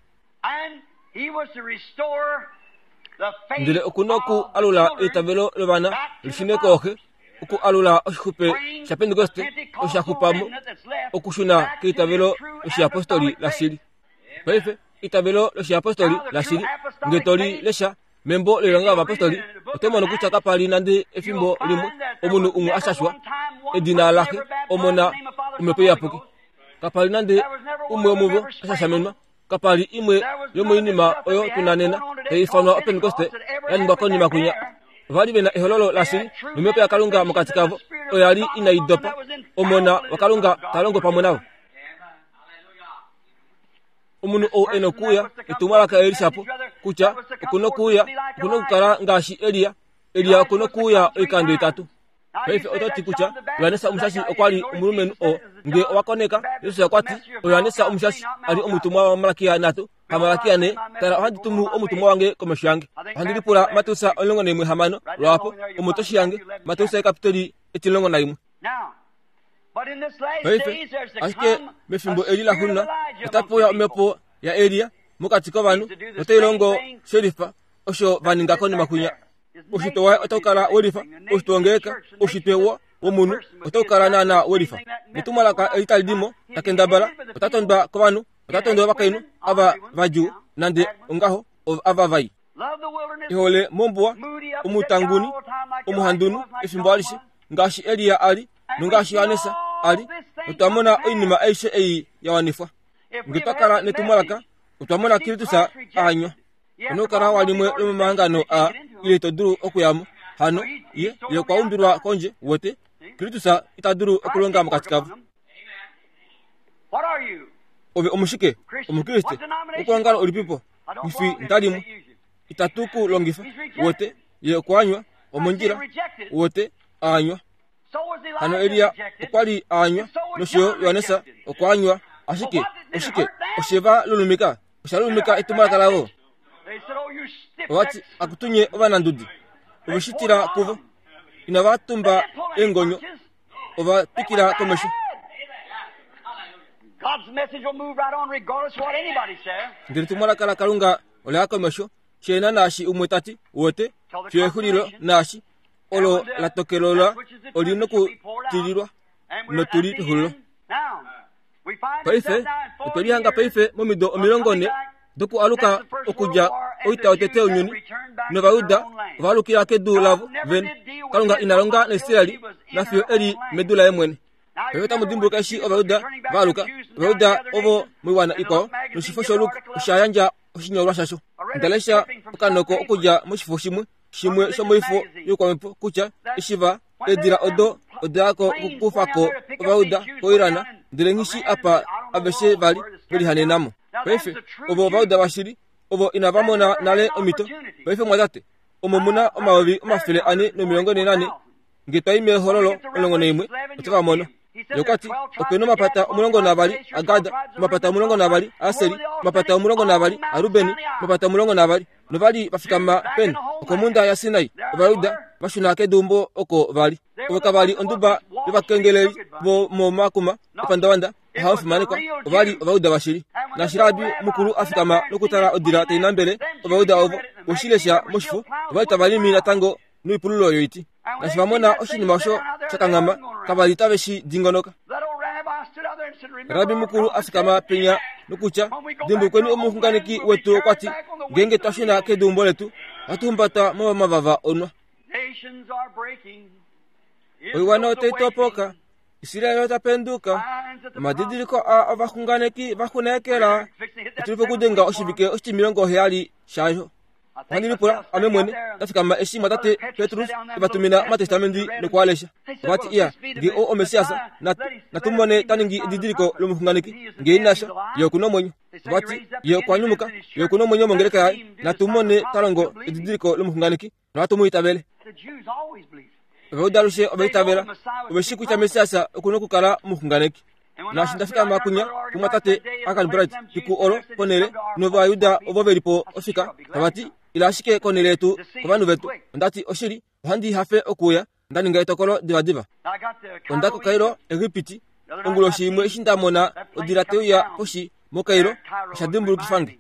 Ndele oku noku alula eitavelo lovana li shune kooxe, oku alula oshixupe shaPentekoste osho sha xupa mo, okushuna keitavelo loshiyapostoli lashili. Paife, eitavelo loshiyapostoli lashili, nge to li lesha membo loilonga yovapostoli, oto mono kutya kapa li nande efimbo limwe omunhu umwe a shashwa edina laxe, Omona, Omhepo Iyapuki. Kapa li nande umwe womuvo a shashamenwa. Kapa li imwe yomoinima oyo tu na nena tai ifanwa Opentekoste ya ningwa konima kwinya. Ova li ve na ehololo lashili nomhepo yaKalunga mokati kavo oya li inai dopa. Omona waKalunga ta longo pamwe navo. Omunhu ou e nokuuya, etumwalaka eli shapo, kutya oku nokuuya, oku nokukala ngaashi Elia. Elia oku nokuuya oikando itatu. Paife oto ti kutya Johannes Omushashi okwa li omulumenhu oo. Nge owa koneka, Jesus okwa ti, oJohannes Omushashi a li omutumwa waMalakia nhatu, haMalakia ne, tala ohandi tumu omutumwa wange komesho yange. Ohandi lipula Mateus 16 lwaapo, omo to shi hange, Mateus ekapitoli 11. Paife, ashike mefimbo eli laxuuninwa otape uya omhepo yaElia mokati kovanhu notai longo shelifa osho va ninga konima kwinya. Oushitwe waye otau kala welifa, oushitwe wongeleka, oushitwe wo, womunhu otau kala naana welifa. Netumwalaka eli tali di mo, ta kendabala, ota tondwa kovanhu, ota tondwa ovakainhu ava vadjuu, nande ongaho, ava vai. Ehole mombuwa, omutanguni, omuhandunhu efimbo alishe, ngaashi Elia a li, nongaashi Johannes a li, otwa mona oinima aishe ei ya wanifwa. Nge twa kala netumwalaka, otwa mona Kristus a anywa. Ono kala wa limwe lomomahangano a. ile ito dulu okuya mo. Hano, ye, ye okwa umbilwa kondje, wote. Kristus ita dulu okulonga mokati kavo. Ove omushike? Omukriste. Okuongalo ulipipo? Ngifi ndalimwe. Itatu ku longifa. Wote, ye okwa anywa, omondjila. Wote, a anywa. Hano Elia okwa li a anywa, nosho yo Johannes okwa anywa. Ashike, oshike oshe va lulumika? Osha lulumika etumwalaka lavo. Ova ti, Akutu nye ovanandudi. Ove shi tila kuvo. Inava tumba eengonyo. Ova twikila komesho. Ndele etumwalaka laKalunga ola ya komesho, sheena naashi umwe ta ti, Uwete, fiyo exulilo naashi olo la tokelolwa oli nokutililwa, notu li pexulilo. Paife, otwe lihanga paife momido 40 dokualuka okudja oita yotete younyuni, nOvayuda ova alukila kedu lavo vene. Kalunga ina longa naIsrael nafiyo e li medu laye mwene. Paife otamu dimbuluka eshi Ovayuda va aluka, Ovayuda ovo moiwana ikwao, noshifo shoLuk osha yandja oshinyolwa shasho. Onda lesha okanoko okudja moshifo shimwe, shimwe shomoifo youkwamhepo kutya eshi va eedila odo oda ya ko okukufa ko Ovayuda koIran, ndele nghi shi apa aveshe va li ve lihanena mo. Paife, ovo Ovayuda vashili, ovo inava mona nale omhito. Paife, mwatate, omo mu na 444,000 Nge twa i mEhololo 11, otava mono. Ye okwa ti, Ope na omapata 12 aGad, omapata 12 aAseri, omapata 12 aRuben, omapata 12. Nova li va fikama peni? Okomhunda yaSinai. Ovajuda va shuna keduumbo oko va li. Ovo kava li onduba yovakengeleli vomomakuma epandavanda ohava fimanekwa. Ova li Ovajuda vashili. Naashi Rabi mukulu a fikama nokutala odila tai nambele Ovajuda ovo, we shi lesha moshifo, ova li tava limi natango noipululo yoiti. Naashi va mona oshinima osho sha kanghama, kava li tave shi dingonoka. Rabi mukulu a fikama penya nokutya, Dimbulukweni omuxunganeki wetu okwa ti, ngeenge twa shuna keduumbo letu, ohatu humbata momavava onwa. Oiwana otai topoka, Israel ota penduka. Omadidiliko a ovaxunganeki va xunekela, otu li pokudenga oshivike oshitimilongo heyali shayo. Ohandi lipula ame mwene nda fikama eshi mwatate Petrus e va tumina omatestamenti noku a lesha. Ova ti, Iya, nge oo oMessias, natu, natu mone ta ningi edidiliko lomuxunganeki. Nge ina fya, ye oku na omwenyo. Ova ti, Ye okwa nyumuka, ye oku na omwenyo mongeleka yaye. Natu mone ta longo edidiliko lomuxunganeki, nohatu mu itavele. Ovajuda alushe ova itavela, ove shii kutya Messias oku na okukala omuxunganeki. Naashi nda fikama kunya kumwatate Akan Bright fiku olo ponhele nOvayuda ovo ve li po ofika tava ti, Ila ashike konhele yetu kovanhu vetu. Onda ti, Oshili, ohandi hafe okuuya. Nda ninga etokolo divadiva. Onda koKairo, Egipiti, onguloshi imwe eshi nda mona odila tai uya poshi moKairo, osha dimbulukifa nge.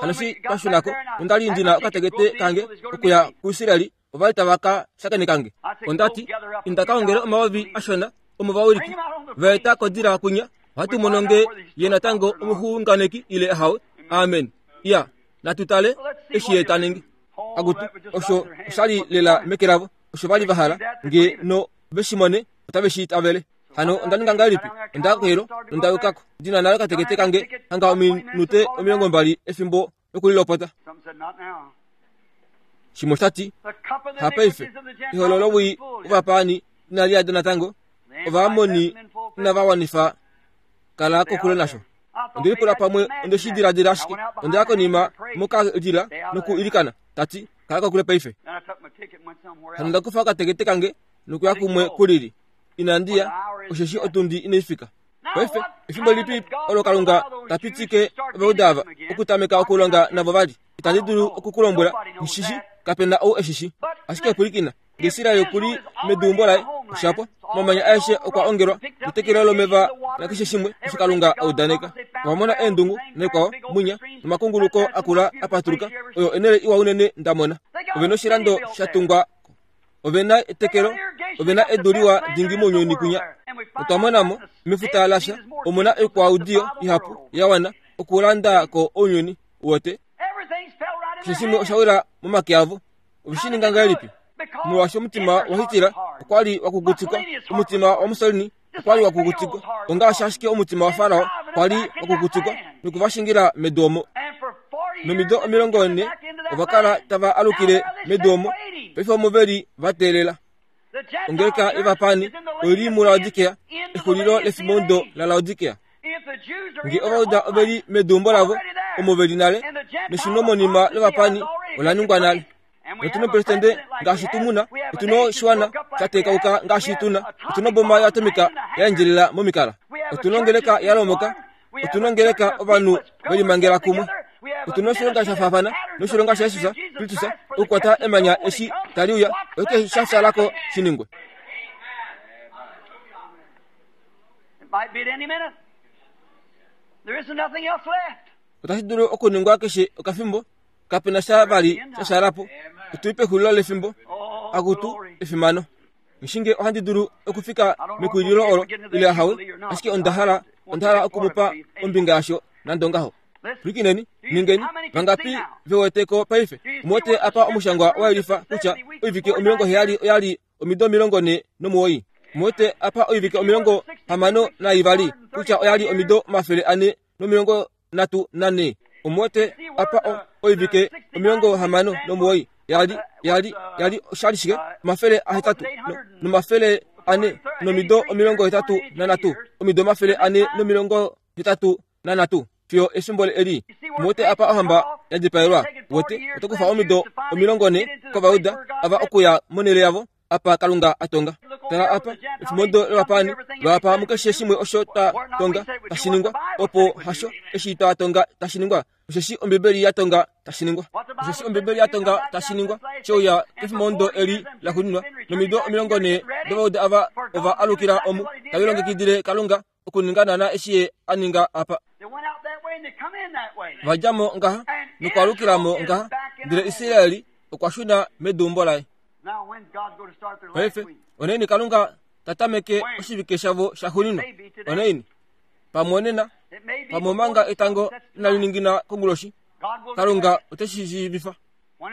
Hano eshi twa shuna ko, onda li ndi na okatekete kange okuya kuIsrael ova li tava ka shakeneka nge. Onda ti, Inda ka ongele omayovi ashona omovawiliki va eta kodila kwinya, ohatu mono nge ye natango omuxunganeki ile ahawe. Amen. Iya, natu tale eshi ye ta ningi. Akutu, osho osha li lela meke lavo, osho va li va hala nge no ve shi mone, otave shi itavele. Hano onda ninga ngahelipi? Onda ya koHelo nonda yuka ko. Ndi na nale okatekete kange hanga ominute 20 efimbo lokulilopota. Shimwe osha ti, Hapaife, eholo lowii wovapaani inali yada natango, Ovaamoni inava wanifa, kala kokule nasho. Onde lipula pamwe onde shi diladila ashike, onda ya konima mokalila noku ilikana, ta ti, Kala kokule paife. Hano onda kufa okatekete kange nokuya kumwe kulili. Inandi ya, osheshi otundi inai fika. Paife, efimbo lilipi olo Kalunga ta pitike Ovajuda ava okutameka okulonga navo vali? Itandi dulu oku ku lombwela, nghi shi, kape na ou e shi shi. Ashike pwilikina, nge Israel oku li meduumbo laye, osha pwa. Omamanya aeshe okwa ongelwa, netekelo lomeva nakeshe shimwe osho Kalunga a udaneka. Ova mona eendungu, naikwao, munya, nomakunguluko akula a patuluka, oyo enhele iwa unene nda mona. Ove noshilando sha tungwa Ove na etekelo, ove na edu liwa dingi mounyuni kwinya. Otwa mona mo, mefuta lasha, omu na oikwaudiyo ihapu ya wana okulanda ko ounyuni wote. Keshe shimwe osha wila momake avo. Ove shi ninga ngahelipi? Molwaashi omutima waHitler okwa li wa kukutikwa, omutima waMussolini okwa li wa kukutikwa, ongaashi ashike omutima waFarao kwa li wa kukutikwa noku va shingila medu omo. Nomido 40 Ova kala tava alukile medu omo, paife omo ve li va teelela. Ongeleka yovapani oi li muLaodikea, exulilo lefimbomudo laLaodikea. Nge Ovauda ove li meduumbo lavo, omo ve li nale, neshunomonima lovapani ola ningwa nale. Notu nomupresidente ngaashi tu mu na, otu noshiwana sha tekauka ngaashi tu na, otu noboma yoatomika ya endjelela momikala, otu nongeleka ya lomoka, otu nongeleka ovanhu ve limangela kumwe, otu noshilonga sha faafana noshilonga shaJesus Kristus okukwata emanya eshi tali uya, oshike sha fyaala ko shi ningwe? Otashi dulu okuningwa keshe okafimbo, kape na sha vali sha shala po. Otu li pexulilo lefimbo. Akutu, efimano. Ngishinge ohandi dulu okufika mekuwililo olo ile ahawe, ashike onda hala onda hala oku mu pa ombinga yasho nande ongaho. Pwilikineni, ningeni, vangapi ve wete ko paife? Omu wete apa omushangwa wa yelifa kutya oivike 70 oya li omido 49. Omu wete apa oivike 62 kutya oya li omido 434. Omu wete apa o, oivike 69 ya li, ya li, ya li osha li shike? 800 no, nomafele ane nomido 83, omido 483 nanhatu fiyo efimbo eli. Muwete apa ohamba ya dipaelwa? Wete, oto kufa omido 40 kOvayuda ava okuya monhele yavo apa Kalunga a tonga. Tala apa, efimbomudo lovapaani vaapa mukeshe shimwe osho twa tonga tashi ningwa, opo hasho eshi twa tonga tashi ningwa, osheshi Ombibeli ya tonga tashi ningwa. Osheshi Ombibeli ya tonga tashi ningwa, sheuya kefimbomudo eli laxuuninwa, nomido 40 dOvayuda ava ova alukila omu, tave longekidile Kalunga okuninga naana eshi ye a ninga apa. Va dja mo ngaha nokwaalukila mo ngaha, ndele Israel okwa shuna meduumbo laye. Paife, onaini Kalunga ta tameke oshivike shavo shaxuuninwa? Onaini? Pamwe onena, pamwe omanga etango inali ningina konguloshi. Kalunga ote shi shiivifa.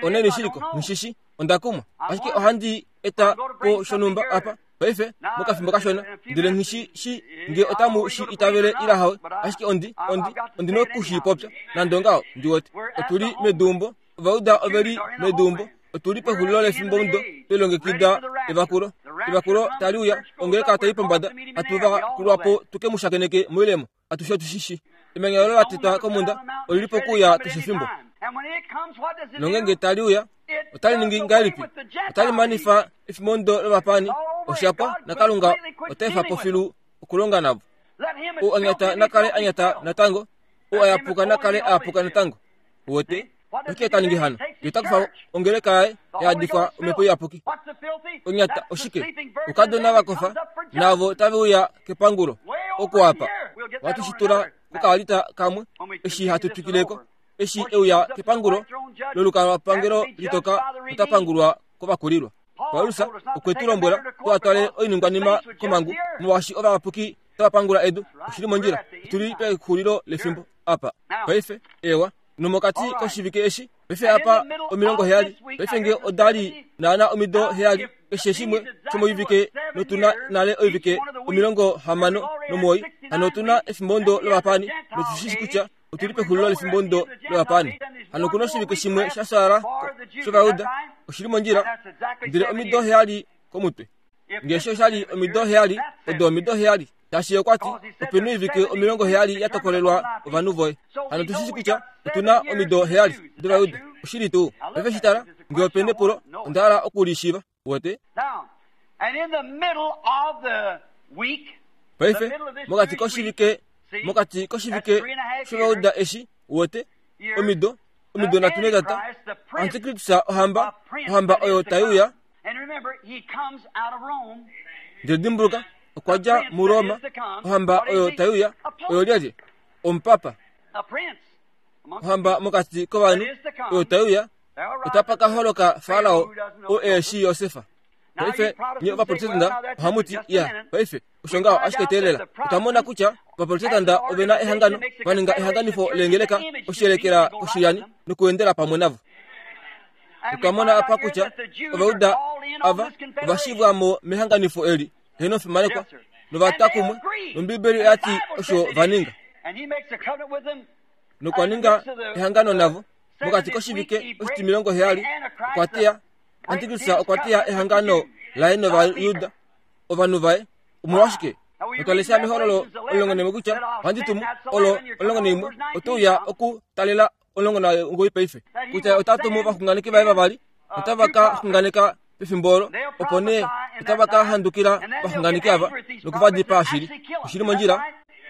Onaini shiliko? Nghi Onda kumwa. Ashike ohandi eta po shonhumba apa paife mokafimbo kashona, ndele nghi shi shi nge otamu shi itavele ile hawe, ashike ondi, ondi, ondi noku shi popya nande ongaho. Ndi wete otu li meduumbo, Ovauda ove li meduumbo, otu li pexulilo lefimbomudo, twe lilongekida evakulo. Evakulo tali uya, ongeleka tai pombada, hatu va kulwa po tu ke mu shakeneke moilemo. Atushe otu shi shi. Emanya olo la tetwa komhunda oli li pokuuya keshe efimbo. Nongeenge tali uya, otali ningi ngahelipi? Otali manifa efimondo lovapaani, osha pwa, naKalunga ota efa po filu okulonga navo. Ou a nyata na kale a nyata natango, ou a yapuka na kale a yapuka natango. Uwete? Oshike ta ningi hano? Ye ota kufa ongeleka yaye ya yadifwa Omhepo Iyapuki. Onyata oshike? Oukadona va kofa navo tave uya kepangulo. Oko apa. Ohatu shi tula kokaalita kamwe eshi hatu twikile ko. Eshi e uya kepangulo lolukalwapangelo litoka ota pangulwa kovakulilwa. Paulus okwe tu lombwela tu twale oiningwanima komhangu molwaashi ovayapuki otava pangula edu. Oshi li mondjila. Otu li pexulilo lefimbo apa paife. Ewa. Nomokati koshivike eshi, paife apa 70, paife nge oda li naana omido 70, keshe shimwe shomoivike, notu na nale oivike 69, hano otu na efimbondo lovapaani, notu shi shi kutya otu li pexulilo lefimbondo lovapaani. Hano oku na oshivike shimwe sha fyaala shOvayuda, oshi li mondjila, ndele omido 70 komutwe. Nge osho sha li omido 70, odo omido 70. Shaashi ye okwa ti, Ope na oivike 70 ya tokolelwa ovanhu voye. Hano otu shi shii kutya otu na omido 70 dOvayuda. Oshili tuu. Paife shi tala, nge ope na epulo, onda hala oku li shiiva. Uwete? Paife, mokati koshivike, mokati koshivike shOvayuda eshi, uwete, omido, omido nhatu netata, Antikristus ohamba, ohamba oyo tai uya, Ndele dimbuluka, okwa dja muRoma, ohamba oyo tai uya, oyo lyelye? Omupapa. Ohamba mokati kovanhu oyo tai uya, otapa ka holoka Farao oo e shii Josefa. Paife, nye Ovaprotestanta ohamu ti, Ya, paife, osho ngaho ashike teelela. Otwa mona kutya Ovaprotestanta ove na ehangano, va ninga ehanganifo leengeleka oshiyelekela koshilyani nokuendela pamwe navo. Otwa mona apa kutya Ovauda ava ova shivwa mo mehanganifo eli, heeno fimanekwa, nova twa kumwe, nOmbibeli oya ti osho va ninga. Nokwa ninga ehangano navo. Mokati koshivike oshitimilongo heyali okwa teya Antikristus okwa teya ehangano laye nOvayuda, ovanhu vaye. Omolwashike? Otwa lesha mehololo 11 kutya ohandi tumu olo 11 ote uya okutalela 19 paife kutya ota tumu ovaxunganeki vaye vavali otava ka xunganeka pefimbo olo opo nee otava ka handukila ovaxunganeki ava noku va dipaa shili. Oshili mondjila.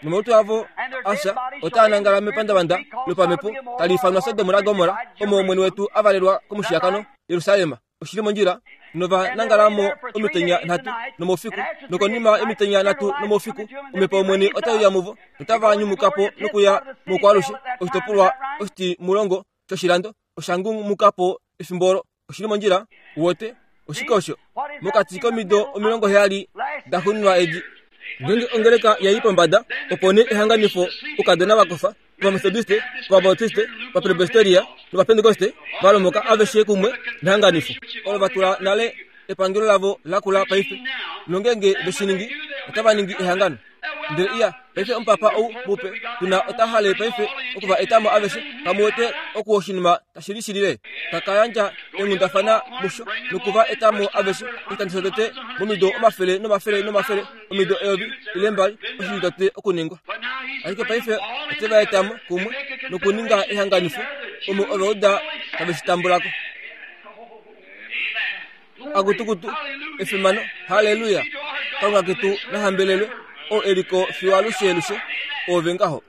Nomalutu avo a fya otaa nangala mepandavanda lopamhepo tali ifanwa Sodom laGomorra, omo Omwene wetu a valelwa komushiyakano, Jerusalem. Oshili mondjila. Nova nangala mo omitenya nhatu nomoufiku, nokonima yomitenya nhatu nomoufiku omhepo yOmwene otai uya muvo, notava nyumuka po nokuya moukwaalushe. Oshitopolwa oshitimulongo shoshilando osha ngumuka po efimbo olo. Oshili mondjila, uwete, oshike osho? Mokati komido 70 da xuninwa edi, ngeenge ongeleka ya i pombada, opo nee ehanganifo oukadona va kofa, Ovametodiste, Ovabautiste, Ovapresbiteria nOvapentekoste va lomoka aveshe kumwe nehanganifo olo va tula nale epangelo lavo la kula paife. Nongeenge ve shi ningi, otava ningi ehangano. Ndele iya, paife omupapa ou mupe tu na ota hale paife oku va eta mo aveshe. Kamu wete oku oshinima tashi lishilile? Ta ka yandja eenghundafana musho noku va eta mo aveshe oshikando shotete momido omafele nomafele nomafele, omido eyovi ile mbali, osho shi tete okuningwa. Ashike paife ote va eta mo kumwe nokuninga ehanganifo omo Ovauda tave shi tambula ko. Akutukutu, efimano, halleluya! Kalunga ketu na hambelelwe, oo e li ko fiyo alushelushe, oove ngaho.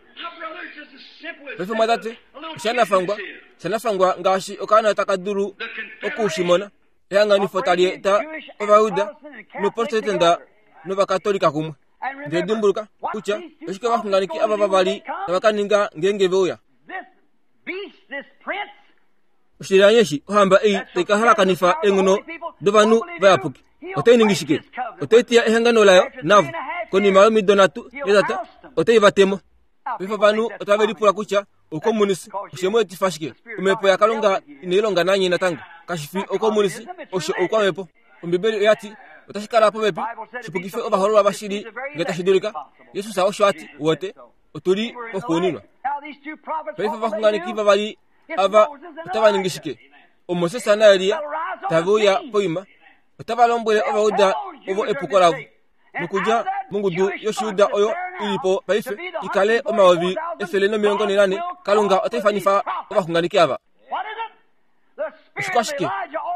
Paife mwatate, oshanafangwa, oshanafangwa ngaashi okaana taka dulu oku shi mona, ehanganifo tali eta Ovayuda nOprotestanda nOvakatolika kumwe. Ndele dimbuluka kutya oshike ovaxunganeki ava vavali tava ka ninga ngeenge ve uya. Oshilyani eshi ohamba ei tai ka halakanifa eenghono dovanhu vayapuki otai ningi shike? Otai teya ehangano layo navo. Konima yomido nhatu netata otai va te mo. Paife ovanhu otave lipula kutya oukomunisi oshe mu etifa shike. Omhepo yaKalunga inai longa nanye natango. Kashi fi oukomunisi, osho oukwamhepo. Ombibeli oya ti otashi kala popepi shi pukife ovahoololwa vashili ngee tashi dulika. Jesus osho a ti, Wote, otu li poxuuninwa. Paife ovaxunganeki vavali ava otava ningi shike? OMoses naElia tave uya poima, otava lombwele Ovajuda ovo epuko lavo nokudja mongudu yOshijuda oyo i li po paife i kale 144000, Kalunga ota ifanifa ovaxunganeki ava. Oshikwashike?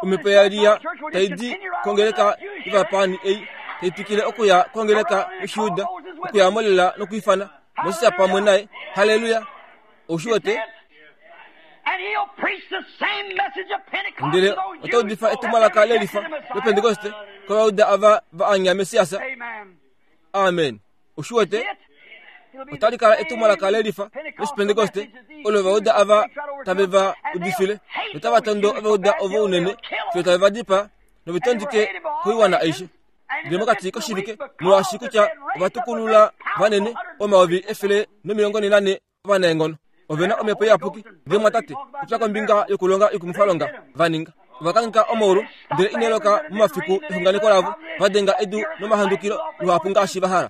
Omhepo yaElia tai di kongeleka yovapaani ei tai twikile okuya kongeleka yOshijuda, okuya mo lela nokwiifana Moses pamwe naye. Halleluya! Ou shi wete? Ndele ota udifa etumwalaka lelifa lOpentekoste kOvayuda ava va anya Messias. Amen. Ou shi wete? Otali kala etumwalaka lelifa lOshipentekoste olo Ovayuda ava tave va udifile, notava tondo Ovayuda ovo unene fiyo tave va dipaa nove tondike koiwana aishe. Ndele mokati koshivike, molwaashi kutya ova tukulula vanene 144,000 ovanaenghono ove na omhepo iyapuki. Ndele mwatate, popya kombinga yokulonga yokumufalonga va ninga. Ova kangheka omaulu, ndele ina loka momafiku exunganeko lavo, va denga edu nomahandukilo luhapu ngaashi va hala.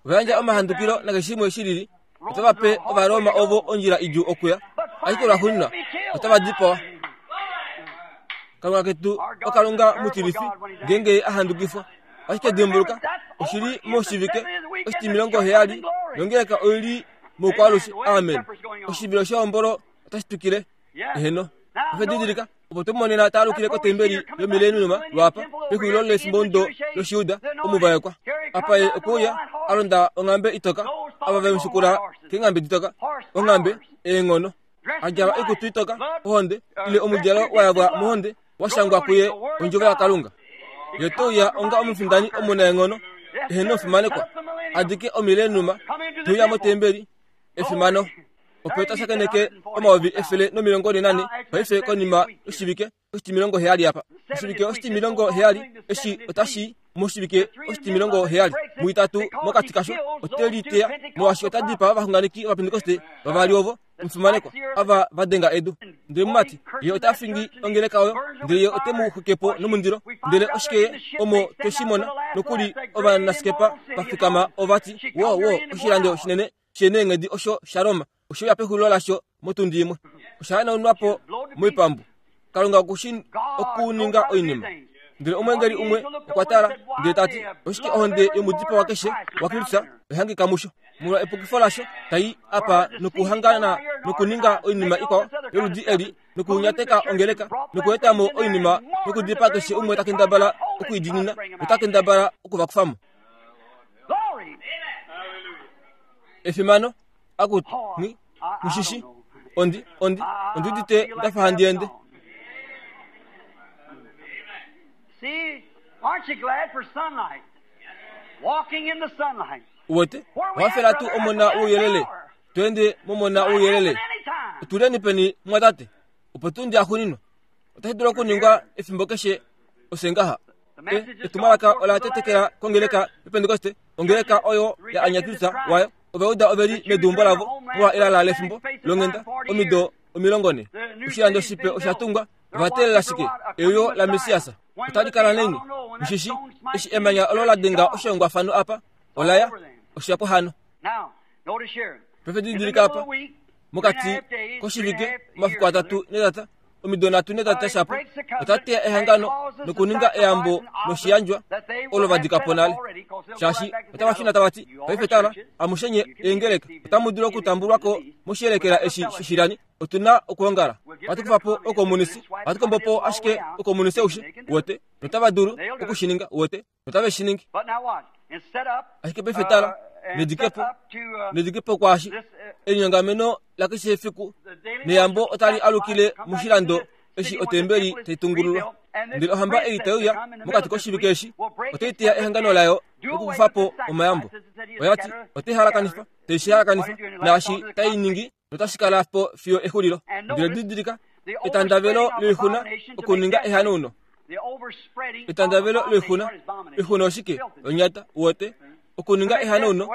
Ova yandja omahandukilo nakeshe shimwe shi lili, otava pe Ovaroma ovo ondjila idjuu okuya, ashike lwaxuuninwa otava dipawa. Kalunga ketu oKalunga mutilifi ngeenge ye a handukifwa. Ashike dimbuluka, oshi li moshivike oshitimilongo heyali nongeleka oi li moukwaalushe. Amen. Oshivilo shehombolo otashi twikile. Eheno. Osha didilika opo twe monena ta alukile kotembeli yomileniuma lwaapa pexulilo lefimbomudo lOshijuda omuvaekwa. Apa ye okwe uya a londa onghambe itoka, ava ve mu shikula keenghambe ditoka, onghambe, eenghono. A djala oikutu itoka, ohonde, ile omudjalo wa yavwa mohonde, wa shangwa kuye ondjovo yaKalunga. Ye ote uya onga omufindani omunaenghono, eheno omufimanekwa, a dike omileniuma, te uya motembeli, efimano. Opo ta shakeneke 144,000 paife konima yoshivike oshitimilongo heyali apa. Oshivike oshitimilongo heyali eshi otashi moshivike oshitimilongo heyali muitatu mokati kasho ote liteya molwaashi ota dipaa ovaxunganeki Ovapentekoste vavali ovo omufimanekwa ava va denga edu. Ndele mumati, ye ota fingi ongeleka oyo, ndele ye ote mu xwike po nomundilo. Ndele oshike ye omo twe shi mona nokuli ovanasikepa va fikama ova ti, Wo, wo, oshilando shinene! sheneenghedi osho shaRoma oshe uya pexulilo lasho motundi imwe. Osha hanaunwa po moipambu. Kalunga oku shi okuninga oinima. Ndele omweengeli umwe okwa tala, ndele ta ti, Oshike ohonde yomudipawa keshe waKristus oya hangika musho? Molwa epukifo lasho, tai apa nokuhangana nokuninga oinima ikwao yoludi eli, nokunyateka ongeleka, nokueta mo oinima nokudipaa keshe umwe ta kendabala oku i diinina nota kendabala oku va kufa mo. Efimano! Akutu, nghi, nghi shi Ondi, ondi, ondi udite nda fa handi ende.
See, aren't you glad for sunlight? Walking in the sunlight.
Uwete, owa fela tuu omona wouyelele, to ende momona wouyelele. Otuleni peni, mumwatate? Opo tuu ndi axuuninwa. Otashi dulu okuningwa efimbo keshe ofye ngaha. E, etumwalaka ola tetekela kongeleka yoPentekoste, ongeleka oyo ya anya Kristus wayo. Ovauda ove li meduumbo lavo molwa elala lefimbo longhenda omido 40. Oshilando shipe osha tungwa, ova teelela shike? Euyo laMessias. Otali kala naini? Mushishi, eshi emanya olo la denga oshihongwafano apa, ola ya, osha pwa hano. Paife didilika apa, mokati koshivike, omafiku atatu netata, omido nhatu netata shapo, ota teya ehangano nokuninga eyambo noshiyandjwa olo va dika po nale. Shaashi otava shuna tava ti, Paife tala, amushe nye eengeleka otamu dulu okutambulwa ko moshiyelekela eshi shoshilani. Otu na okwoongala. Ohatu kufa po oukomunisi. Ohatu kombo po ashike oukomunisi aushe, uwete. Notava dulu oku shi ninga, uwete. Notave shi ningi. Ashike paife tala, nedikepo, nedikepo kwaashi, elinyongameno lakeshe efiku neyambo otali alukile moshilando eshi otembeli tai tungululwa. Ndele ohamba ei tai uya mokati koshivike eshi otai teya ehangano layo nokukufa po omayambo. Oya ti otai halakanifa, tai shi halakanifa, naashi tai ningi notashi kala po fiyo exulilo. Ndele didilika, etandavelo loixuna okuninga ehanauno. Etandavelo loixuna, oixuna oshike? Onyata, uwete. Okuninga ehanauno,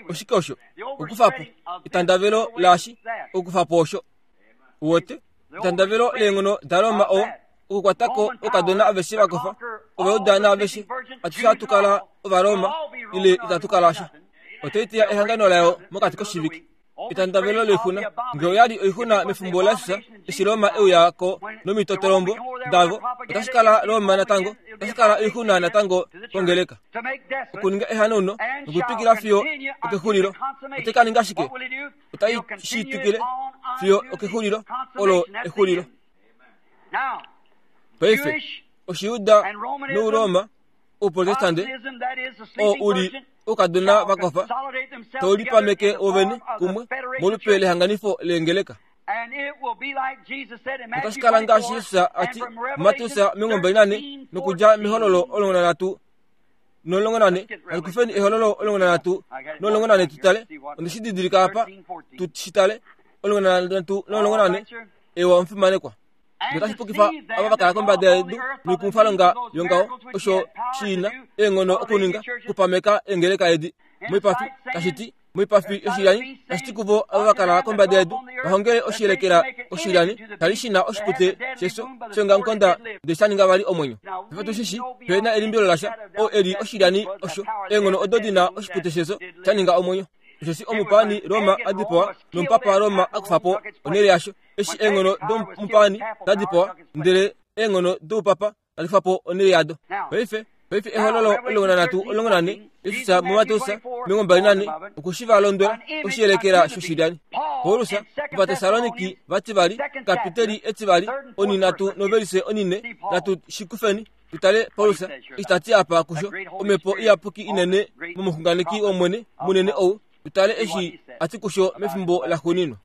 oshike osho? Okukufa po. Etandavelo laashi, okukufa po osho. Uwete? Etandavelo leenghono daRoma o okukwata ko oukadona aveshe va kofa, Ovajuda naaveshe, atushe ohatu kala Ovaroma ile itatu kala sha. Otai teya ehangano layo mokati koshivike. Etandavelo loixuna. Nge oya li oixuna mefimbo laJesus, eshi Roma e uya ko nomitotolombo davo, otashi kala Roma natango, otashi kala oixuna natango kongeleka. Okuninga ehanauno nokutwikila fiyo okexulilo. Otai ka ninga shike? Otai shi twikile fiyo okexulilo. Olo exulilo. Paife, Oshijuda nOuroma Ouprotestante oo u li oukadona va kofa tau lipameke wovene kumwe molupe lehanganifo leengeleka. Otashi kala ngaashi Jesus a ti muMateus 24 nokudja mEhololo 13 14. Natu kufeni Ehololo 13 14 tu tale. Onde shi didilika apa, tu shi tale. 13 14. Ewa omufimanekwa. notashi pukifa ava va kala kombada yedu noikumwifalonga yongaho osho shi na eenghono okuninga okupameka eengeleka edi moipafi tashi ti moipafi yoshilyani tashi ti kuvo ava va kala kombada yedu va hongele oshiyelekela oshilyani shali shi na oshipute shefyo shongamukonda ndele sha ninga vali omwenyo. Paife tu shi shi pe na elimbilo lasha oo e li oshilyani osho eenghono odo di na oshipute shefyo sha ninga omwenyo. Osheshi omupaani Roma a dipawa nomupapa Roma a kufa po onhele yasho. Eshi eenghono domupaani da dipawa, ndele eenghono doupapa tadi kufa po onhele yado. Paife, paife Ehololo 13:14, Jesus muMateus 24 okwe shi va londwela oshiyelekela shoshilyani. Paulus, Ovatessaloniki vativali, kapiteli etivali, oninhatu novelise onine, natu shi kufeni tu tale Paulus eshi ta ti apa kusho, Omhepo Iyapuki inene momuxunganeki wOmwene munene ou, tu tale eshi a ti kusho mefimbo laxuuninwa.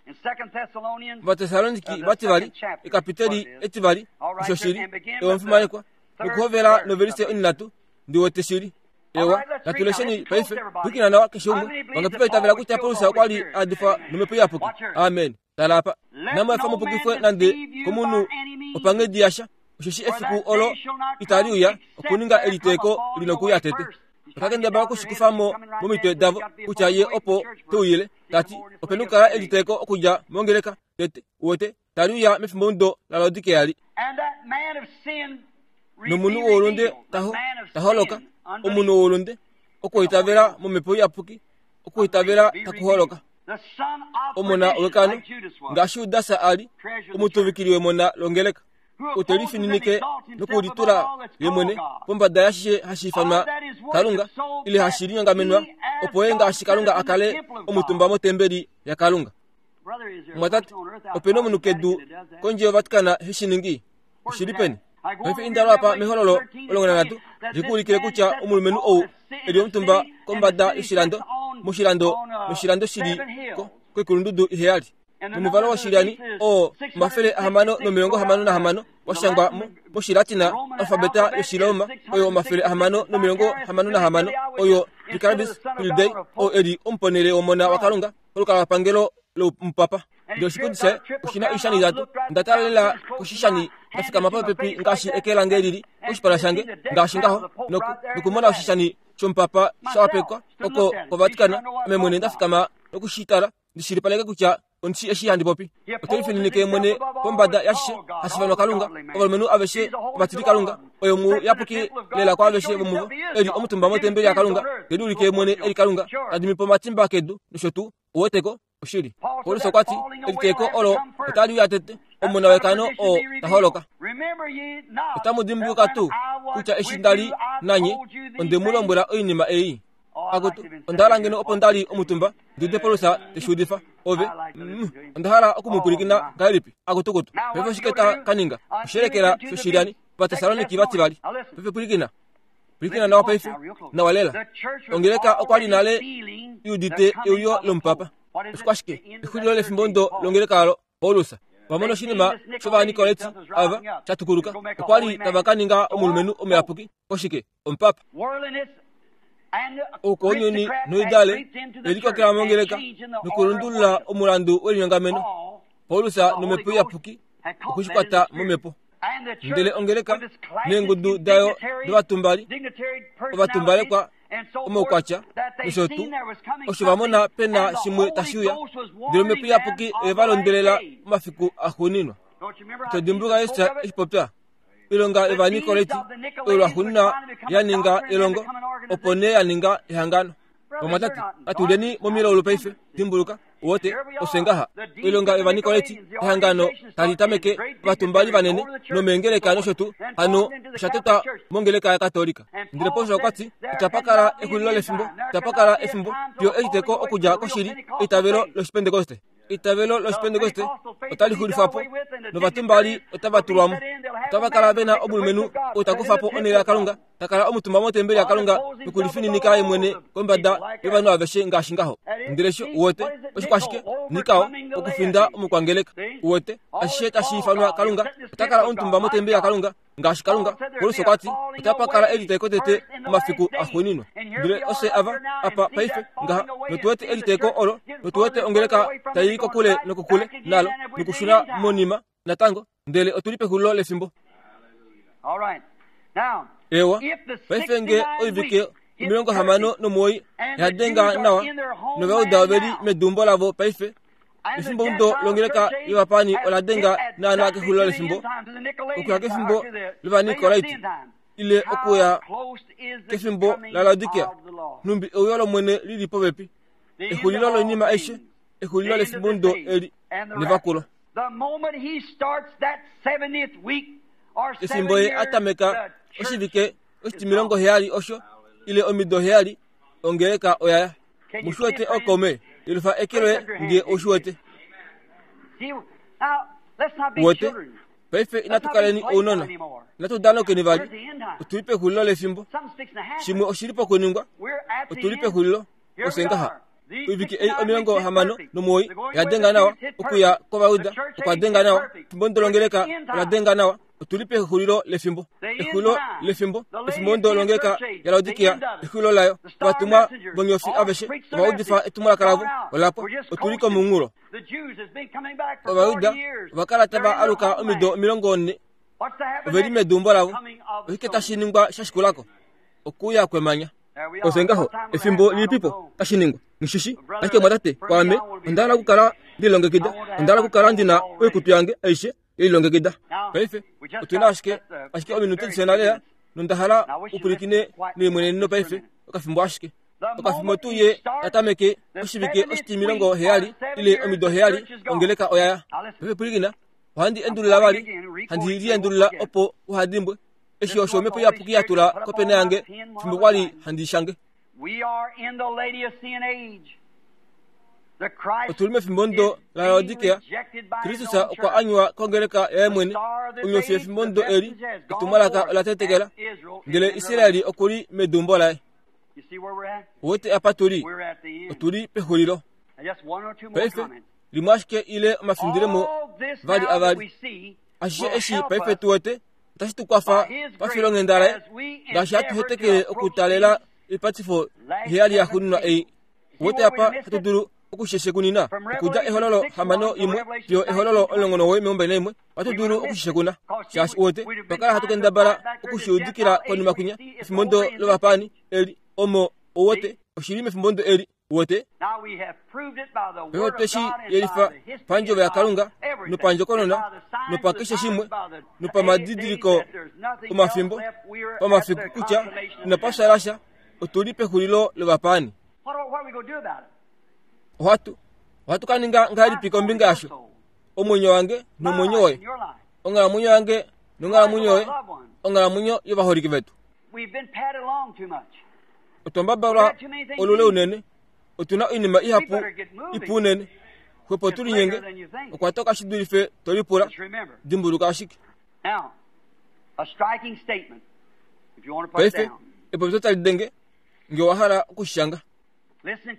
Ovatessaloniki vativali, ekapiteli etivali, osho shili, ewa omufimanekwa, nokuhovela novelise oninhatu, ndi wete shili. Ewa, natu lesheni paife, pwilikina nawa keshe umwe. Vangapi va itavela kutya Paulus okwa li a yadifwa nomhepo iyapuki? Amen. Tala apa. Inamu efa mu pukifwe nande komunhu opanghedi yasha, osheshi efiku olo itali uya okuninga eliteeko li nokuuya tete. Ota kendabala oku shi kufa mo momitwe davo kutya ye opo te uyile, ta ti, Ope nokukala eliteeko okudja mongeleka tete, uwete, tali uya mefimbomudo laLaodikea li. Nomunhu woulunde ta holoka, omunhu woulunde, okwoitavela momhepo iyapuki. Okuitavela taku holoka. Omona wekano, ngaashi Judas a li omutuvikili wemona longeleka, ote lifininike nokulitula ye mwene pombada yashishe hashi ifanwa Kalunga ile hashi linyongamenwa, opo ye ngaashi Kalunga a kale omutumba motembeli yaKalunga. Mumwatate, ope na omunhu kedu kondje yoVatican he shi ningi? Oshi li peni? Paife inda lwapa mehololo 13 li ku ulikile kutya omulumenhu ou e li omutumba kombada yoshilando moshilando noshilando shi li koikulundudu iheyali nomuvalo woshilyani oo 666 wa shangwa moshilatina alfabeta yOshiroma oyo 666 oyo Vicarius Filii oo e li omuponele wOmona waKalunga kolukalwapangelo lomupapa. Ndele oshipundi shaye oshi na oishani itatu. Onda tala lela koshishani nda fikama popepi ngaashi eke lange li li koshipala shange, ngaashi ngaho, nokumona oshishani shomupapa sha wapekwa oko koVatican. Ame mwene nda fikama noku shi tala, ndi shilipaleke kutya ondi shii eshi handi popi. Ote lifininike mwene pombada yashishe hashi ifanwa Kalunga, ovalumenhu aveshe ovatilikalunga, oye omuyapuki lela kwaaveshe vomuvo, e li omutumba motembeli yaKalunga, te liulike mwene e li Kalunga, ta dimi po omatimba kedu nosho tuu. Uwete ko? Oshili. Paulus okwa ti, Eliteeko olo otali uya tete, omona wekano oo ta holoka. Otamu dimbuluka tuu kutya eshi nda li nanye onde mu lombwela oinima ei? Akutu, onda hala ngeno opo nda li omutumba ndi ude Paulus te shi udifa. Ove, mm, onda hala oku mu pwilikina ngahelipi? Akutukutu. Paife oshike ta ka ninga? Oshiyelekela shoshilyani, Ovatessaloniki vativali. Paife pwilikina. Pwilikina nawa paife, nawa lela. Ongeleka okwa li nale i udite euyo lomupapa. Oshikwashike? Exulilo lefimbo ndo longeleka olo, Paulus. Va mona oshinima shOvanikoleti ava sha tukuluka. Okwa li tava ka ninga omulumenhu omuyapuki koshike? Omupapa. Oukounyuni noidale oye likokela mongeleka nokulundulula omulandu welinyongameno. Paulus nomhepo iyapuki okwe shi kwata momhepo. Ndele ongeleka neengudu dayo dovatumbali, ovatumbalekwa, omaukwatya nosho tuu, osho va mona pe na shimwe tashi uya, ndele omhepo iyapuki oye va londwelela omafiku axuuninwa. Ito dimbuluka Jesus eshi popya? Oilonga yOvanikoleti oyo lwaxuuninwa ya ninga elongo, opo nee ya ninga ehangano. Vamwatate, natu lyeni momilaulu paife. Dimbuluka, uwete, ofye ngaha. Oilonga yOvanikoleti, ehangano tali tameke, ovatumbali vanene nomeengeleka nosho tuu, hano osha tetwa mongeleka yaKatolika. Ndele Paulus okwa ti, Itapa kala exulilo lefimbo, itapa kala efimbo fiyo eliteeko okudja koshili, eitavelo lOshipentekoste. Eitavelo lOshipentekoste otali xulifwa po, novatumbali otava tulwa mo. Otava kala ve na omulumenhu ou ta kufa po onhele yaKalunga, ta kala omutumba motembeli yaKalunga nokulifininika ye mwene kombada yovanhu aveshe ngaashi ngaho. Ndele sho, uwete, oshikwashike? Nikao, okufinda omukwangeleka. Uwete, ashishe tashi ifanwa Kalunga, ota kala omutumba motembeli yaKalunga ngaashi Kalunga. Paulus okwa ti, Otapa kala eliteeko tete omafiku axuuninwa. Ndele ofye ava apa paife ngaha, notu wete eliteeko olo, notu wete ongeleka tai i kokule nokokule nalo, nokushuna monima natango, ndele otu li pexulilo lefimbo. Eewa, paife nge oivike 69 ya denga nawa, nOvauda ove li meduumbo lavo paife, Efimbomudo longeleka yovapaani ola denga naanaa kexulilo lefimbo, okuya kefimbo lOvanikolaiti, ile okuya kefimbo laLaodikia, nhumbi euyo lOmwene li li popepi. Exulilo loinima aishe, exulilo lefimbomudo eli nevakulo. Efimbo ye a tameka oshivike oshitimilongo heyali osho, ile omido heyali, ongeleka oya ya. Mu shi wete okaume? Yelufa eke loye nge ou shi wete. Uwete? Paife inatu kaleni ounona. Inatu danokeni vali. Otu li pexulilo lefimbo. Shimwe oshi li pokuningwa. Otu li pexulilo. Ofye ngaha. Oivike ei 69 oya denga nawa. Okuya kOvayuda okwa denga nawa. Efimbo ndolongeleka ola denga nawa. Otu li pexulilo lefimbo. Exulilo lefimbo, efimbo ndolongeleka yaLaodikia, exulilo layo. Ovatumwa vonyofi aveshe ova udifa etumwalaka lavo, ola pwa. Otu li komunghulo. Ovayuda ova kala tava aluka omido 40. Ove li meduumbo lavo. Oshike tashi ningwa sha shikula ko? Okuuya kwemanya. Ofye ngaho, efimbo lilipipo tashi ningwa? Nghishishi, ashike mwatate, kwaame, onda hala okukala nde lilongekida. Onda hala okukala ndi na oikutu yange aishe ye lilongekida. Paife, otu na ashike, ashike ominute dishona lela, nonda hala u pwilikine nelimweneneno paife, okafimbo ashike. Okafimbo tuu ye ta tameke oshivike oshitimilongo heyali ile omido heyali, ongeleka oya ya. Paife pwilikina, ohandi endulula vali, handi liendulula opo uha dimbwe. Eshi osho Omhepo Iyapuki ya tula kopena yange fimbo kwa li handi shange. Otu li mefimbomudo laLaodikea. Kristus okwa anywa kongeleka yaye mwene. Onyofi yefimbomudo eli, etumwalaka ola tetekela, ndele Israel oku li meduumbo laye. Uwete apa tu li? Otu li pexulilo. Paife, limwe ashike ile omafindilemo vali avali. Ashishe eshi paife tu wete, otashi tu kwafa pafilonghenda laye, ngaashi hatu hetekele okutalela oipatifo iheyali yaxuuninwa ei. Uwete apa hatu dulu okusheshekunina okudja Ehololo 6 1 fiyo Ehololo 19 ohatu dulu okusheshekuna shaashi uwete otwa kala hatu kendabala okushiudikila konima kwinya efimbondo lovapaani eli omo uwete oshili mefimbondo eli uwete paife otwe shi yelifa pandjovo yaKalunga nopandjokonona nopakeshe shimwe nopamadidiliko omafimbo pamafiku kutya inapa shala sha otu li pexulilo lovapaani. Ohatu ohatu ka ninga ngahelipi kombinga yasho? Omwenyo wange nomwenyo woye, onghalamwenyo yange nonghalamwenyo yoye, onghalamwenyo yovaholike vetu. Otwa mbabalwa olule unene, otu na oinima ihapu ipu unene. Xwepo tu linyenge, okwa toka shi dulife to lipula. Dimbuluka ashike. Paife, epopyo tali denge, nge owa hala oku shi shanga.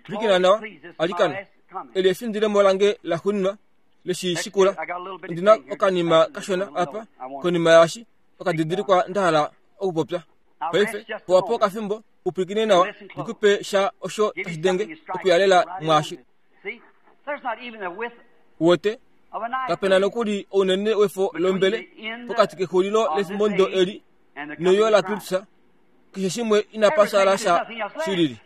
Pwilikina nawa, alikana. Eli efindilemo lange laxuuninwa leshi shikula. Ondi na okanima kashona apa, konima yaashi, okadidilikwa nda hala okupopya. Paife, pewa po okafimbo, u pwilikine nawa, ndi ku pe sha osho tashi denge okuyalela mwaashi. Uwete, kape na nokuli ounene wefo lombele pokati kexulilo lefimbomudo eli neuyo laKristus. Keshe shimwe inapa shala sha shilili.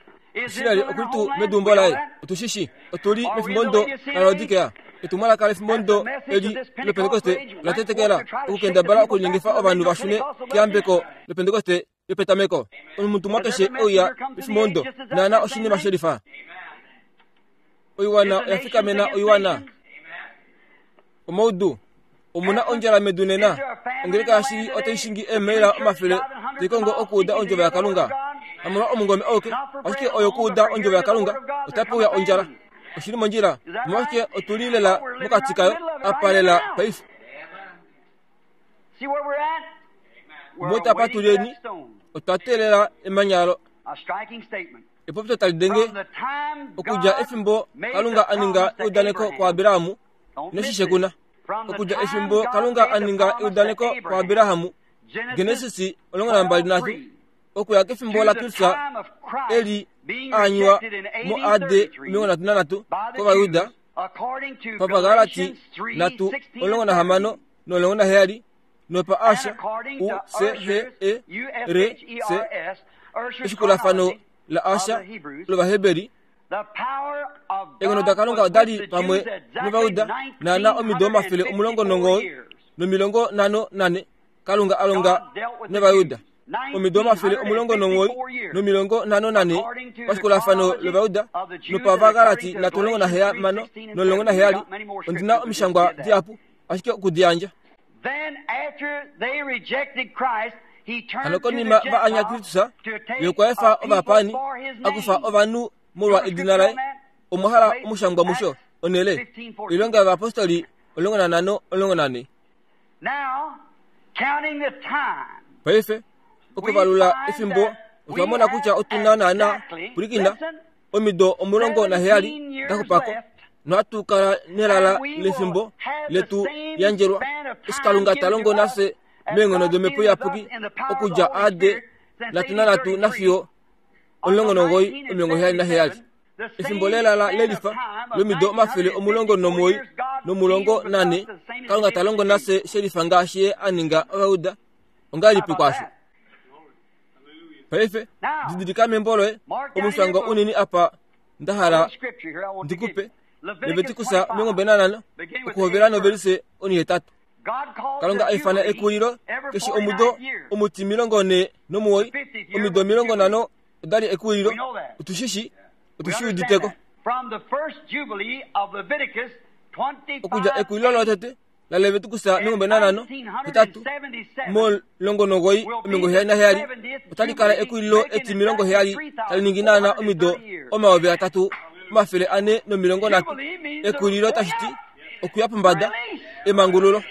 Israel oku li tuu meduumbo laye? Otu shi shii. Otu li mefimbomudo laLaodikea. Etumwalaka lefimbomudo eli lOpentekoste ola tetekela okukendabala okulinyengifa ovanhu va shune keyambeko lOpentekoste yopetameko. Omutumwa keshe e uya mefimbomudo naana oshinima she lifa. Oiwana oya fikamena oiwana. Omaudu. Omu na ondjala medu nena. Ongeleka yashili otai shingi eemaila omafele tai kongo okuuda ondjovo yaKalunga. Hamolwa omungome auke, ashike oyo okuuda ondjovo yaKalunga, otape uya ondjala. Oshi li mondjila. Omolwashike otu li lela mokati kayo apa lela paife. Omo apa tu leni, otwa teelela emanya lo. Epopyo tali denge okudja efimbo Kalunga a ninga eudaneko kuAbraham noshishe kuna. Okudja efimbo Kalunga a ninga eudaneko kuAbraham, Genesis 23, okuya kefimbo laKristus eli a anywa mo AD 33 kOvayuda, paVagalati 3:16 no17, nopa Asha, U C H E R C, eshikulafano laAsha lOvaheberi. Eenghono daKalunga oda li pamwe nOvayuda naana omido 194 Kalunga a longa nOvayuda omido 194 pashikulafano lOvayuda nopavagalati 3:16 Ondi na omishangwa dihapu ashike oku di yandja. Hano konima va anya Kristus, ye okwa efa ovapaani a kufa ovanhu molwa edina laye. Omwa hala omushangwa musho, onhele, Oilonga yOvayapostoli 15:14. Paife, okuvalula efimbo, otwa mona kutya otu na naana, pwilikina, omido 17 da xupa ko, nohatu kala nelala lefimbo letu yandjelwa, eshi Kalunga ta longo nafye meenghono dOmhepo Iyapuki okudja AD 33 nafiyo 19 77. Efimbo lelala lelifa lomido 194, Kalunga ta longo nafye shelifa ngaashi Ye a ninga Ovayuda. Ongahelipi kwaasho? Paife, didilika membo loye omushangwa unini apa nda hala ndi ku pe. Levitikus 25, okuhovela novelise onihetatu. Kalunga a ifana ekulilo keshe omudo omuti 49, omido 50. Oda li ekuwililo. Otu shi shii. Otu shi udite ko. Okudja ekuwililo lotete laLeviticus 25, 8, mo19 77 otali kala ekuwililo etimilongo heyali tali ningi naana omido 3430. Ekuwililo tashi ti okuya pombada, emangululo.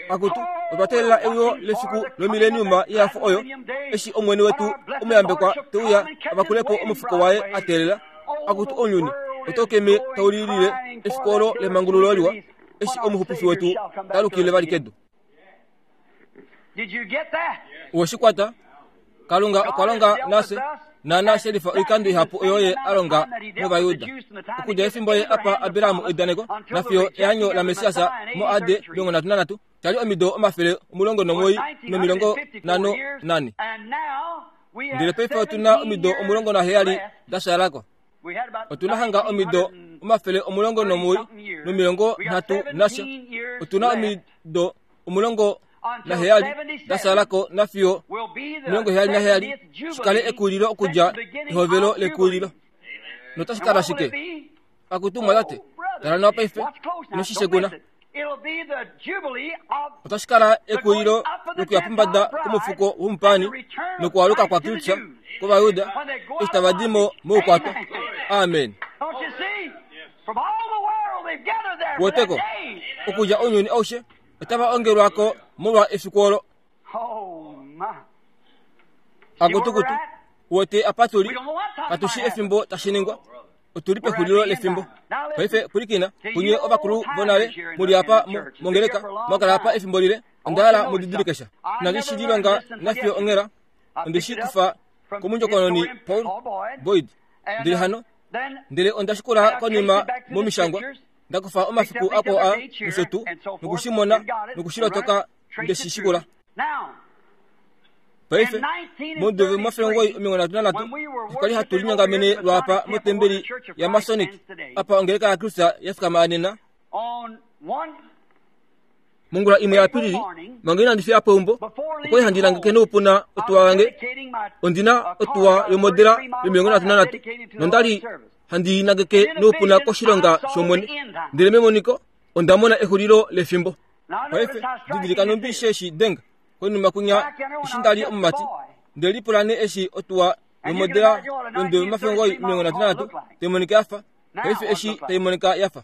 Akutu, otwa teelela euyo lefiku lomileniuma yehafo oyo, eshi Omwene wetu omuyambekwa te uya a vakule po omufuko waye a teelela. Akutu ounyuni, oto keme tau lilile efiku olo lemangululo liwa, eshi Omuxupifi wetu ta lukile vali kedu. Owe shi kwata? Kalunga okwa longa nafye naana shelifa oikando ihapu oyo ye a longa nOvayuda. Okudja efimbo ye a pa Abraham eudaneko nafiyo eanyo laMessias mo AD 33, sha li omido 954. Ndele paife otu na omido 17 da shaala ko. Otu na hanga omido 193 nasha. Otu na omido 17 da shaala ko nafiyo 77 shi kale ekuulilo okudja ehovelo lekuulilo. Notashi kala shike? Akutu mwatate, tala nawa paife, ino shi shekuna. Otashi kala ekuulilo lokuya pombada komufuko womupaani nokualuka kwaKristus kOvayuda eshi tava di mo moukwatwa. Amen. Woteko, okudja ounyuni aushe otava ongelwa ko molwa efiku olo. Akutukutu, wote apa tu li, katu shi efimbo tashi ningwa. Otu li pexulilo lefimbo. Paife pwilikina, kunye ovakulu vonale mu li apa mongeleka, mwa kala apa efimbo lile, onda hala mu didilike sha. Inandi shi lilonga nafiyo onghela, onde shi kufa komundjokononi Paul Boyd. Ndele hano, ndele onda shikula konima momishangwa, nda kufa omafiku akwao a nosho tuu, noku shi mona noku shi lotoka nde shi shikula. Paife, momudo 1933, okwa li hatu linyongamene lwaapa motembeli yaMasonic, apa ongeleka yaKristus ya fikama nena. Mongula imwe yaApilili, manga inandi fiya po eumbo, okwa li handi langeke noupuna otuwa yange. Ondi na otuwa yomodela yo33 nonda li handi i nangeke noupuna koshilonga shOmwene. Ndele memoniko, onda mona exulilo lefimbo. Paife, didilika nhumbi she shi denga konima kwinya eshi nda li omumati. Nde lipula nee eshi otuwa yomodela yondwe yomafengoi 33 tai monika ya fa paife eshi tai monika ya fa.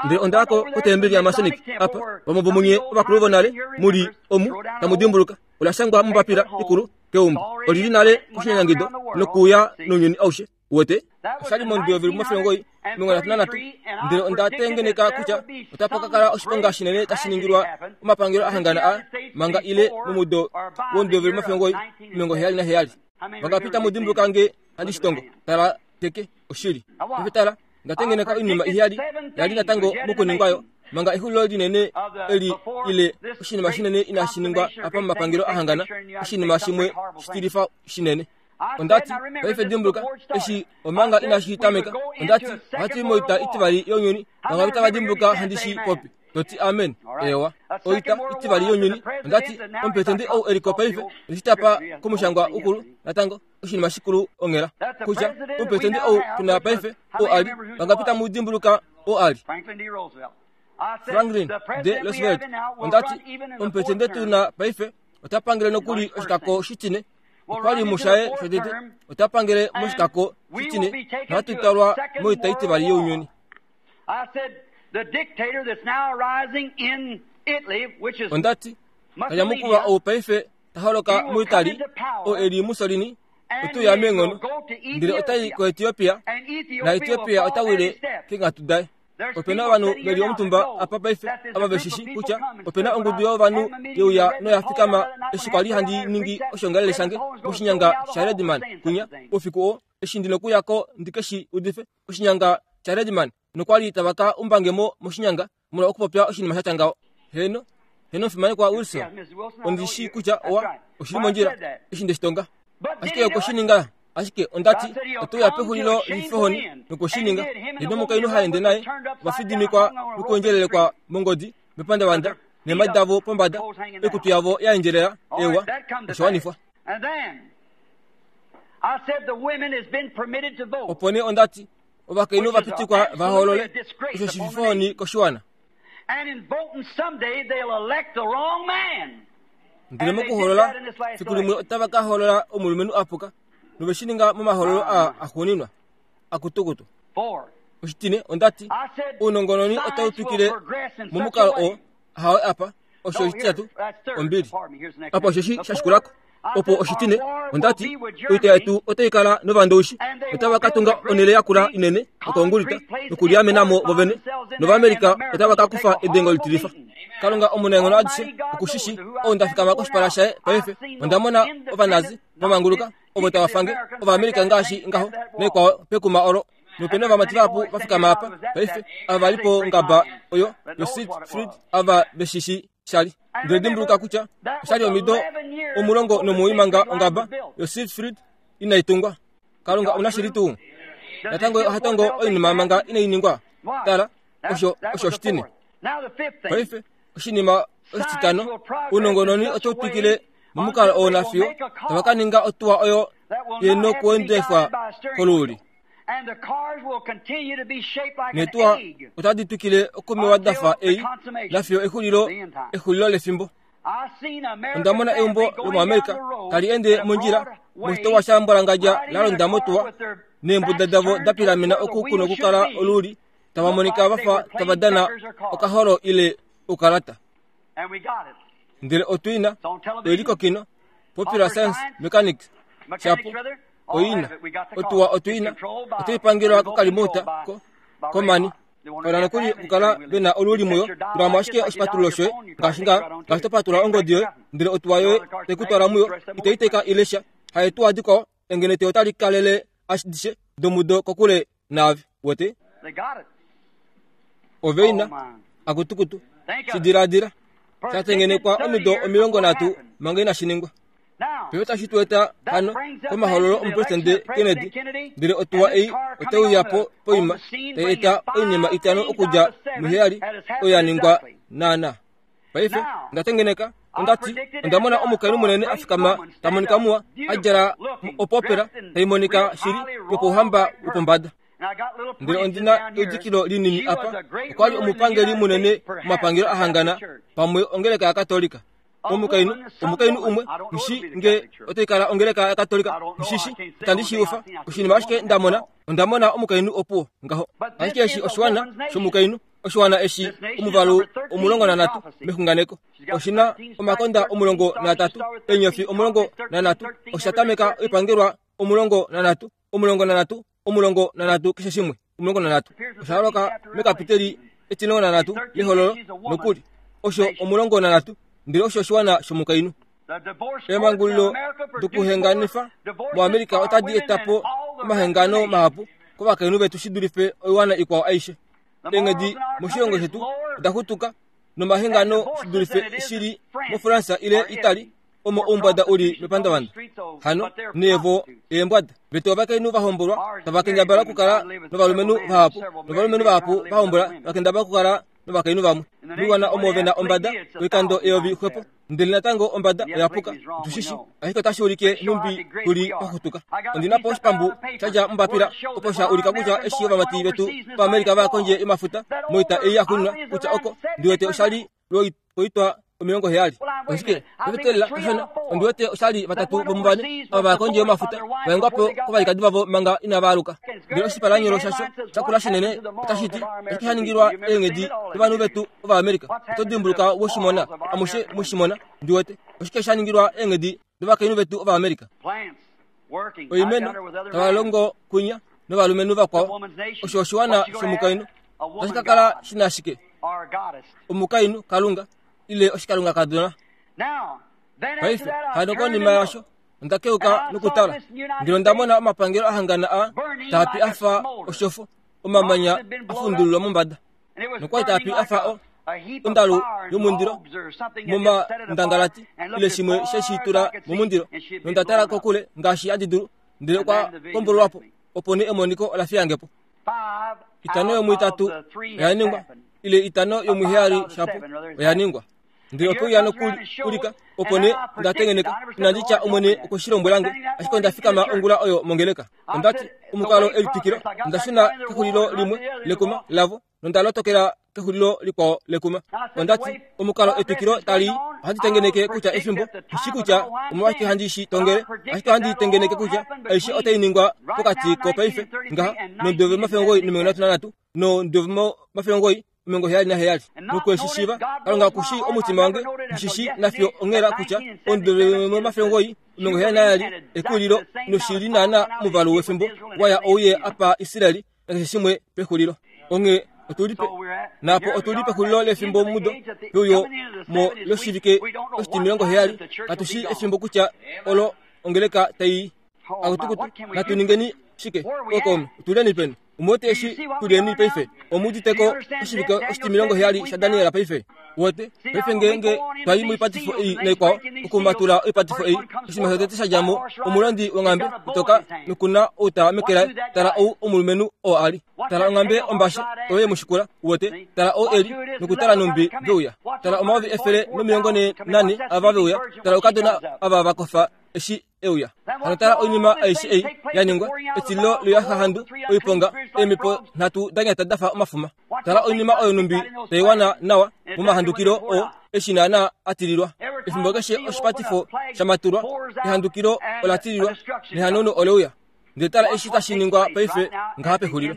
Ndele onda ya ko kotembeli yaMasonic apa, vamwe vomunye ovakulu vonale mu li omu tamu dimbuluka, ola shangwa mombapila ikulu keumbo. Oli li nale koshinyanyangido nokuuya nounyuni aushe. Uwete? Osha li mondwi yovili 933, ndele onda tengeneka kutya otapa ka kala oshiponga shinene tashi ningilwa omapangelo a hangana a manga ile momudo wondwi yovili 977. Vangapi tamu dimbuluka nge handi shi tongo? Tala teke, oshili. Paife tala, nda tengeneka oinima iheyali ya li natango mokuningwa yo manga exulilo linene eli ile oshinima shinene inashi ningwa apa momapangelo a hangana, oshinima shimwe shitilifa shinene. Onda ti, paife dimbuluka, eshi omanga inashi tameka, onda ti, ohatu i moita itivali younyuni, vangapi tava dimbuluka handi shi popi? To ti amen. Ewa. Oita itivali younyuni, onda ti, omupresidente ou e li ko paife, onde shi tapa komushangwa ukulu, natango, oshinima shikulu onghela, kutya omupresidente ou tu na paife, oo a li, vangapi tamu dimbuluka oo a li? Franklin D. Roosevelt. Onda ti, omupresidente tu na paife ota pangele nokuli oshikako shitine, Okwa li mushaye shotete, ota pangele moshikako shitine, nohatu twalwa moita itivali younyuni. Onda ti, Kanyamukulwa ou paife ta holoka muItali, oo e li Mussolini, ote uya meenghono, ndele ota i koEtiopia, naEtiopia ota wile keenghatu daye. Ope na ovanhu ve li omutumba apa paife ava ve shi shi kutya ope na ongudu yovanhu ye uya noya fikama eshi kwa li handi ningi oshoongalele shange moshinyanga shaRedman kwinya oufiku oo eshi ndi nokuya ko ndi ke shi udife oshinyanga shaRedman nokwa li tava ka umbange mo moshinyanga molwa okupopya oshinima sha tya ngaho. Heeno, heeno omufimanekwa Wilson, ondi shii kutya owa oshi li mondjila eshi nde shi tonga. Ashike okwe shi ninga. Ashike onda ti, Oto uya pexulilo lifehoni nokwe shi ninga. Ye nomukainhu ha ende naye ova fidimikwa nokuendjelelekwa mongodi mepandavanda, neemhadi davo pombada, oikutu yavo ya endjelela. Eewa, osha wanifwa. Opo nee onda ti, Ovakainhu ova pitikwa va hoolole, osho shififohoni koshiwana. Ndele mokuhoolola, fiku limwe otava ka hoolola omulumenhu a puka, nove shi ninga momahoololo aa axuuninwa, akutukutu. Oshitine, onda ti, ounongononi otau twikile momukalo oo, hawe apa, osho oshititatu, ombili. Apa osheshi sha shikula ko. Opo oshitine, onda ti, oita yetu otai kala novandowishi, otava ka tunga onhele yakula inene yokoongulita nokuliamena mo vovene, nOvamerika otava ka kufa edengo litilifa. Kalunga omunaenghono adishe oku shi shii, ou nda fikama koshipala shaye paife. Onda mona Ovanazi va manguluka, ovo tava fange Ovamerika ngaashi ngaho, naikwao pekuma olo. Nope na ovamati vahapu va fikama apa paife, ava va li pongaba oyo yoSiegfried, ava ve shi shii sha li. Ndele dimbuluka kutya osha li omido 19 manga ongaba yoSiegfried inai tungwa. Kalunga omunashili tuu. Natango ye oha tongo oinima manga inai ningwa. Tala, osho osho oshitine. Paife, oshinima oshititano, ounongononi otau twikile momukalo oo nafiyo tava ka ninga otuwa oyo ye nokuendefwa koluuli. Neetuwa otadi twikile okumewa da fa ei nafiyo exulilo, exulilo lefimbo. Onda mona eumbo lomoAmerica tali ende mondjila moshitopolwa shaMbwalangadja la londa motuwa neembuda davo da pilamena oku ku nokukala oluuli tava monika va fa tava dana okaholo ile oukalata. Ndele otu i na, oi li kokino, Popular Science Mechanics, shapo, oi na. Otuwa otu i na, otai pangelwa kokalimouta ko, komani. Kala nokuli okukala ve na oluuli muyo, tula mo ashike oshipatululo shoye, ngaashi nga, ngaashi to patulula ongodi yoye, ndele otuwa yoye tai ku twala muyo, itai teka ile sha. Haetuwa dikwao, engenete otali kalele adishe domudo kokule naave. Wete? Ove ina, akutukutu, shi diladila, sha tengenekwa omido 30 manga inashi ningwa. Paife otashi tu eta hano komahololo omupresidente Kennedy, ndele otuwa ei otai uya po poima tai eta oinima itano okudja muheyali oyo ya ningwa naana. Paife onda tengeneka, onda ti, onda mona omukainhu munene a fikama ta monika muwa, a djala opopera tai monika shili yopouhamba wopombada. Ndele ondi na eudikilo linini apa. Okwa li omupangeli munene momapangelo a hangana, pamwe ongeleka yaKatolika. Omukainhu, omukainhu umwe, nghi nge otai kala ongeleka yaKatolika, nghi shi, itandi shi ufa. Oshinima ashike nda mona, onda mona omukainhu opuwo ngaho. Ashike eshi oshiwana shomukainhu, oshiwana eshi omuvalu 13 mexunganeko, oshi na omakonda 13, eenyofi 13, osha tameka oipangelwa 13, 13, 13 keshe shimwe, 13. Osha holoka mekapiteli etimulongo nanhatu lEhololo nokuli, osho 13, ndele osho oshiwana shomukainhu. Eemhangulilo dokuhenganifa moAmerica otadi eta po omahengano mahapu kovakainhu vetu shi dulife oiwana ikwao aishe. Eenghedi moshilongo shetu oda xutuka nomahengano shi dulife shi li moFransa ile Italy omo oumbwada u li mepandavanda. Hano, nee vo eembwada. Vetu ovakainhu va hombolwa tava kendabala okukala novalumenhu vahapu, novalumenhu vahapu va hombola va kendabala okukala novakainhu vamwe. Moiwana omo ve na ombada oikando eyovi xwepo, ndele natango ombada oya puka. Otu shi shi, ashike otashi ulike nhumbi tu li paxutuka. Ondi na po oshipambu sha dja mombapila opo sha ulika kutya eshi ovamati vetu vaAmerica va ya kondje yomafuta moita ei ya xuninwa kutya oko, ndi wete osha li lwoitwa 70. Oshike? Ovetelela kashona, ondi wete osha li vatatu vomuvane ava va ya kondje yomafuta va hengwa po kovalikadi vavo manga inava aluka. Ndele oshipalanyolo shasho sha kula shinene otashi ti, Oshike sha ningilwa eenghedi dovanhu vetu Ovaamerica? Oto dimbuluka we shi mona? Amushe mwe shi mona, ndi wete. Oshike sha ningilwa eenghedi dovakainhu vetu Ovaamerica? Oimeno tava longo kwinya novalumenhu vakwao. Osho oshiwana shomukainhu. Otashi ka kala shi na shike? Omukainhu, Kalunga, ile oshikalungakadona. Paife, hano konima yaasho, onda keuka nokutala, ndele onda mona omapangelo a hangana a taa pi a fa oshofo, omamanya a fundululwa mombada, nokwa li taa pi a fa o, ondalu yomundilo momandangalati ile shimwe she shi tula momundilo, nonda tala kokule ngaashi handi dulu, ndele okwa kombololwa po, opo nee emoniko ola fiya nge po. Itano yomuitatu oya ningwa, ile itano yomuheyali shapo oya ningwa. Ndele ope uya nokuulika, opo nee onda tengeneka, inandi tya Omwene okwe shi lombwela nge, ashike onda fikama ongula oyo mongeleka. Onda ti, Omukalo elitwikilo, onda shuna kexulilo limwe lekuma lavo, nonda lotokela kexulilo likwao lekuma. Onda ti, Omukalo etwikilo tali i, ohandi tengeneke kutya efimbo, nghi shii kutya omolwashike handi shi tongele, ashike ohandi tengeneke kutya aishe otai ningwa pokati kopaife ngaha nomudo 1933 nomudo 1977. Nokwe shi shiiva, Kalunga oku shii omutima wange, nghi shi shii nafiyo onghela kutya omudo 1977 exulilo noshi li naana omuvalu wefimbo wa ya ouye apa Israel nakeshe shimwe pexulilo. Onghee otu li pe, naapo otu li pexulilo lefimbo mudo peuyo mo loshivike oshitimilongo heyali. Katu shii efimbo kutya olo ongeleka tai akutukutu. Natu ningeni shike? Okaume, otu leni peni? Omu wete eshi tu leni paife? Omu udite ko oshivike oshitimilongo heyali shaDaniel paife? Wote, paife ngeenge twa i moipatifo ei naikwao, okumatula oipatifo ei, oshinima shotete sha dja mo, omulondi wonghambe itoka noku na outa meke laye. Tala ou omulumenhu oo a li. Tala onghambe ombashe oyo ye mu shikula. Uwete? Tala ou e li, nokutala nhumbi ve uya. Tala 144000 ava ve uya. Tala oukadona ava va kofa eshi e uya. Hano tala oinima aishe ei ya ningwa, etililo loyahahandu, oiponga, eemhepo nhatu da nyata da fa omafuma. Tala oinima oyo numbi tai wana nawa momahandukilo oo eshi naanaa a tililwa. Efimbo keshe oshipatifo sha matulwa, ehandukilo ola tililwa nehanauno ole uya. Ndele tala eshi tashi ningwa paife ngaha pexulilo.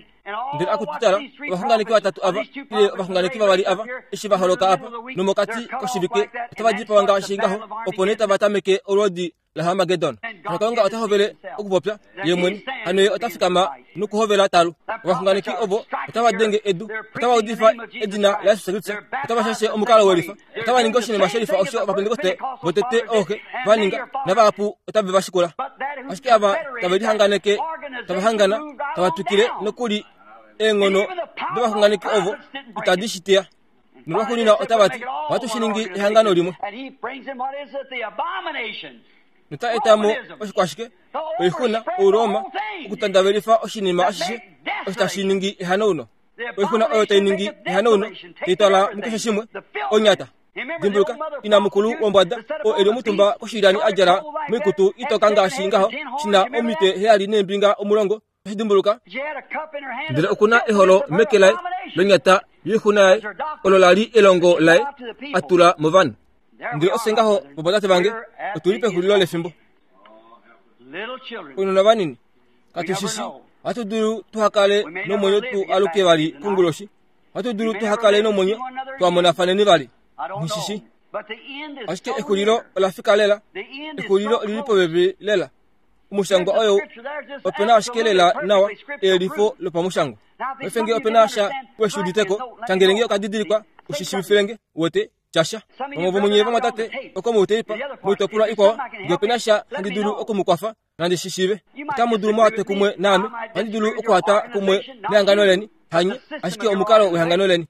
Ndele akutu tala, ovaxunganeki vatatu ava, ile ovaxunganeki vavali ava, eshi va holoka apa, nomokati koshivike otava dipawa ngaashi ngaho, opo nee tava tameke olwoodi laHarmagedon. Hano Kalunga ota hovele okupopya ye mwene. Hano ye ota fikama nokuhovela talu. Ovaxunganeki ovo otava denge edu, otava udifa edina laJesus Kristus, otava shashe omukalo welifa, otava ningi oshinima shelifa osho Ovapentekoste votete ooxe va ninga, navahapu otave va shikula. Ashike ava tave lihanganeke, tava hangana, tava twikile nokuli eenghono dovaxunganeki ovo itadi shi teya. Nolwaxuuninwa otava ti, Ohatu shi ningi ehangano limwe. Nota eta mo oshikwashike, oixuna, Ouroma, okutandavelifa oshinima ashishe osho tashi ningi ehanauno. Oixuna oyo tai ningi ehanauno, tai twala mukeshe shimwe, onyata. Dimbuluka, ina mukulu wombwada, oo e li omutumba koshilyani a djala moikutu itoka ngaashi ngaho, shi na omitwe heyali neembinga omulongo, Oshi dimbuluka? Ndele oku na eholo meke laye lonyata yoixuna yaye, olo la li elongo laye a tula movanhu. Ndele ofye ngaho, vovatate vange, otu li pexulilo lefimbo. Ounona vanini, katu shi shii. Ohatu dulu tuha kale nomwenyo tu aluke vali konguloshi. Ohatu dulu tuha kale nomwenyo twa monafaneni vali. Nghi shi shii. Ashike exulilo ola fika lela. Exulilo oli li popepi lela. Omushangwa oyo ope na ashike lela nawa eyelifo lopamushangwa. Paife nge ope na sha we shi udite ko, shangele nge okadidilikwa u shi shiivifile nge, uwete, tya sha. Vamwe vomunye vamwatate oko mouteipa, moitopolwa ikwao, nge ope na sha handi dulu oku mu kwafa, nandi shi shiive. Otamu dulu mu twe kumwe naame, ohandi dulu okuhata kumwe nehangano leni, hanye, ashike omukalo wehangano leni.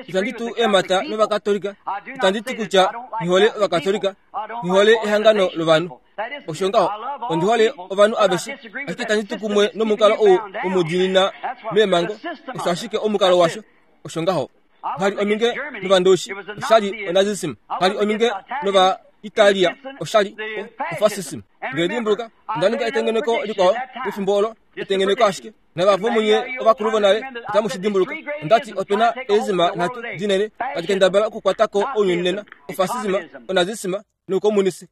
Itandi tu eemhata nOvakatolika, itandi ti kutya nghi hole Ovakatolika, nghi hole ehangano lovanhu. Osho ngaho, ondi hole ovanhu aveshe, ashike itandi tu kumwe nomukalo ou womudiinina meemhango. Osho ashike omukalo washo. Osho ngaho. Ngha li ominge nOvandoushi, osha li oNazism. Ngha li ominge nOvaitalia, osha li oFascism. Ndele dimbuluka, onda ninga etengeneko likwao pefimbo olo, etengeneko ashike. Navava vomunye ovakulu vonale otamu shi dimbuluka. Onda ti ope na eezima nhatu dinene tadi kendabala okukwata ko ounyuni nena, ofascism, onazism noukomunisi.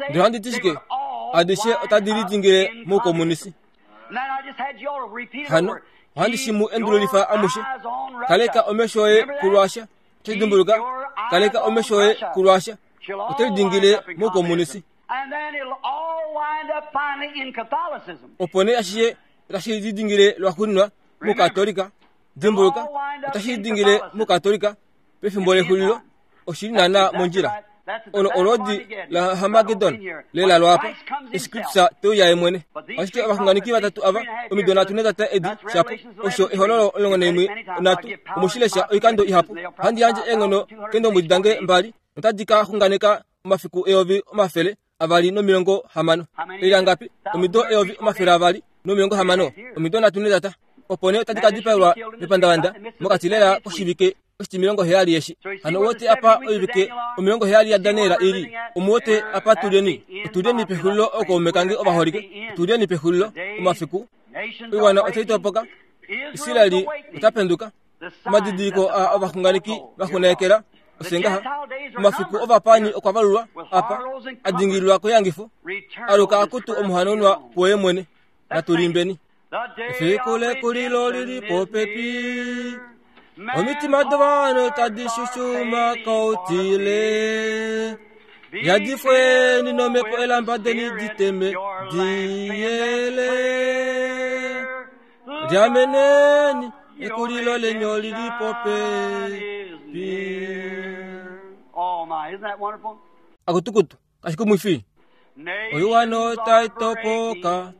Ndele ohandi ti shike? Adishe otadi lidingile moukomunisi. Hano ohandi shi mu endululifa amushe. Kaleka omesho oye kuRussia. Oto dimbuluka? Kaleka omesho oye kuRussia. Oto lidingile moukomunisi. Opo nee ashishe otashi lidingile lwaxuuninwa mukatolika. Dimbuluka, otashi lidingile mukatolika pefimbo lexulilo. Oshi li naanaa mondjila. Olo olwoodi laHarmagedon lela lwaapa, eshi Kristus te uya ye mwene. Ashike ovaxunganeki vatatu ava, omido nhatu netata edi shapo, osho Ehololo 11 nhatu, omu shi lesha oikando ihapu. Ohandi yandje eenghono keendombwedi dange mbali, notadi ka xunganeka omafiku 260. Oilangapi? Omido 260, omido nhatu netata. Opo nee otadi ka dipaelwa mepandavanda mokati lela koshivike. Oshitimilongo heyali eshi. Hano wote apa oivike 70 yaDaniel ili. Omuwote apa tulyeni. Otulyeni pexulilo ookaume kange ovaholike. Otulyeni pexulilo omafiku. Oiwana otai topoka. Israeli ota penduka. Omadidiliko a ovaxunganeki vaxunaekela osengaha. Omafiku ovapaani okwa valulwa apa a dingililwa koyangifo. Aluka akutu omuhanaunwa kuoye mwene. Natulimbeni. Efiku lekulilo lili popepi. Omitima dovanhu tadi shushuma koutile. Yadifweni nomhepo elamba deni diteme diyele. Lyameneni ekulilo lenyo lili popepi.
Oh my, isn't that wonderful?
Akutukutu kashikumwifi. Oiwana otai topoka.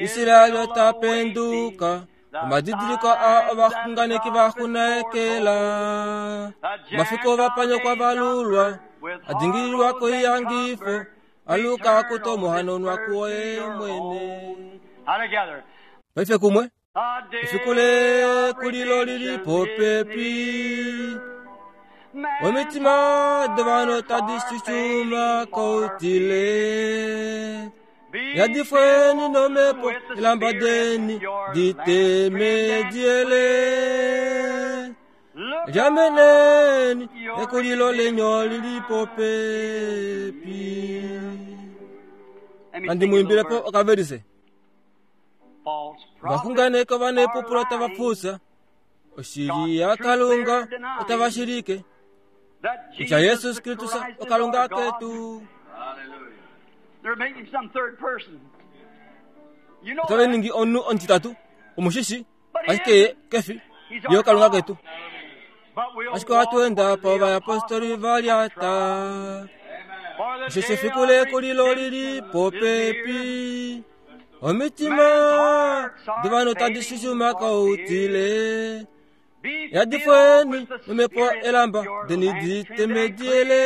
Israel ota penduka. Omadidiliko a ovaxunganeki vaxunaekela. Omafiku ovapanyo kwa valulwa. Adingililwa koiyangifo. Aluka akuto omuhanonwa kuoye mwene.
All together.
Paife kumwe.
The
Efiku
day of
lekulilo lili
redemption is
popepi.
near.
Omitima dovanhu tadi shushuma koutile.
Be
Yadifweni
filled
nomhepo
with the
elamba
Spirit,
deni
your
diteme
lamp
diele.
Look
Lyameneni
up, your
ekulilo lenyo lili popepi.
Let me
Nandi
sing a little
muimbilepo
verse.
okaverise.
False prophets
Vaxunganeko vanepupulo
are
tava
lying
pfusa. Oshili yaKalunga otava shilike.
that
Kutya
Jesus
Yesus
the
Kristus
Christ is
oKalunga
our God.
ketu.
They're making some third person. You know
Otava
that.
ningi omunhu omutitatu omushishi
But he
ashike ye
isn't.
kefi
He's
ye
our
oKalunga
God.
ketu.
But we'll
Ashike ohatu
walk
enda
where the
povayapostoli
apostles
valyata.
For the
Osheshi
day
efiku
of
lekulilo lili
redemption is near.
popepi. Omitima dovanhu tadi shushuma koutile.
Be filled
Yadifweni
with the
nomhepo
Spirit,
elamba
your
deni
lamp
diteme
and
diele.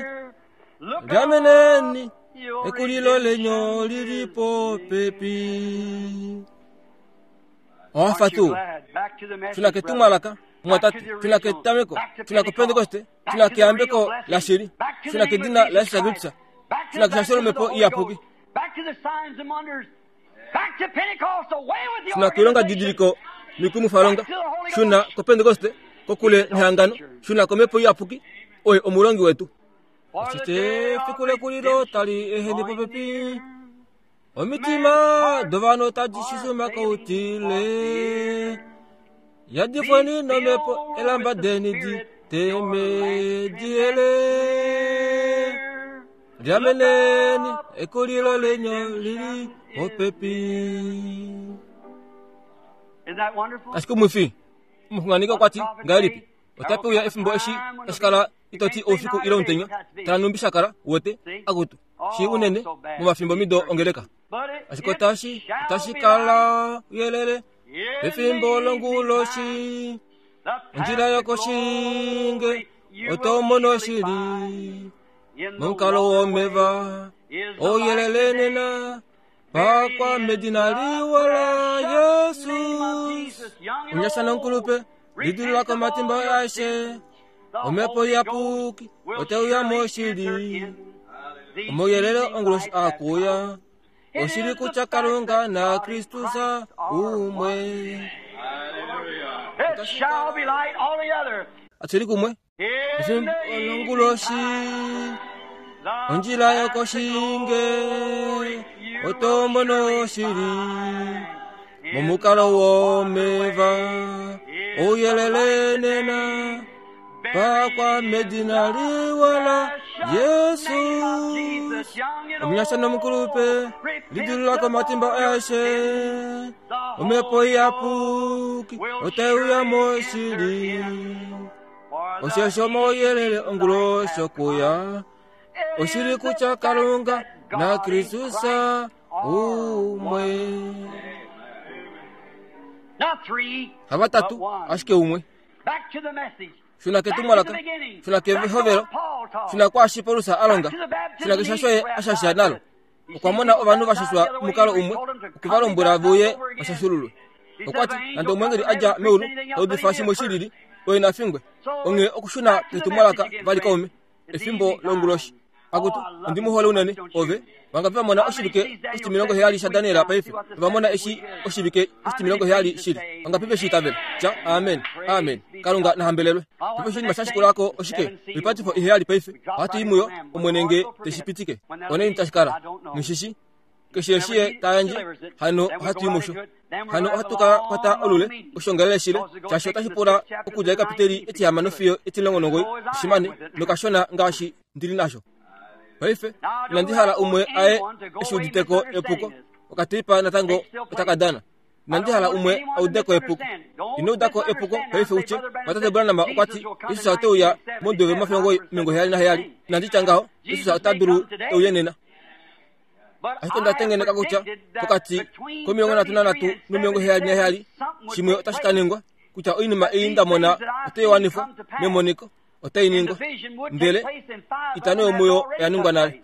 clear. Look up,
Lyameneni
your
ekulilo lenyo
redemption
lili
is
popepi.
near.
Owafa
Aren't you
tuu.
glad? Back to the message,
Tuna
brother.
ketumwalaka
Back to
mwatate
the
tuna
original.
ketameko
Back to
tuna
Pentecost.
kepentekoste
Back
tuna
to the real
keyambeko
blessing.
lashili
Back to the
tuna
name of
kedina la
Jesus
Yesu
Christ.
Kristus
Back to
tuna
the
kishashelo
baptism of the
mhepo
Holy
iyapuki
Ghost. Back to the signs and wonders. Back to Pentecost. Away with the
tuna kuilonga
organization.
didiliko mikumufalonga
Back to the Holy
shuna
Ghost.
kopentekoste kokule nehangano shuna komhepo iyapuki oye omulongi wetu.
For the
Ashike
day of
efiku lekulilo
redemption
tali eheni
drawing
popepi.
near.
Omitima dovanhu tadi shushuma koutile. Yadifweni
Be
nomhepo
filled
elamba
with the
deni
Spirit, your
diteme
lamp
diele.
clear. Look
Lyameneni
up,
ekulilo
your
lenyo lili
redemption is
popepi.
near. Isn't that wonderful?
Ashike omwifi omuxunganeki
What the
okwati
prophet
ngahelipi
say? There
otape
will
uya
come a
efimbo eshi
time when
tashi
it'll be,
kala
you
itoti
can't say
oufiku
night
ile
or day,
omutenya
it has to be.
tala numbi shakala uwete
See?
akutu shi
Oh,
unene
so bad to
momafimbo
be
mido
persecuted.
ongeleka
But it,
ashike
it
otashi
shall
otashi
be
kala
light
uyelele
in the
pefimbo
evening
longuloshi
time. The
ondjila
path to
yokoshinge
glory you will
otomono
surely
shili
find. In the
momukalo
waterway
womeva
is the light
ouyelele
today.
nena
Buried
pakwa
in
medina
the
liwa la
precious name of
Yesu
Jesus, young and
omunyasha
old,
nomukulupe lidulula
repent of
komatimba
all your
aishe
sins. The
omhepo
Holy Ghost
iyapuki
will
oteuya
surely enter
moshili
in. The
omauyelele
evening
onguloshi
light has
akuya
come. It
oshili
is the
kutya
fact
Kalunga
that
na
God and
Kristus
Christ are
umwe
one. It
otashi
shall be
kala
light altogether.
atuli kumwe
In the
efimbo
evening
longuloshi
time, the
ondjila
path to
yokoshinge
glory you will
otomono
surely
shili
find. In
momukalo
the
womeva
waterway is the
ouyelele
light
nena
today. Buried
pakwa
in
medina
the
liwa la
precious name of
Yesu
Jesus, young and
omunyasha nomukulupe
old, repent
lidulula
of
komatimba
all your
aishe
sins. The
omhepo
Holy Ghost
iyapuki
will
oteuya
surely enter
moshili
in. For the
oshesho omauyelele
evening light
onguloshi
has
okuya
come. It
oshili
is the
kutya
fact
Kalunga
that
na
God and
Kristus
Christ are
umwe.
one. Not three,
Hava
but
tatu
one.
ashike umwe.
Back to the message.
Shuna
Back to the
ketumwalaka,
beginning.
shuna
Back to
kehovelo,
what Paul taught.
shuna kwaashi Paulus a
Back
longa,
to the
shuna
baptism
kishasho
he
ye ashasha
baptized
nalo.
with. You
Okwa
see,
mona
people
ovanhu va
baptized
shashwa
the other way.
mukalo
He
umwe,
told them to
okwe va
come be
lombwela
baptized
vuye
over again.
vashashululwe.
He said,
Okwa
if
ti,
an
nande
angel
omweengeli
come from
a dja
heaven
meulu
preach anything
ta
else but
udifa
he
shimwe
did
shi
first.
lili, Oye na fingwe. Onghee okushuna ketumwalaka vali kaume, efimbo longuloshi. Akutu, ondi mu hole unene, ove. Vangapi va mona oshivike oshitimilongo heyali shaDaniel paife? Ova mona eshi oshivike oshitimilongo heyali shili? Vangapi ve shi itavela? Tya, Amen. Amen. Kalunga na hambelelwe. Paife oshinima sha shikula ko oshike? Oipatifo iheyali paife. Ohatu i muyo, Omwene nge te shi pitike. Onaini tashi kala? Nghi shi shii. Keshe eshi ye ta yandje, hano ohatu i musho. Hano ohatu ka kwata olule, oshongalele shile, shaashi otashi pula okudja ekapiteli etihamano fiyo etilongo nongoi, oshimane, nokashona ngaashi ndi li nasho. Paife, inandi hala umwe aye eshi uditeko epuko, okateipa natango otaka dana. Inandi hala umwe a ude ko epuko. Ino uda ko epuko paife utye, Tate Branham okwa ti, Jesus ote uya momudo womafyo 77. Inandi tya ngaho, Jesus ota dulu e uye nena. Ashike onda tengeneka kutya pokati komilongo nhatu nanhatu nomilongo heyali naheyali shimwe otashi ka ningwa, kutya oinima ei nda mona otai wanifwa memoniko, otai ningwa. Ndele itano yomuyo oya ningwa nale.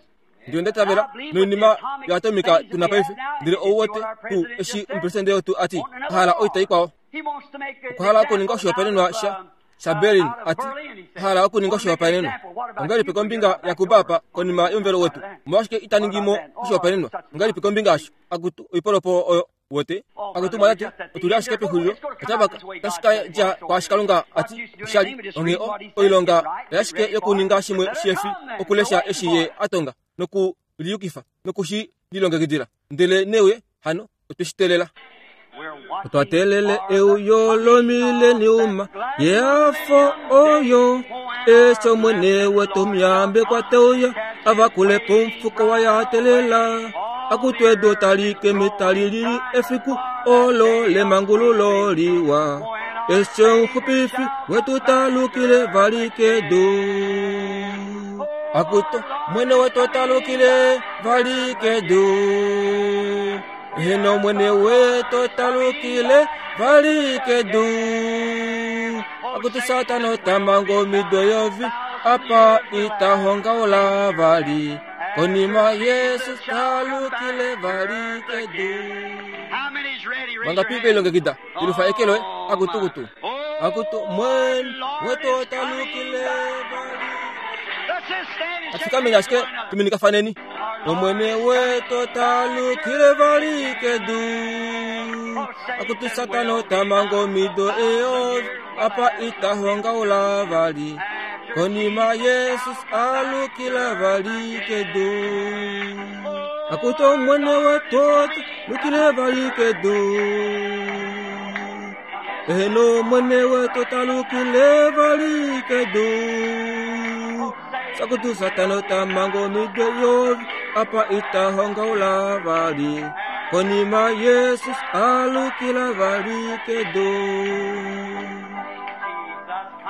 Ndele onda itavela noinima yoatomika tu na paife, ndele ou wete tuu eshi omupresidente wetu a ti a hala oita ikwao. Okwa hala okuninga oshihopaenenwa sha shaBerlin a ti a hala okuninga oshihopaenenwa. Ongahelipi kombinga yaCuba apa konima yomuvelo wetu? Omolwashike ita ningi mo oshihopaenenwa? Ongahelipi kombinga yasho? Akutu, oipolopolo oyo wote akutu mwalate otu li ashike pexulilo otava tashi ka dja kwaashi Kalunga a ti oshali. Onghee o oilonga oyashike yokuninga shimwe shefi okulesha eshi ye a tonga noku liyukifa noku shi lilongekidila. Ndele neuye hano otwe shi teelela. Otwa teelele euyo lomileniuma yehafo oyo eshi Omwene wetu omuyambekwa te uya a vakule po omufuko waye a teelela. Akutu edu otali keme tali lili efiku olo lemangululo liwa eshi omuxupifi wetu ta lukile vali kedu. Akutu Omwene wetu ota lukile vali kedu. Eheno Omwene wetu ota lukile vali kedu. Akutu Satana ota manga omido yovi apa ita hongaula vali. Konima Jesus ta lukile vali kedu. Vangapi ve longekida ilufa eke loye akutu kutu. Akutu Omwene wetu ota lukile vali. Atufikameni ashike tuminikafaneni. Omwene wetu ota lukile vali kedu. Akutu Satana ota manga omido eyovi apa ita hongaula vali. Konima Jesus a lukila vali kedu. Akutu Omwene wetu ota lukile vali kedu. Eheno Omwene wetu ota lukile vali kedu. Sakutu Satana ota manga omido yovi apa ita hongaula vali. Konima Jesus a lukila vali kedu.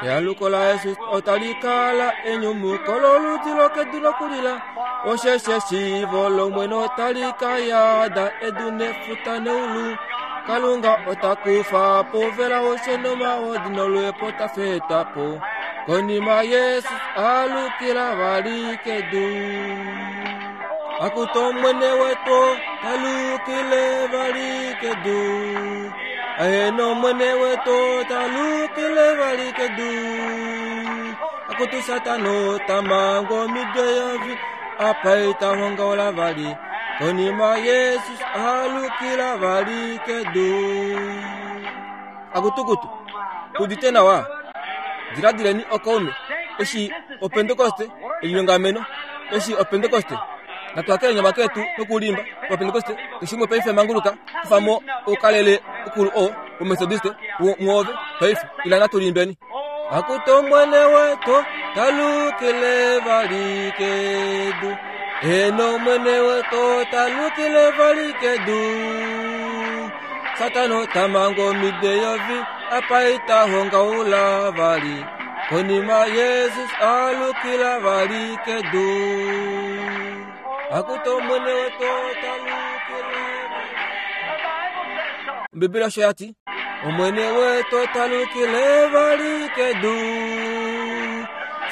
Ealuko laJesus otali kala enyumuko loludi lokedu lokulila. Osheshi eshiivo lOmwene otali ka yada edu nefuta neulu. Kalunga ota kufa po vela oshe nomahodi noluhepo ta fetwa po. Konima Jesus a lukila vali kedu. Akutu Omwene wetu ta lukile vali kedu. Eheno Omwene wetu ta lukile vali kedu. Akutu Satana ota manga omido eyovi apa ita hongaula vali. Konima Jesus a lukila vali kedu. Akutukutu, udite nawa? Diladileni okaume, eshi Opentekoste elinyongameno, eshi Opentekoste. Natu hakele nyama ketu nokulimba Opentekoste, keshimwe paife manguluka, kufa mo oukalele ukulu oo woMethodiste mwoove paife, ila natu limbeni. Akutu Omwene wetu talukile vali kedu. Eheno Omwene wetu talukile vali kedu. Satana ota manga omido eyovi apa ita hongaula vali. Konima Jesus alukila vali kedu. Akutu Omwene wetu talukile vali. Ombibeli osho ya ti. Omwene wetu ota lukile vali kedu.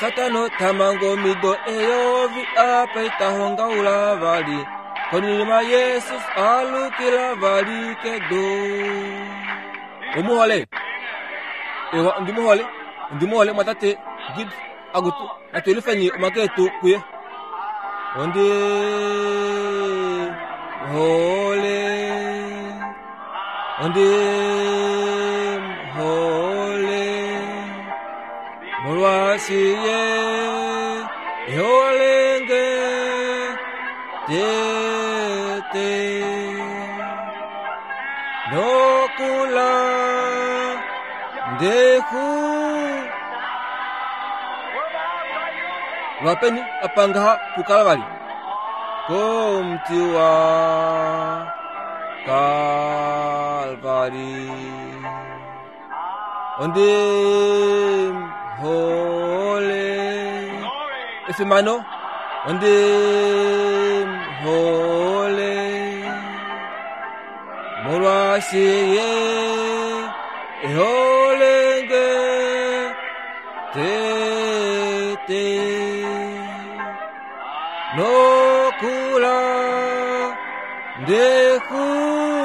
Satana ota manga omido eyovi apa ita hongaula vali. Konima Jesus alukila vali kedu. Omu hole? Ewa, ondi mu hole. Ondi mu hole mwatate Gibbs. Akutu, natu yelifeni omake etu kuye. Ondi hole. Ondi hole. Molwaashi ye eholenge tete. Nokula ndeku lwapeni apa ngaha pukala vali komuti wa Kalvari. Ondi hole efimano ondi hole molwaashi ye eholenge tete nokula ndekupi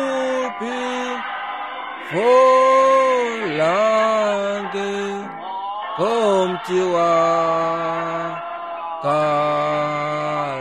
folange komuti wa Kalvari.